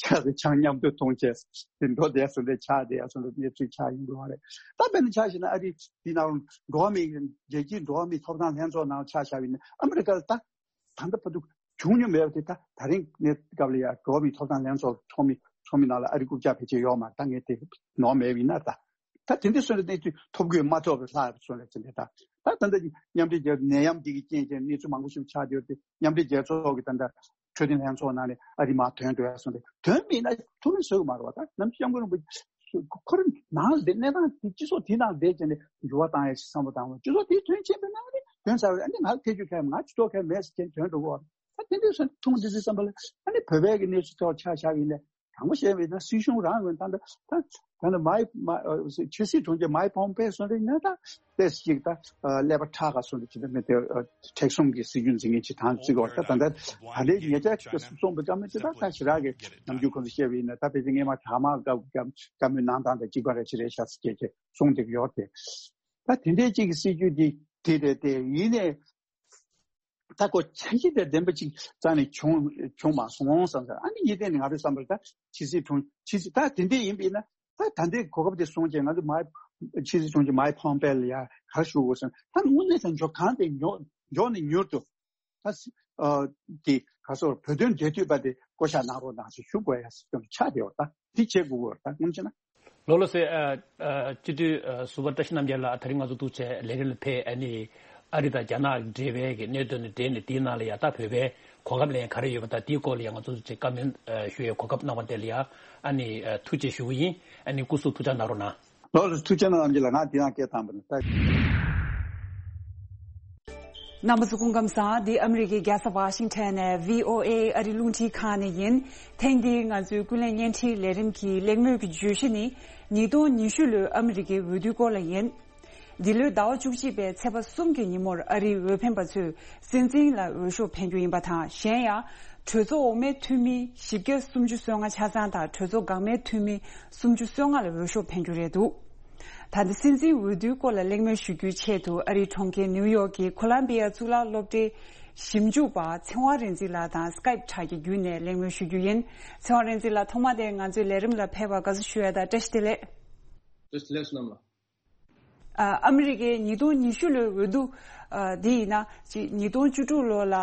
ཇ་དང་ཆང་མཉམ་དུ་འཐུང་བྱས་དེ་འགྲོ་བསྡད་སོང་དེ་ཆགས་བསྡད་སོང་དེ་གནས་ཚུལ་ཆགས་ཡོང་གི་ཡོད་རེད། ད་དཔེར་ན་ཆ་བཞག་ན་ཨ་རི་འདི་ནང་འགྲོ་བ་མིའི་རྒྱལ་སྤྱིའི་འགྲོ་བ་མིའི་ཐོབ་ཐང་ལྷན་ཚོགས་ནང་ཆ་བཞག་པ་ཡིན་ན་ཨ་མི་རི་ཀ་ལ་ད་ད་ལྟ་བར་དུ་ བྱུང་མྱོང་མེད་པ་དེ། ད་ད་རིང་གནས་སྐབས་ལ་ཡ་འགྲོ་བ་མིའི་ཐོབ་ཐང་ལྷན་ཚོགས་ཚོགས་མི་ཚོགས་མི་ནང་ལ་ཨ་རི་རྐུབ་བཀྱག་ཕལ་ཆེར་ཡོད་མ་རེད། ད་ངས་དེ་ནོར་མེད་པ་ཡིན་ན། ད་ད་དེ་འདྲའི་སོན་ལ་གནས་ཚུལ་ཐོབ་དགོས་མ་ཐོབ་པའི་ལྷག་སོན་ལ་ཅི་འདྲ། ད་ད་ད་ལྟ་མཉམ་འབྲེལ་རྒྱལ་ནད་ཡམས་འདི་གི་རྐྱེན་གྱིས་གནས་ཚུལ་མང་པོ་ཞིག་ཆགས་བསྡད་ཡོད་དེ། མཉམ་འབྲེལ་རྒྱལ་ཚོགས་ཀྱི་ད་ལྟ་འཕྲོད་བསྟེན་ལྷན་ཚོགས་ནང་ནས་ཨ་རི་མར་ཐོན་འགྲོ་ཡ་སོང་སྟེ། ཐོན་མེད་ན་ཐུགས་ཕན་གསོས་ཀྱི་མ་རེད་བ། ད་ནམ་སྐྱབས་མགོན་རིན་པོ་ཆེ་ཁོ་རང་ནང་ལ་བསྡད། གནས་སྟངས་དེ་སྤྱི་ཚོགས་དེའི་ནང་བསྡད་བྱས་ནས་འགྱུར་བ་བཏང་ཡ་ཞིག་བསམ་བློ་བཏང་བ། སྤྱི་ཚོགས་དེ་དོན་ཆེན་པོའི་ནང་ནས་དོན་ཚར་བས། ཨ་ནི་ང་ལ་ཐེ་བྱུས་ཁ་ཡ། ང་ཇུས་གཏོགས་ཁ་ཡ་མེད་ཟེར་བྱས་ཐོན་འགྲོ་གི་ཡོད་རེད། ད་དེ་འདྲའི་སོང་ཐུགས་འདི་ཚོ་བསམ་པ་ལ། ཨ་ནི་བོད་པའི་གི་གནས་ཚུལ་ཐོག་ཆ་བཞག་ཡིན་ན། དྲང་པོ་བཤད་པ་ཡིན་ན་སྲིད་གཞུང་རང་ངོས་ད་ལྟ་ད་ད་ལྟ་མའི་མ་ཕྱི་སྲིད་དྲུང་ཆེ་མའི་ཕོམ་པེ་སོང་རེད་ན། ད་ཏེས་ཅིག་ད་ཀླད་པ་ཁྲག་ག་སོང་རེད། ཅི་ད་མི་དེ་མཁྲེགས་གསུམ་གྱི་སྲིད་ཇུས་འཛིན་མཁན་ཅིག་དང་བརྩི་དགོས། ད་ད་ད་ལྟ་ད་ལྟའི་ཉེ་ཆར་གསུངས་པ་ཙམ་ཅིག་ད་ད་ཞེ་དྲག་གི་ནམ་རྒྱུན་ཁོང་ཚོས་བཤད་པ་ཡིན་ན། ད་ཕལ་ཆེར་སྔས་མ་དྲ་དམངས་བཀའ་བཀའ་མོལ་གནང་སྟངས་དང་གཅིག་པ་རེད། ཅི་རེད་ཤག་ཟེར་བྱས་བྱས་གསུངས་བསྡད་ཀྱི་ཡོད་རེད། ད་དེ་འདྲའི་ཅིག་གི་སྲིད་ཇུས་འདི་དེ་རེད་དེ། ཡིན་ནའི། ད་ཁོ་འཆར་གཞི་དང་ལྡན་པ་ཅིག་རྩ་ནས་བྱུང་བྱུང་མ་སོང་བསམ་ས། ཨ་ནི་ཡིན་དེ་ནི་ང་རའི་བསམ་པར་ད་ཕྱི་སྲིད་དྲུང་ཕྱི་སྲིད་ད་དེ་འདྲས་ཡིན་པས་ན། ད་ད་ལྟའི་གོ་སྐབས་དེ་སོང་རྗེས་ང་ཚོ་མའི་ཕྱི་སྲིད་དྲུང་ཆེ་མའི་ཕོམ་པེ་ལ་ཡ་ག་རེ་ཞུ་དགོས་སོང་། ད་དངོས་གནས་ད་མགྱོགས་གང་དེ་མགྱོགས་མགྱོགས་ནས་མྱུར་དུ་ད་སྲི་ཨ་དེ་ག་སོགས་བོད་དོན་འབྲེལ་མཐུད་པ་དེ་བསྐོ་བཞག་གནང་རོགས་གནང་ཞེས་ཞུ་དགོས་ཡ་ཅིག་ཆགས་བསྡད་ཡོད། ད་དེ་བྱེད་དགོས་ཀྱི་ཡོད། ད་སྔོན་ཆད་ན། ལགས་ལགས་སེ། ཨ་ཨ་སྤྱི་འཐུས་ཨ་ཟུར་པ་བཀྲ་ཤིས་རྣམ་རྒྱལ་ལགས། དེ་རིང་ང་ཚོ་ཐུག་བྱས་ལས་རིམ་ལ་ཕེབས། ཨ་ནི་ཨ་རི་དང་རྒྱ་ནག་འབྲེལ་བའི་གི་གནད་དོན་ནི་འབྲེལ་ནས་དེའི་ནང་ལ་ཡ་ད་བོད་པའི་གོ་སྐབས་ལེན་ག་རེ་ཡོད་པ། ད་དེའི་སྐོར་ལ་ཡ་ང་ཚོ་ཐུག་བྱས་བཀའ་མོལ་ཨ་ཞུ་ཡའི་གོ་སྐབས་གནང་བ་དེ་ལ་ཡ་ཨ་ནི་ཨ་ཐུགས་རྗེ་ཞུ་གི་ཡིན། ཨ་ནི་སྐུ་གཟུགས་ཐུགས་ཅག་གནང་རོགས་གནང་། ལགས་ལགས། ཐུགས་རྗེ་གནང་། རྣམ་རྒྱལ་ལགས། ང་འདི་ཡང་སྐད་བཏང་བ་ནི་ད། རྣམ་པ་ཚོ་སྐུ་ཁམས་བཟང་། འདི་ཨ་མི་རི་ཀའི་རྒྱལ་ས་ཝ་ཤིང་ཊོན་ནས་བྷི་ཨོ་ཨེ་ཨ་རི་རླུང་འཕྲིན་ཁང་ནས་ཡིན། ཐེངས་འདིའི་ང་ཚོའི་ཀུན་གླེང་བརྙན་འཕྲིན་ལས་རིམ་གྱི་གླེང་མོལ་གྱི་བརྗོད་གཞི་ནི་ཉིས་སྟོང་ཉི་ཤུ་ལོའི་ཨ་མི་རི་ཀའི་འོས་བསྡུའི་སྐོར་ལ་ཡིན། འདི་ལོའི་ཟླ་བ་བཅུ་གཅིག་པའི་ཚེས་པ་གསུམ་གྱི་ཉིན་མོར་ཨ་རིའི་འོས་འཕེན་པ་ཚོས་སྲིད་འཛིན་ལ་འོས་ཤོག་འཕེན་རྒྱུ་ཡིན་པ་དང་། གཞན་ཡང་གྲོས་ཚོགས་འོག་མའི་འཐུས་མི་བཞི་བརྒྱ་སུམ་ཅུ་སོ་ལྔ་ཆ་ཚང་དང་གྲོས་ཚོགས་འགག་མའི་འཐུས་མི་སུམ་ཅུ་སོ་ལྔ་ལ་འོས་ཤོག་འཕེན་རྒྱུ་རེད་འདུག་ད་ལྟ་སྲིད་འཛིན་འོས་བསྡུའི་སྐོར་ལ་གླེང་མོལ་ཞུ་རྒྱུའི་ཆེད་དུ་ཨ་རིའི་གྲོང་ཁྱེར་ནིའུ་ཡོག་གི་ཁོ་ལམ་བི་ཡ་གཙུག་ལག་སློབ་གྲྭའི་ཞིབ་འཇུག་པ་ཚེ་དབང་རིག་འཛིན་ལགས་དང་སི་ཀའིབ་དྲ་རྒྱའི་བརྒྱུད་ནས་གླེང་མོལ་ཞུ་རྒྱུ་ཡིན། ཚེ་དབང་རིག་འཛིན་ལགས། ཐོག་མ་དེ་ང་ཚོའི་ལས་རིམ་ལ་ཕེབས་པར་དགའ་བསུ་ཞུ་ཡ་དང་བཀྲ་ཤིས་བདེ་ལེགས། བཀྲ་ཤིས་བདེ་ལེགས་བསོད་ནམས་ལགས། ཨ་ཨ་མི་རི་ཀའི་ཉིས་སྟོང་ཉི་ཤུ་ལོའི་འོས་བསྡུ་ཨ་འདི་ཡིན་ན། ཅིག་ཉིས་སྟོང་བཅུ་དྲུག་ལོ་ལ་ཨ་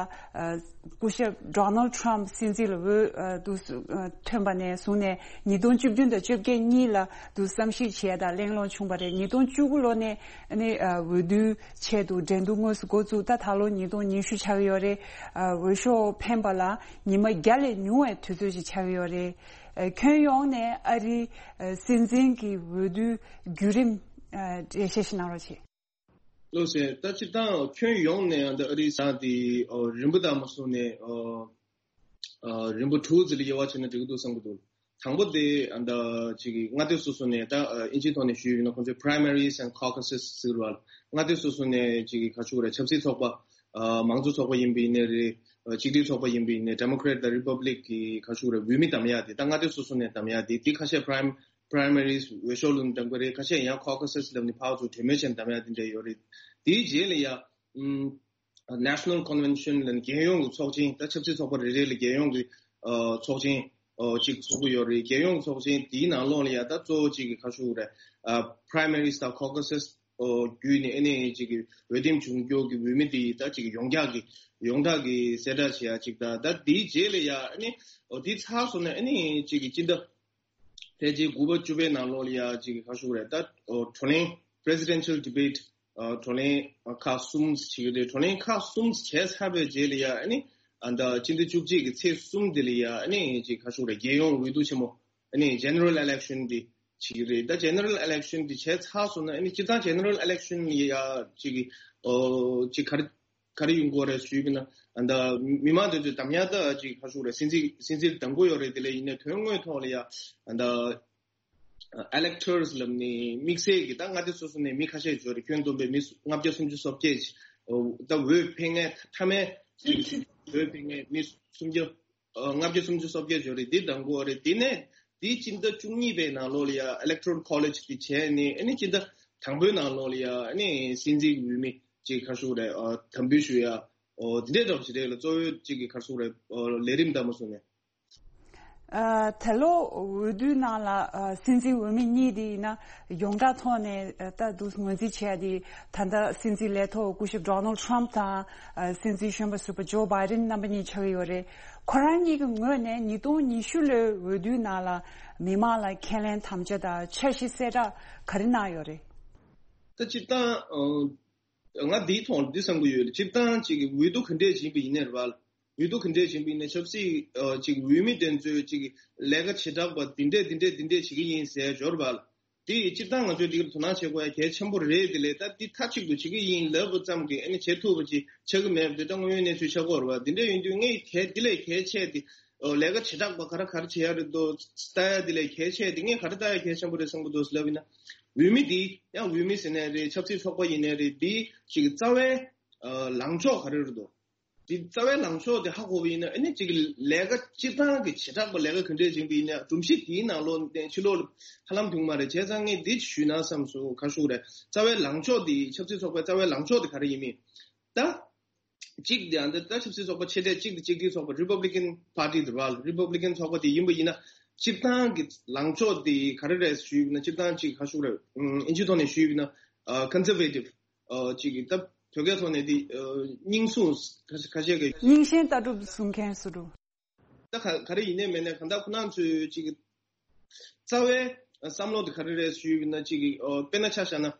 སྐུ་ཞབས་ཌོ་ནལ་ཊམ་སྲིད་འཛིན་ལ་འོས་ཨ་འདུག་ཨ་ཐོན་པ་ནས་བཟུང་ནས་ཉིས་སྟོང་བཅུ་བདུན་དང་བཅོ་བརྒྱད་གཉིས་ལ་འདུག་བསམ་གཞིག་བྱས་དང་གླེང་སློང་བྱུང་བ་རེད། ཉིས་སྟོང་བཅུ་དགུ་ལོ་ནས་ཨ་ནི་ཨ་འོས་བསྡུའི་ཆེད་དུ་འགྲན་བསྡུར་དངོས་སུ་འགོ་བཙུགས། ད་ད་ལོ་ཉིས་སྟོང་ཉི་ཤུ་ཆགས་ཀྱི་ཡོད་རེད། ཨ་འོས་ཤོག་འཕེན་པ་ལ་ཉི་མ་བརྒྱ་ལས་ཉུང་བའི་དུས་ཚོད་ཅིག་ཆགས་ཀྱི་ཡོད་རེད། ཨ་ཁྱོན་ཡོངས་ནས་ཨ་རིའི་ཨ་སྲིད་འཛིན་གྱི་འོས་བསྡུའི་བརྒྱུད་རིམ་ཨ་འགྲེལ་བཤད་ཞིག་གནང་རོགས་བྱེད། ལགས་སེ། ད་སྤྱིར་བཏང་ཁྱོན་ཡོངས་ནས་ཡང་ད་ཨ་རིའི་ཟ་དེ་ཨོ་རིམ་པ་དང་མ་སོང་ནས་ཨོ་ཨ་རིམ་པ་དྲུག་ཙམ་ལ་དབྱེ་བ་ཕྱེ་ན་འགྲིག་གི་འདུག་བསམ་གྱི་འདུག་དང་པོ་དེ་ཨ་ད་ཅིག་གི་མངའ་སྡེ་སོ་སོ་ནས། ད་ཨ་ཨིན་ཇིའི་ཐོག་ནས་ཞུས་ཡོད་ན་ཁོང་ཚོས་primaries and caucuses ཟེར་བ་ལ། མངའ་སྡེ་སོ་སོ་ནས་ཅིག་གི་ག་ཞུ་དགོས་རེད། ཆབ་སྲིད་ཚོགས་པ་ཨ་མང་གཙོ་ཚོགས་པ་ཡིན་པ་ཡིན་ནའི་རེད། ཨ་གཅིག་སྒྲིལ་ཚོགས་པ་ཡིན་པ་ཡིན་ནའི། Democrat དང་Republic གི་ག་ཞུ་དགོས་རེད། འོས་མི་བདམས་ཡ་དེ། ད་མངའ་སྡེ་སོ་སོ་ནས་བདམས་ཡ་དེ། དེ་ཁ་ཤས་prim primaries འོས་ཤོག་ལུང་བདམས་ཀྱི་རེད། ཁ་ཤས་ཡང་caucuses ལབ་ནས་ཕར་ཚུར་གྲོས་མོལ་བྱས་ནས་བདམས་ཡ་དེ་འདྲ་ཡོད་རེད། དེའི་རྗེས་ལ་ཡ་ཨམ་National Convention ལབ་ནས་རྒྱལ་ཡོངས་ཀྱི་ཚོགས་ཆེན། ད་ཆབ་སྲིད་ཚོགས་པ་རེ་རེ་ལ་རྒྱལ་ཡོངས་ཀྱི་ཨ་ཚོགས་ཆེན་ཨ་གཅིག་ཚོགས་ཀྱི་ཡོད་རེད། རྒྱལ་ཡོངས་ཀྱི་ཚོགས་ཆེན་དེའི་ནང་ལོགས་ལ་ཡ་ད་གཙོ་བོ་གཅིག་གི་ག་ཞུ་དགོས་རེད། ཨ་primaries དང་caucuses ཨ་བརྒྱུད་ནས་ཨ་ནི་གཅིག་གི་འོས་འདེམས་བྱུང་རྒྱུ་གི་འོས་མི་དེ་ད་གཅིག་གི་ཡོངས་གྲགས་ཀྱི་ཡོངས་གྲགས་ཀྱི་གསལ་བསྒྲགས་བྱེད་ཡ་གཅིག་དང་། ད་དེའི་རྗེས་ལ་ཡ་ཨ་ནི་ཨ་དེ་ཚར་སོང་ན་ཨ་ནི་གཅིག་གི་སྤྱི་ཟླ་ཕལ་ཆེར་དགུ་པ་བཅུ་པའི་ནང་ལོགས་ལ་ཡ་གཅིག་གི་ག་ཞུ་དགོས་རེད། ད་ཨོ་བགྲོ་གླེང་presidential debate ཨ་བགྲོ་གླེང་ཁག་གསུམ་བྱེད་ཀྱི་རེད། བགྲོ་གླེང་ཁག་གསུམ་བྱས་ཚར་བའི་རྗེས་ལ་ཡ་ཨ་ནི་ཨ་ད་སྤྱི་ཟླ་བཅུ་གཅིག་གི་ཚེས་གསུམ་དེ་ལ་ཡ་ཨ་ནི་གཅིག་ག་ཞུ་དགོས་རེད། རྒྱལ་ཡོངས་འོས་བསྡུ་ཆེན་མོ་ཨ་ནི་general election དེ་བྱེད་ཀྱི་རེད། ད་general election དེ་བྱས་ཚར་སོང་ན་ཨ་ནི་སྤྱིར་བཏང་general election ལ་ཡ་གཅིག་གི་ཨོ་གཅིག་ག་རེ་ག་རེ་ཡོང་གི་ཡོད་རེད་ཞུས་པ་ཡིན་ན། ཨ་ད་མི་མང་དེ་ཚོས་བདམས་ཡ་ད་ཅིག་ག་ཞུ་དགོས་རེད། སྲིད་འཛིན་སྲིད་འཛིན་བདམས་ཀྱི་ཡོད་རེད། དེ་ལས་ཡིན་ནའི་དོན་དངོས་ཐོག་ལ་ཡ་ཨ་ད་electors ལབ་ནས་དམིགས་བསལ་གྱི་ད་མངའ་སྡེ་སོ་སོ་ནས་མི་ཁ་ཤས་ཡོད་རེད། ཁྱོན་བསྡོམས་པའི་མི་ལྔ་བརྒྱ་སུམ་ཅུ་སོ་བརྒྱད་ཅིག་ད་འོས་འཕེན་མཁན་མཐའ་མའི་འོས་འཕེན་མཁན་མི་སུམ་བརྒྱ་ལྔ་བརྒྱ་སུམ་ཅུ་སོ་བརྒྱད་ཡོད་རེད། འདི་བདམས་ཀྱི་ཡོད་རེད། དེ་ནས་དེའི་སྤྱི་ཟླ་བཅུ་གཉིས་པའི་ནང་ལོགས་ལ་ཡ་electoral college དེ་བྱས་ནས་ཨ་ནི་སྤྱི་ཟླ་དང་པོའི་ནང་ལོགས་ལ་ཡ་ཨ་ནི་སྲིད་འཛིན་གྱི་འོས་མི་ཅིག་ག་ཞུ་དགོས་རེད། ཨ་དམ་འབུལ་ཞུ་ཡ་ཨོ་དེ་འདྲའི་འདྲ་བ་ཞིག་རེད་ལ། གཙོ་བོའི་ཅིག་གི་ག་ཞུ་དགོས་རེད། ཨོ་ལས་རིམ་དང་མ་སོང་ནས། ཨ། ད་ལོ་འོས་བསྡུའི་ནང་ལ་ཨ་སྲིད་འཛིན་འོས་མི་གཉིས་དེ་ཡིན་ན་ཡོངས་གྲགས་ཐོག་ནས་ཨ་ད་འདུག་ངོས་འཛིན་བྱས་ཏེ། ད་ལྟ་སྲིད་འཛིན་ལས་ཐོག་སྐུ་ཞབས་Donald Trump་དང་ཨ་སྲིད་འཛིན་གཞོན་པ་ཟུར་པ་ཇོ་བྷའི་ཌེན་རྣམ་པ་གཉིས་ཆགས་ཀྱི་ཡོད་རེད། ཁོ་རང་གཉིས་ཀྱི་ངོས་ནས་ཉིས་སྟོང་ཉི་ཤུ་ལོའི་འོས་བསྡུའི་ནང་ལ་མི་མང་ལ་ཁས་ལེན་དམ་བཅའ་དང་འཆར་གཞི་གསལ་བསྒྲགས་ག་རེ་གནང་ཡོད་རེད། ད་སྤྱིར་བཏང་ང་འདིའི་ཐོག་འདི་བསམ་གྱི་ཡོད། སྤྱིར་བཏང་ཅིག་འོས་བསྡུ་ག་འདྲས་ཡིན་པ་ཡིན་ནའི་རེད་པ། འོས་བསྡུ་ག་འདྲས་ཡིན་པ་ཡིན་ནའི་ཆབ་སྲིད་ཅིག་འོས་མི་དེ་ཚོས་ཅིག་ལས་ཀ་བྱེ་བྲག་པ་འདི་འདྲས་འདི་འདྲས་འདི་འདྲས་བྱེད་ཀྱི་ཡིན་ཟེར་འབྱོར་པ། དེ་སྤྱིར་བཏང་ང་ཚོས་འདི་གར་དོ་སྣང་བྱེད་དགོས་ཡ་གལ་ཆེན་པོ་རེད། དེ་ལས་ད་འདི་མཐའ་གཅིག་ཏུ་བྱེད་ཀྱི་ཡིན་ལབ་པ་ཙམ་གྱིས་ཨ་ནི་བྱེད་ཐུབ་པ་ཅིག་ཆགས་ཀྱི་མེད་པ་དེ་ད་དངོས་ཡོད་གནས་ཚུལ་ཆགས་ཀྱི་ཡོད་རེད་པ། འདི་འདྲས་ཡིན་དུས་ངས་གལ་འདི་ལས་གལ་ཆེ་དེ་ལས་ཀ་བྱེ་བྲག་པ་ག་རེ་ག་རེ་བྱེད་ཡ་རེད་འདུག་ལྟ་ཡ་དེ་ལས་གལ་ཆེ་དེ་ངས་ག་རེ་ལྟ་ཡ་གལ་ཆེན་པོ་རེད་བསམ་གྱི་འདུག་ལབ་ཡིན་ན། འོས་མི་འདི་ཡང་འོས་མི་ཟེར་ནའི་རེད། ཆབ་སྲིད་ཚོགས་པ་ཡིན་ནའི་རེད། འདི་ཅིག་རྩ་བའི་ལངས་ཕྱོགས་ག་རེ་རེད་འདུག་འདི་རྩ་བའི་ལངས་ཕྱོགས་དེ་ཧ་གོ་བ་ཡིན་ན་ཨ་ནི་ཅིག་ལས་ཀ་སྤྱིར་བཏང་གི་བྱེ་བྲག་པ་ལས་ཀ་ག་འདྲས་ཕྱིན་པ་ཡིན་ན་སྒྲོམ་གཞི་དེའི་ནང་ལོགས་ནས་ཕྱི་ལོགས་ལ་ཧ་ལམ་འདུག་མ་རེད། བྱས་ཙང་ངས་འདི་ཞུས་ན་བསམ་སོང་། ག་ཞུ་རེད། རྩ་བའི་ལངས་ཕྱོགས་དེ་ཆབ་སྲིད་ཚོགས་པའི་རྩ་བའི་ལངས་ཕྱོགས་དེ་ག་རེ་ཡིན་མིན་ད། གཅིག་དེ་ཨ་འདི་ད་ཆབ་སྲིད་ཚོགས་པ་ཆེ་གྲས་གཅིག་དེ་གཅིག་སྒྲིལ་ཚོགས་པ་Republican Party་དེ་རེད་པ། Republican་ཚོགས་པ་དེ་ཡིན་པ་ཡིན་ན་སྤྱིར་བཏང་གི་ལངས་ཕྱོགས་དེ་ག་རེ་རེད་ཞུས་ན་སྤྱིར་བཏང་ཅིག་ག་ཞུ་རེད། ཨིན་ཇི་ཐོག་ནས་ཞུས་ན་Conservative ཅིག་གི་ད་བོད་སྐད་ཐོག་ནས་དེ་རྙིང་སྲུང་ཁ་ཤས་ཀྱི་རྙིང་ཞེན་ལྟ་གྲུབ་སྲུང་མཁན་སུ་རུ། ད་ག་ག་རེ་ཡིན་ནའི་མེད་ནའི་གང་ལྟར་ཁོ་རང་ཚོའི་ཅིག་གི་རྩ་བའི་བསམ་བློ་དེ་ག་རེ་རེད་ཞུས་ན་ཅིག་གི་དཔེར་ན་ཆ་བཞག་ན།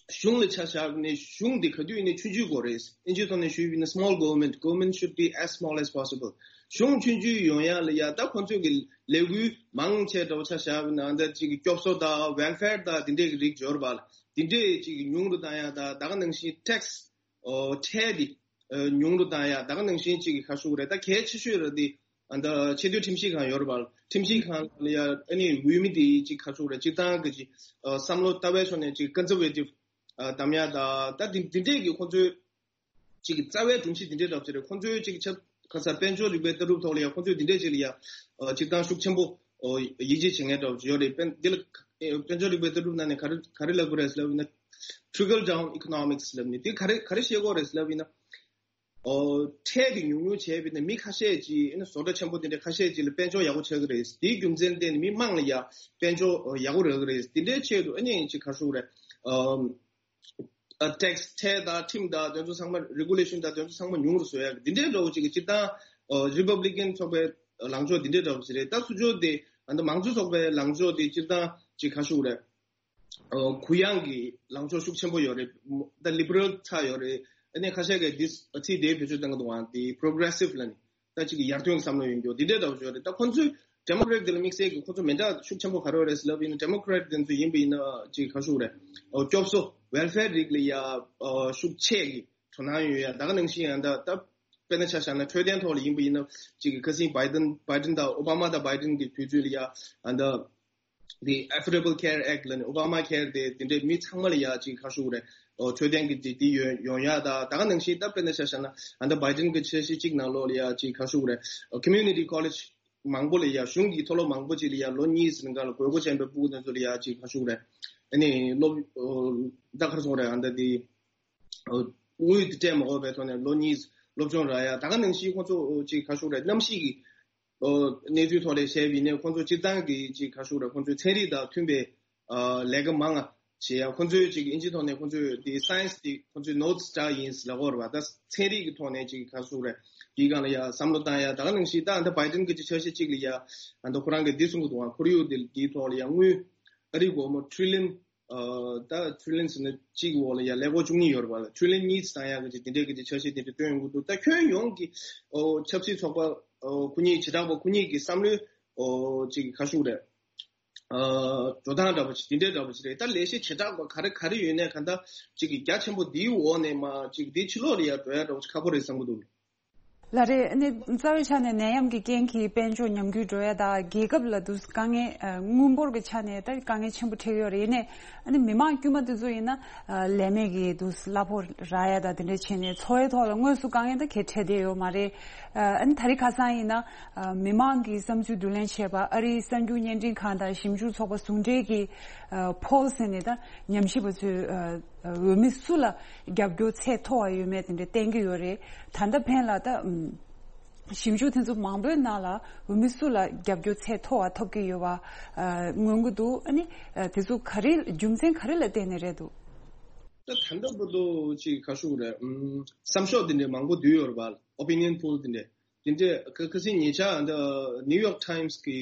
གཞུང་ལ་ཆ་བཞག་ནས་གཞུང་འདི་ག་དུས་ནས་ཆུང་ཆུང་དགོས་རེད། ཨིན་ཇི་ཐོག་ནས་ཞུས་པ་ཡིན་ན་small government, government should be as small as possible. གཞུང་ཆུང་ཆུང་ཡོང་ཡ་ལ་ཡ་ད་ཁོང་ཚོས་ཀྱི་ལས་འགུལ་མང་ཆེ་འདྲ་བོ་ཆ་བཞག་པ་ན་ད་ཅིག་གི་སྐྱོབ་གསོ་དང་welfare་དང་དེ་འདྲས་ཀྱི་རིགས་འབྱོར་བ་ལ་དེ་འདྲས་ཅིག་གི་ཉུང་རུ་བཏང་ཡ་དང་ད་ག་ནང་བཞིན་tax་ཁྲལ་དེ་ཉུང་རུ་བཏང་ཡ་ད་ག་ནང་བཞིན་ཅིག་གི་ག་ཞུ་དགོས་རེད། ད་གལ་ཆེ་ཤོས་ར་དེ་ཨ་ད་ཆེས་མཐོའི་ཁྲིམས་ཞིབ་ཁང་ཡོད་རེད་པ། ཁྲིམས་ཞིབ་ཁང་ལ་ཡ་ཨ་ནི་འོས་མི་དེ་ཅིག་ག་ཞུ་དགོས་རེད། སྤྱིར་བཏང་གི་ཅིག་བསམ་བློ་ལྟ་བའི་ཕྱོགས་ནས་ཅིག་conservative་གདམ་ཡ་ད་ད་དེ་དེ་འདྲས་ཀྱི་ཁོང་ཚོའི་ཅིག་རྩ་བའི་སྒྲོམ་གཞི་དེ་འདྲའི་འདྲ་པོ་ཅིག་རེད། ཁོང་ཚོའི་ཅིག་ཆབ་ཁ་ས་དཔལ་འབྱོར་རིག་པའི་ལྟ་གྲུབ་ཐོག་ལ་ཡང་ཁོང་ཚོས་དེ་འདྲའི་ཅིག་ལ་ཡང་ཅིག་ཏང་ཤུགས་ཆེན་པོ་ཡིད་ཆེས་བྱེད་མཁན་འདྲ་པོ་ཅིག་ཡོད་རེད། དཔལ་འདི་ལ་དཔལ་འབྱོར་རིག་པའི་ལྟ་གྲུབ་ནང་ནས་ག་རེ་ག་རེ་ལབ་དགོས་རེད་ལབ་ཡིན་ན། trickle down economics་ལབ་ནས་དེ་ག་རེ་ག་རེ་བཤད་དགོས་རེད་ལབ་ཡིན་ན། ཁྲལ་དེ་ཉུང་ཉུང་བྱས་པ་ཡིན་ན་མི་ཁ་ཤས་ཅིག་ཨ་ནི་བཟོ་གྲྭ་ཆེན་པོ་དེ་འདྲ་ཁ་ཤས་ཅིག་ལ་དཔལ་འབྱོར་ཡག་པོ་ཆགས་ཀྱི་རེད། དེའི་རྒྱུ་མཚན་བརྟེན་ནས་མི་མང་ལ་ཡང་དཔལ་འབྱོར་ཡག་པོ་རག་གི་རེད། དེ་འདྲའི་ཆེད་དུ་ཨ་ནི་ཅིག་ག་རེ་ཞུ་དགོས་རེད། ཨ་tax་ཁྲལ་དང་ཁྲིམས་དང་དེ་ཚོ་ཚང་མ་regulation་དང་དེ་ཚོ་ཚང་མ་ཉུང་རུ་བཟོ་ཡག་འདི་འདྲའི་འདྲ་བོ་ཅིག་གི་སྤྱིར་བཏང་Republican་ཚོགས་པའི་ལངས་ཕྱོགས་འདི་འདྲའི་འདྲ་བོ་ཅིག་རེད། ད་སུ་ཕྱོགས་དེ་ཨ་ད་མང་གཙོ་ཚོགས་པའི་ལངས་ཕྱོགས་དེ་སྤྱིར་བཏང་ཅིག་ག་རེ་ཞུ་དགོས་རེད། གུ་ཡངས་ཀྱི་ལངས་ཕྱོགས་ཤུགས་ཆེན་པོ་ཡོད་རེད། ད་liberal་ཚ་ཡོད་རེད། ཨ་ནི་ཁ་ཤས་ཀྱིས་འདི་ཚིག་དེ་བེད་སྤྱོད་གཏོང་གི་འདུག་ཨ་དེ་progressive་ལ་ནི། ད་ཅིག་ཡར་ཐོན་གྱི་བསམ་བློ་ཡོད་མཁན་འདི་འདྲའི་འདྲ་བོ་ཅིག་ཡོད་རེད། ད་ཁོང་ཚོས་Democrat་འདི་ལ་དམིགས་བསལ་གྱི་ཁོང་ཚོ་མི་འདྲ་ཤུགས་ཆེན་པོ་ག་རེ་ཡོད་རེད་ལབ་ཡིན་ན། Democrat་འདི་ཚོ་ཡིན་པ་ཡིན་ན་ཅིག་ག་རེ་ཞུ་དགོས་རེད། ཨོ་སྐྱོབ་གསོ་welfare་རིགས་ལ་ཡ་ཨོ་ཤུགས་ཆེ་གི་དོ་སྣང་ཡོད་ཡ། ད་ག་ནང་བཞིན་ཡང་ད་ད་དཔེར་ན་ཆ་བཞག་ན་འཕྲོད་བསྟེན་ཐོག་ལ་ཡིན་པ་ཡིན་ན་ཅིག་ཁ་སང་Biden Biden་དང་Obama་དང་Biden་གི་དུས་ཚོད་ལ་ཡ་ཨ་ད། The Affordable Care Act་ལ་ནི་Obama Care་དེ་དེ་འདྲའི་མི་ཚང་མ་ལ་ཡ་ཅིག་ག་རེ་ཞུ་དགོས་རེད། ཨོ་འཕྲོད་བསྟེན་གྱི་དེ་དེ་ཡོང་ཡོང་ཡ་ད་ད་ག་ནང་བཞིན་ད་དཔེར་ན་ཆ་བཞག་ན་ཨ་ད་Biden་གི་འཆར་གཞི་གཅིག་ནང་ལོགས་ལ་ཡ་ཅིག་ག་རེ་ཞུ་དགོས་རེད། ཨོ་community college་མང་པོ་ལ་ཡ་གཞུང་གི་མཐོ་སློབ་མང་པོ་ཅིག་ལ་ཡ་ལོ་གཉིས་ཟིན་ག་ལ་དགོས་མཁོ་ཅན་པའི་ཕྲུ་གུ་དེ་ཚོ་ལ་ཡ་ཅིག་ག་རེ་ཞུ་དགོས་རེད། ཨ་ནི་སློབ་ཨོ་ད་ག་རེ་ཞུ་དགོས་རེད། ཨ་ད་དེ་ཨོ་དངུལ་དེ་སྤྲད་མ་དགོས་པའི་ཐོག་ནས་ལོ་གཉིས་སློབ་སྦྱོང་རག་ཡ་ད་ག་ནང་བཞིན་ཁོང་ཚོ་ཅིག་ག་རེ་ཞུ་དགོས་རེད། གནམ་གཤིས་ཀྱི་ཨོ་གནས་ཚུལ་ཐོག་ལ་བཤད་པ་ཡིན་ན་ཁོང་ཚོ་སྤྱིར་བཏང་གི་ཅིག་ག་རེ་ཞུ་དགོས་རེད། ཁོང་ཚོའི་ཚན་རིག་དང་མཐུན་པའི་ཨ་ལས་ཀ་མང་ང་བྱེད་ཡ། ཁོང་ཚོའི་ཅིག་ཨིན་ཇི་ཐོག་ནས་ཁོང་ཚོའི་དེ་science་དེ་ཁོང་ཚོའི་notes་འདྲ་ཡིན་ལབ་དགོས་རེད་པ། ད་ཚན་རིག་གི་ཐོག་ནས་ཅིག་ག་རེ་ཞུ་དགོས་རེད། དེའི་སྒང་ལ་ཡ་བསམ་བློ་བཏང་ཡ་ད་ག་ནང་བཞིན་ད་ཨ་ད་Biden་གི་ཅིག་འཆར་གཞི་གཅིག་ལ་ཡ་ཨ་ད་ཁོ་རང་གིས་འདི་གསུང་གི་འདུག་ཁོར་ཡུག་དེ་དེའི་ཐོག་ལ་ཡ་དངུལ་ཨ་རི་སྒོར་མོ་trillion ཨ་ད་trillion་ཟེར་ན་གཅིག་འོག་ལ་ཡ་ཀླད་ཀོར་བཅུ་གཉིས་ཡོད་རེད་པ། trillion་གཉིས་བཏང་ཡག་གི་དེ་འདྲའི་གི་དེ་འཆར་གཞི་དེ་འདྲ་བཏོན་ཡོང་གི་འདུག་ད་ཁྱོན་ཡོངས་ཀྱི་ཨོ་ཆབ་སྲིད་ཚོགས་པ་ཨོ་ཁོ་གཉིས་བྱེ་བྲག་པ་ཁོ་གཉིས་ཀྱི་བསམ་བློའི་ཨོ་ཅིག་ག་རེ་ཞུ་དགོས་རེད། ཨ་འགྲོ་སྟངས་འདྲ་པོ་ཅིག་དེ་འདྲའི་འདྲ་པོ་ཅིག་རེད། ད་ལས་གཞི་བྱེ་བྲག་པ་ག་རེ་ག་རེ་ཡོད་ནའི་གང་ལྟར་ཅིག་གི་རྒྱ་ཆེན་པོ་འདིའི་འོག་ནས་མར་ཅིག་འདིའི་ཕྱི་ལོགས་ལ་ཡ་འགྲོ་ཡ་འདྲ་པོ་ཅིག་ཁག་པོ་རེད་བསམ་གི་འདུག་ལགས་རེད། ཨ་ནི་རྩ་བའི་ཆ་ནས་ནད་ཡམས་ཀྱི་རྐྱེན་གྱིས་དཔལ་འབྱོར་ཉམས་རྒུད་འགྲོ་ཡ་དང་རྒྱལ་ཁབ་ལ་དུ་དཀའ་ངལ་ཨ་དངུལ་འབོར་གྱི་ཆ་ནས་ད་དཀའ་ངལ་ཆེན་པོ་འཕྲད་ཡོད་རེད། ཡིན་ནའི་ཨ་ནི་མི་མང་དཀྱུས་མ་དེ་ཚོ་ཡིན་ན་ཨ་ལས་མེད་ཀྱི་དུ་གླ་ཕོགས་རག་ཡ་དང་དེ་འདྲ་བྱས་ནས་འཚོ་བའི་ཐོག་ལ་དངོས་སུ་དཀའ་ངལ་ད་གང་འཕྲད་བསྡད་ཡོད་མ་རེད། ཨ་ནི་ད་རེས་ཁ་སང་ཡིན་ན་ཨ་མི་མང་གི་བསམ་ཚུལ་བསྡུ་ལེན་བྱས་པ་ཨ་རིའི་གསར་འགྱུར་བརྙན་འཕྲིན་ཁང་དང་ཞིབ་འཇུག་ཚོགས་པ་ཟུང་འབྲེལ་གྱི་ཨ་ཕོལ་ཟེར་ནས་ད་ཉམས་ཞིབ་པ་ཚོས་ཨ་འོས་མི་སུ་ལ་རྒྱབ་སྐྱོར་ཚད་མཐོ་བ་ཡོད་མེད་དེ་འདྲ་བསྟན་གྱི་ཡོད་རེད། ད་ལྟ་ཕན་ལ་ད་ཨམ་ ཞིབ་འཇུག་དེ་ཚོ་མང་པོའི་ནང་ལ་འོས་མི་སུ་ལ་རྒྱབ་སྐྱོར་ཚད་མཐོ་བ་ཐོབ་ཀྱི་ཡོད་པ་ཨ་མངོན་གྱི་འདུག་ཨ་ནི་ཨ་དེ་ཚོ་ག་རེ་རྒྱུ་མཚན་ག་རེ་ལ་བརྟེན་ནས་རེད་འདུག་ད་ད་ལྟ་བར་དུ་ཅིག་ག་ཞུ་དགོས་རེད། ཨམ། བསམ་ཤོག་དེ་འདྲ་མང་པོ་བསྡུས་ཡོད་རེད་པ། Opinion poll དེ་འདྲ། དེ་འདྲ་ཁ་ཁ་སང་ཉེ་ཆར་འདི་New York Times གི་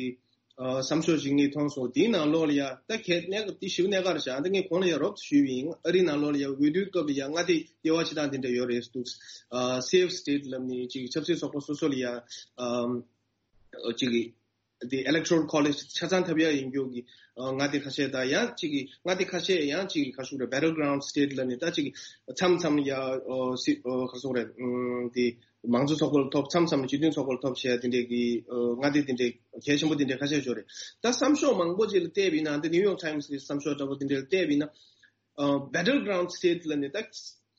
ཨ་བསམ་ཤོག་ཅིག་ངས་མཐོང་སོང་། དེའི་ནང་ལོགས་ལ་ཡ་ད་གལ་གནད་འགག་དེ་ཞིབ་གནད་འགག་རེད་ཤག་ཨ་ད་ངས་གོང་ལ་ཡ་རོབ་ཏུ་ཞུས་པ་ཡིན། ཨ་རིའི་ནང་ལོགས་ལ་ཡ་འོས་བསྡུའི་སྐབས་ལ་ཡ་མངའ་སྡེ་ལྟེ་བ་བྱེད་སྟངས་དེ་འདྲ་ཡོད་རེད་འདུག་ཨ་Safe State ལབ་ནས་ཅིག་ཆབ་སྲིད་ཚོགས་པ་སོ་སོ་ལ་ཡ་ཨམ་ཅིག་གི་དེ་Electoral College ཆ་ཚང་ཐོབ་ཡ་ཡིན་རྒྱུ་གི་ཨ་མངའ་སྡེ་ཁ་ཤས་དང་ཡང་ཅིག་གི་མངའ་སྡེ་ཁ་ཤས་ཡང་ཅིག་གི་ག་ཞུ་རེད། Battleground State ལབ་ནས་ད་ཅིག་མཚམས་མཚམས་ཡ་ཨོ་སི་ཨོ་ག་སོག་རེད། ཨམ་དེ་མང་གཙོ་ཚོགས་པ་ལ་ཐོབ། མཚམས་མཚམས་སྤྱི་མཐུན་ཚོགས་པ་ལ་ཐོབ་བྱས་དེ་འདྲས་ཀྱི་ཨོ་མངའ་སྡེ་དེ་འདྲས་གལ་ཆེན་པོ་དེ་འདྲས་ཁ་ཤས་ཡོད་རེད། ད་བསམ་ཤོག་མང་པོ་ཅིག་ལ་བལྟས་པ་ཡིན་ན། འདི་New York Times གི་བསམ་ཤོག་འདྲ་པོ་དེ་འདྲས་ལ་བལྟས་པ་ཡིན་ན། ཨ་Battleground State ལབ་ནས་ད་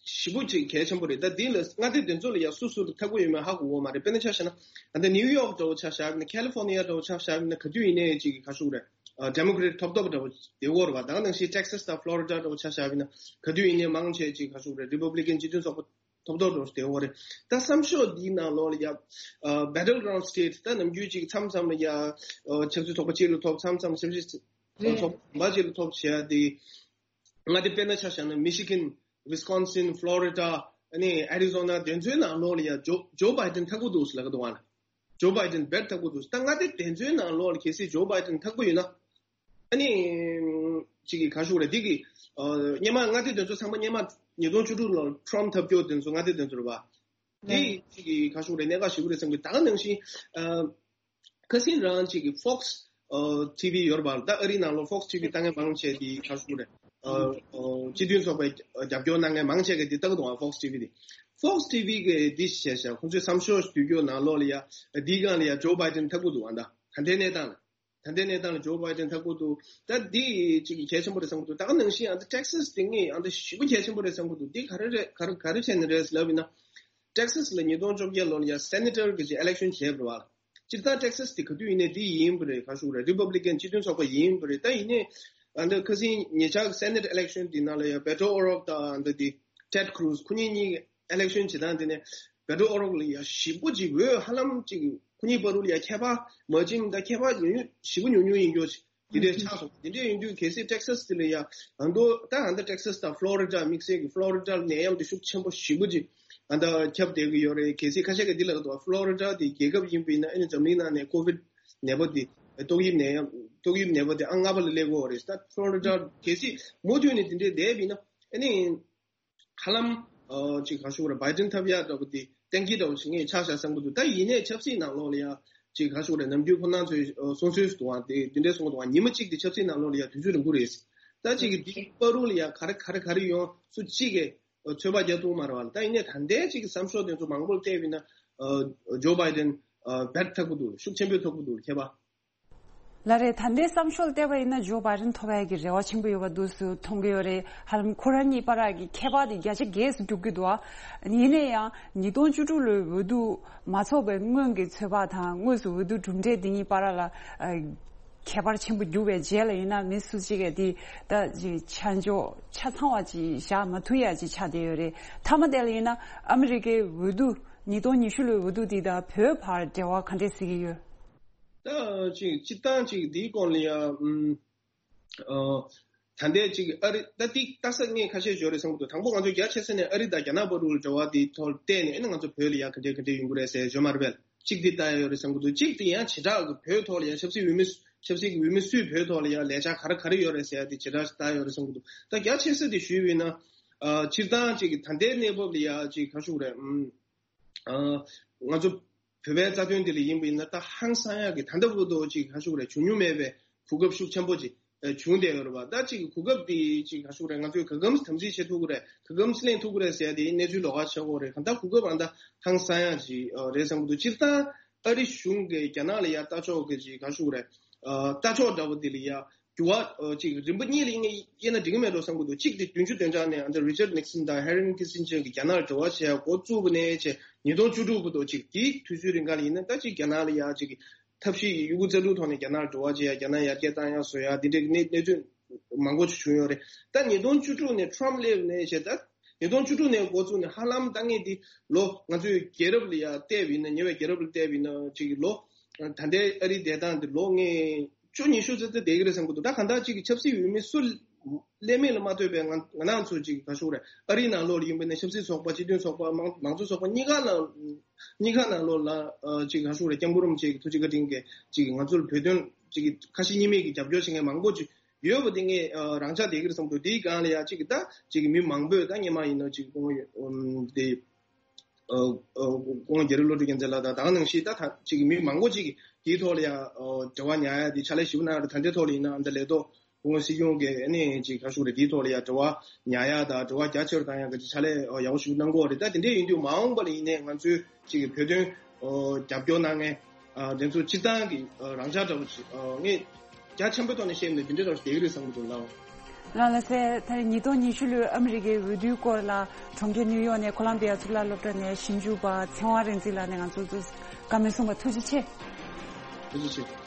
ཞེ་པོ་ཅིག་གལ་ཆེན་པོ་རེད། ད་འདི་ལ་མངའ་སྡེ་དེ་ཚོ་ལ་ཡ་སུ་སུ་ལ་ཐོབ་ཀྱི་ཡོད་མེད་ཧ་གོ་གི་མ་རེད། དཔེར་ན་ཆ་བཞག་ན་ཨ་ད་New York འདྲ་པོ་ཆ་བཞག་ན། California འདྲ་པོ་ཆ་བཞག་ན་ག་དུས་ཡིན་ནའི་ཅིག་ག་ཞུ་རེད། ཨ་Democrat ཐོབ་ཐོབ་འདྲ་པོ་དེ་འོར་བ། ད་ག་ནང་བཞིན་Texas དང་Florida འདྲ་པོ་ཆ་བཞག་ན་ག་དུས་ཡིན་ནའི་མང་ཆེ་ཅིག་ག་ཞུ་རེད། Republican སྤྱི་མཐུན་ཚོགས་པ་ཐོབ་ཐོབ་འགྲོ་བསྡད་ཡོད་རེད། ད་བསམ་ཤོག་འདིའི་ནང་ལོགས་ལ་ཡ་ཨ་Battleground State ད་ནམ་རྒྱུན་ཅིག་མཚམས་མཚམས་ལ་ཡ་ཨ་ཆབ་སྲིད་ཚོགས་པ་གཅིག་ལ་ཐོབ། མཚམས་མཚམས་ཆབ་སྲིད་རེད། ཚོགས་པ་གཅིག་ལ་ཐོབ་བྱས་ཏེ། མངའ་སྡེ་དཔེར་ན་ཆ་བཞག་ན་Michigan, Wisconsin, Florida ཨ་ནི་Arizona དེ་ཚོའི་ནང་ལོགས་ལ་ཡ་Joe Joe Biden ཐོབ་ཀྱི་འདུག་ཟེར་ལབ་ཀྱི་འདུག་བ་ན། Joe Biden བེད་ཐོབ་ཀྱི་འདུག་ད་མངའ་སྡེ་དེ་ཚོའི་ནང་ལོགས་ལ་གལ་སྲིད་Joe Biden ཐོབ་ཀྱི་ཡོད་ན། ཨ་ནི་ཅིག་གི་ག་ཞུ་རེད། འདི་གི་ཨ་སྔོན་མ་མངའ་སྡེ་དེ་ཚོ་ཚང་མ་སྔོན་མ་ཉིས་སྟོང་བཅུ་དྲུག་ལོར་Trump ཐོབ་རྒྱུ་དེ་ཚོ་མངའ་སྡེ་དེ་ཚོ་རེད་པ། འདི་ཅིག་གི་ག་ཞུ་རེད། གནད་འགག་ཞེ་པོ་རེད་བསམ་གི། ད་ག་ནང་བཞིན་ཨ་ཁ་སང་རང་ཅིག་གི་Fox ཨ་TV ཡོད་རེད་པ། ད་ཨ་རིའི་ནང་ལོགས་Fox TV ལྟ་མཁན་མང་ཆེ་འདི་ག་ཞུ་རེད། ཨ་ཨ་སྤྱི་མཐུན་ཚོགས་པའི་རྒྱབ་སྐྱོར་གནང་མཁན་མང་ཆེ་གི་འདི་ལྟ་གི་འདུག་ཨ། Fox TV གི་འདི་བྱས་ཤག་ཁོང་ཚོས་བསམ་ཤོག་བསྡུ་རྒྱུ་ནང་ལོགས་ལ་ཡ་འདིའི་སྒང་ལ་ཡ་Joe Biden ཐོབ་ཀྱི་འདུག་ཨ། ད་ད་ལྟའི་གནས་སྟངས་ལ། ད་ལྟའི་གནས་སྟངས་ལ་Joe Biden ཐོབ་ཀྱི་འདུག་ད་འདི་ཅིག་གལ་ཆེན་པོ་རེད་བསམ་གྱི་འདུག་ད་ག་ནང་བཞིན་ཨ་ད་Texas དེ་ངས་ཨ་ད་ཞེ་པོ་གལ་ཆེན་པོ་རེད་བསམ་གྱི་འདུག་འདི་ག་རེ་རེད། ག་རེ་ག་རེ་བྱས་ནས་རེད་ལབ་ཡིན་ན། Texas ལ་ཉིས་སྟོང་བཅོ་བརྒྱད་ལོ་ལ་ཡ་Senator གི་ཅིག་election བྱས་པ་རེད་བ། སྤྱིར་བཏང་Texas དེ་ག་དུས་ཡིན་ནའི་འདི་ཡིན་པ་རེད། ག་ཞུ་རེད། Republican སྤྱི་མཐུན་ཚོགས་པ་ཡིན་པ་རེད། ད་ཡིན་ནའི་ཨ་ད་ཁ་སང་ཉེ་ཆར་གི་Senate election དེ་ནང་ལ་ཡ་Beto O'Rourke དང་ཨ་ད་དེ་Ted Cruz ཁོ་གཉིས་གཉིས་election བྱེད་སྟངས་དེ་ནས་Beto O'Rourke ལ་ཡ་ཞེ་པོ་ཅིག་འོས་ཧ་ལམ་ཅིག་ཁོ་གཉིས་བར་དུ་ལ་ཡ་ཁྱད་པར་མ་ཕྱིན། ད་ཁྱད་པར་ཉུང་ཉུང་ཞེ་པོ་ཉུང་ཉུང་ཡིན་རྒྱུ་ཅིག་དེ་འདྲའི་ཆགས་སོང་། དེ་འདྲའི་ཡིན་དུས་གལ་སྲིད་Texas དེ་ལ་ཡ་ཨ་མདོ་ད་ཨ་ད་Texas དང་Florida དམིགས་བསལ་གྱི་Florida ལ་ནད་ཡམས་དེ་ཤུགས་ཆེན་པོ་ཞེ་པོ་ཅིག་ཨ་ད་ཁྱབ་བསྡད་ཀྱི་ཡོད་རེད། གལ་སྲིད་ཁ་ཤས་ཀྱིས་འདི་ལབ་ཀྱི་འདུག Florida དེ་རྒྱལ་ཁབ་ཡིན་པ་ཡིན་ན་ཨ་ནི་འཛམ་གླིང་ནང་ནས་COVID ནད་པ་དེ་ཏོག་དབྱིབས་ནད་ཡམས་ཏོག་དབྱིབས་ནད་པ་དེ་ཨང་ལྔ་པ་ལ་སླེབས་ཀྱི་ཡོད་རེད། ད་Florida གལ་སྲིད་མུ་མཐུད་ནས་དེ་འདྲའི་བསྡད་པ་ཡིན་ན་ཨ་ནི། ཧ་ལམ་ཨ་ཅིག་ག་ཞུ་རེད། Biden ཐོབ་ཡག་འདྲ་པོ་དེ་གཏན་འཁེལ་འདྲ་པོ་ཞིག་ངས་ཆགས་བཞག་བསམ་གྱི་འདུག་ད་ཡིན་ནའི་ཆབ་སྲིད་ནང་ལོགས་ལ་ཡ་ཅིག་ག་ཞུ་རེད། ནམ་རྒྱུན་ཁོ་རང་ཚོས་ཨ་གསུང་སྲོལ་ཞིག་འདུག་ཨ། དེ་དེ་འདྲའི་གསུང་གི་འདུག་ཨ། ཉི་མ་གཅིག་དེ་ཆབ་སྲིད་ནང་ལོགས་ལ་ཡ་དུས་ཚོད་རིང་པོ་རེད། ད་ཅིག་གི་འདི་བར་དུ་ལ་ཡ་ག་རེ་ག་རེ་ག་རེ་ཡོང་། སུ་གཅིག་གིས་ཨ་ཚོད་དཔག་རྒྱག་ཐུབ་མ་རེད་བ་ལ། ད་ཡིན་ནའི་ད་ལྟའི་ཅིག་གི་བསམ་ཤོག་དེ་ཚོ་མང་པོར་བལྟས་པ་ཡིན་ན་ཨ་Joe Biden ཨ་བེད་ཐོབ་ཀྱི་འདུག་ཤུགས་ཆེན་པོས་ཐོབ་ཀྱི་འདུག་ཁྱད་པར། ལགས་རེད། ད་ལྟའི་བསམ་ཤོག་ལ་བལྟས་པ་ཡིན་ན་Joe Biden ཐོབ་ཡག་གི་རེ་བ་ཆེན་པོ་ཡོད་པ་འདུག་སེ་མཐོང་གི་ཡོད་རེད། ཧ་ལམ་ཁོ་རང་གཉིས་བར་གྱི་ཁྱད་པར་དེ་བརྒྱ་ཆ་བརྒྱད་སུ་རྒྱུག་གི་འདུག་ཨ། ཡིན་ན་ཡང་ཉིས་སྟོང་བཅུ་དྲུག་ལོའི་འོས་བསྡུ་མ་ཚོགས་པའི་སྔོན་གྱི་ཚོད་དཔག་དང་དངོས་སུ་འོས་བསྡུ་གྲུབ་འབྲས་འདི་གཉིས་བར་ལ་ཨ་ཁྱད་པར་ཆེན་པོ་རྒྱུག་པའི་རྗེས་ལ་ཡིན་ན་མི་སུ་གཅིག་གིས་དེ་ད་ཅིག་ཆ་འཇོག་ཆ་ཚང་བ་ཅིག་བཞག་མ་ཐུབ་ཡག་ཅིག་ཆགས་བསྡད་ཡོད་རེད། མཐའ་མ་དེ་ལ་ཡིན་ན་ཨ་མི་རི་ཀའི་འོས་བསྡུ་ཉིས་སྟོང་ཉི་ཤུ་ལོའི་འོས་བསྡུ་འདི་དང་བོད་བར་འབྲེལ་བ་ག་འདྲས་གཟིགས་ཀྱི་ཡོད། ད་ཅིག་སྤྱིར་བཏང་ཅིག་འདིའི་སྐོར་ལ་ཡ་ཨམ་ཨ་ད་ལྟའི་ཅིག་ཨ་རི་ད་ཏིག་ལྟ་ས་ངས་ཁ་ཤས་ཞོར་རེ་གསུང་གི་འདུག་དང་པོ་ང་ཚོ་རྒྱ་ཆེ་ས་ནས་ཨ་རི་དང་རྒྱ་ནག་བར་དུ་འབྲེལ་བ་འདི་ཐོག་བལྟས་ནས་ཨ་ནི་ང་ཚོ་བོད་ལ་ཡ་ག་འདྲས་ག་འདྲས་ཡོང་གི་རེད་ཟེར་ཞོར་མ་རེད་པས། གཅིག་འདི་ལྟ་ཡ་ཡོད་རེད་བསམ་གི་འདུག་གཅིག་འདི་ཡང་བྱེ་བྲག་གི་བོད་ཐོག་ལ་ཡ་ཆབ་སྲིད་འོས་མི་ཆབ་སྲིད་ཀྱི་འོས་མི་སུས་བོད་ཐོག་ལ་ཡ་ལས་འཆར་ག་རེ་ག་རེ་ཡོད་རེད་ཟེར་ཡ་འདི་བྱེ་བྲག་ལྟ་ཡ་ཡོད་རེད་བསམ་གི་འདུག་ད་རྒྱ་ཆེ་ས་འདི་ཞུས་པ་ཡིན་ན་ཨ་སྤྱིར་བཏང་ཅིག་ད་ལྟའི་གནས་བབ་ལ་ཡ་ཅིག་ག་ཞུ་དགོས་རེད། ཨ་ང་ཚོ་བོད་པའི་རྩ་དོན་འདི་ལ་ཡིན་པ་ཡིན་ན་ད་ཧང་སང་ཡག་གི་ད་ལྟ་བར་དུ་ཅིག་ག་ཞུ་དགོས་རེད། བྱུང་མྱོང་མེད་པའི་གོ་སྐབས་ཤུགས་ཆེན་པོ་ཅིག་ཨ་བྱུང་བསྡད་ཡོད་རེད་པ། ད་ཅིག་གོ་སྐབས་འདི་ཅིག་ག་ཞུ་དགོས་རེད། ང་ཚོས་ག་གམ་དམ་འཛིན་བྱེད་ཐུབ་ཀྱི་རེད། ག་གམ་ལེན་ཐུབ་ཀྱི་རེད་ཟེར་ཡ་དེ་གནས་ཚུལ་ལོགས་ཀ་ཆགས་ཀྱི་ཡོད་རེད། གང་ལྟར་གོ་སྐབས་ཨ་ད་ཧང་སང་ཡག་ཅིག་ཨ་རེད་བསམ་གྱི་འདུག་སྤྱིར་བཏང་ཨ་རི་གཞུང་གིས་རྒྱ་ནག་ལ་ཡ་ལྟ་ཕྱོགས་ཀྱི་ཅིག་ག་ཞུ་དགོས་རེད། ཨ་ལྟ་ཕྱོགས་འདྲ་པོ་འདི་ལ་ཡ་འགྱུར་བ་ཨ་ཅིག་རིམ་པ་གཉིས་ལ་དབྱེ་ན་འགྲིག་གི་མེད་འགྲོ་བསམ་གྱི་འདུག་གཅིག་དེ་བདུན་ཅུ་དོན་གྲངས་ནས་ཨ་ད་Richard Nixon དང་Henry Kissinger གིས་རྒྱ་ནག་ལ་འབྲེལ་བ་བྱེད་ཡ་འགོ་བཙུགས་པ་ནས་བྱས་ཉིས་སྟོང་བཅུ་དྲུག་བར་དུ་ཅིག་དེའི་དུས་ཚོད་རིང་ག་ལ་ཡིན་ན་ད་ཅིག་རྒྱ་ནག་ལ་ཡ་ཅིག་ཐབས་ཤེས་ཡོད་རྒུ་རྩལ་སྤྲུགས་ཐོག་ནས་རྒྱ་ནག་ལ་འབྲེལ་བ་བྱེད་ཡ། རྒྱ་ནག་ཡར་རྒྱས་བཏང་ཡ་བཟོ་ཡ་འདི་འདྲའི་གནས་གནས་ཚུལ་མང་པོ་ཅིག་བྱུང་ཡོད་རེད། ད་ཉིས་སྟོང་བཅུ་དྲུག་ནས་Trump སླེབས་ནས་བྱས་ད་ ཉིས་སྟོང་བཅུ་དྲུག་ནས་འགོ་བཙུགས་ནས་ཧ་ལམ་ད་ངས་འདི་ལོ་ང་ཚོའི་རྒྱལ་རབས་ལ་ཡ་བལྟས་པ་ཡིན་ན། ཉེ་བའི་རྒྱལ་རབས་ལ་བལྟས་པ་ཡིན་ན་ཅིག་ལོ་ད་ལྟའི་ཨ་རིའི་བསྡད་སྟངས་འདི་ལོ་ངས་བཅུ་ཉི་ཤུ་ཙམ་ཙམ་བསྡད་ཀྱི་རེད་བསམ་གྱི་འདུག་ད་གང་ལྟར་ཅིག་གི་ཆབ་སྲིད་འོས་མི་སུ་ཀླད་མེད་ལ་མ་ལྟོས་པའི་ང་ང་རང་ཚོ་ཅིག་ག་ཞུ་རེད། ཨ་རིའི་ནང་ལོགས་ལ་ཡིན་པ་ན་ཆབ་སྲིད་ཚོགས་པ། སྤྱི་མཐུན་ཚོགས་པ། མང་མང་གཙོ་ཚོགས་པ་གཉིས་ཀ་ནང་གཉིས་ཀ་ནང་ལོགས་ལ་ཨ་ཅིག་ག་ཞུ་རེད། སྐྱབས་མགོན་རིན་པོ་ཆེ་གི་ཐུགས་རྗེ་བཀའ་དྲིན་གྱིས་ཅིག་ང་ཚོར་བོད་དོན་ཅིག་གི་ཁ་ཞེ་གཉིས་མེད་ཀྱི་རྒྱབ་སྐྱོར་བྱེད་མཁན་མང་པོ་ཅིག་ཡོད་པ་དེ་ངས་ཨ་རང་འཇགས་བསྡད་ཀྱི་རེད་བསམ་འདུག་དེའི་སྒང་ལ་ཡ་ཅིག་གི་ད་ཅིག་གི་མི་མང་པོས་ད་སྔོན་མ་ཡིན་ན་ཅིག་ཁོང་ཨམ་དེ་ཨ་ཨ་ཁོང་རྒྱ་རི་བློ་གྲོས་རྒྱལ་མཚན་ལགས་དང་ད་ག་ནང་བཞིན་ད་ད་ཅིག་གི་མི་མང་པོ་ཅིག་གིས་དེའི་ཐོག་ལ་ཡ་ཨ་འབྲེལ་བ་ཉར་ཡ་དེ་ཕྱག་ལས་ཞེ་པོ་གནང་ཡ་རེད། ད་ལྟའི་ཐོག་ལ་ཡིན་ན་ཨ་ད་ལས་ཐོག་སྐུ་ངོ་སྲིད་སྐྱོང་གིས་ཨ་ནི་ཅིག་ག་ཞུ་རེད། དེའི་ཐོག་ལ་ཡ་འབྲེལ་བ་ཉར་ཡ་དང་འབྲེལ་བ་རྒྱ་ཆེ་རུ་བཏང་ཡ་གི་ཕྱག་ལས་ཡག་པོ་ཞིག་གནང་གི་ཡོད་རེད། ད་དེ་འདྲས་ཡིན་དུས་མ་འོངས་པ་ལ་ཡིན་ནའི་ང་ཚོའི་ཅིག་གི་བོད་དོན་རྒྱབ་སྐྱོར་གནང་མཁན་དེ་ཚོ་སྤྱིར་བཏང་གི་རང་འཇགས་འདྲ་པོ་ཅིག་ངས་རྒྱ་ཆེན་པོའི་ཐོག་ནས་བཤད་ན་དེ་འདྲས་འདྲ་པོ་ཞིག་བསྡད་ཀྱི་རེད་བསམ་གྱི་འདུག་ལགས། ལགས་ལགས་སེ། ད་རེས་ཉིས་སྟོང་ཉི་ཤུ་ལོའི་ཨ་མི་རི་ཀའི་འོས་བསྡུའི་སྐོར་ལ་གྲོང་ཁྱེར་ནིའུ་ཡོག་ནས་ཁོ་ལམ་བི་ཡ་གཙུག་ལག་སློབ་གྲྭ་ནས་ཞིབ་འཇུག་པ་ཚེ་དབང་རིག་འཛིན་ལགས་ནས་ང་ཚོ་ཚོ་བཀའ་མོལ་གསུངས་པ་ཐུགས་རྗེ་ཆེ། ཐུགས་རྗེ་ཆེ།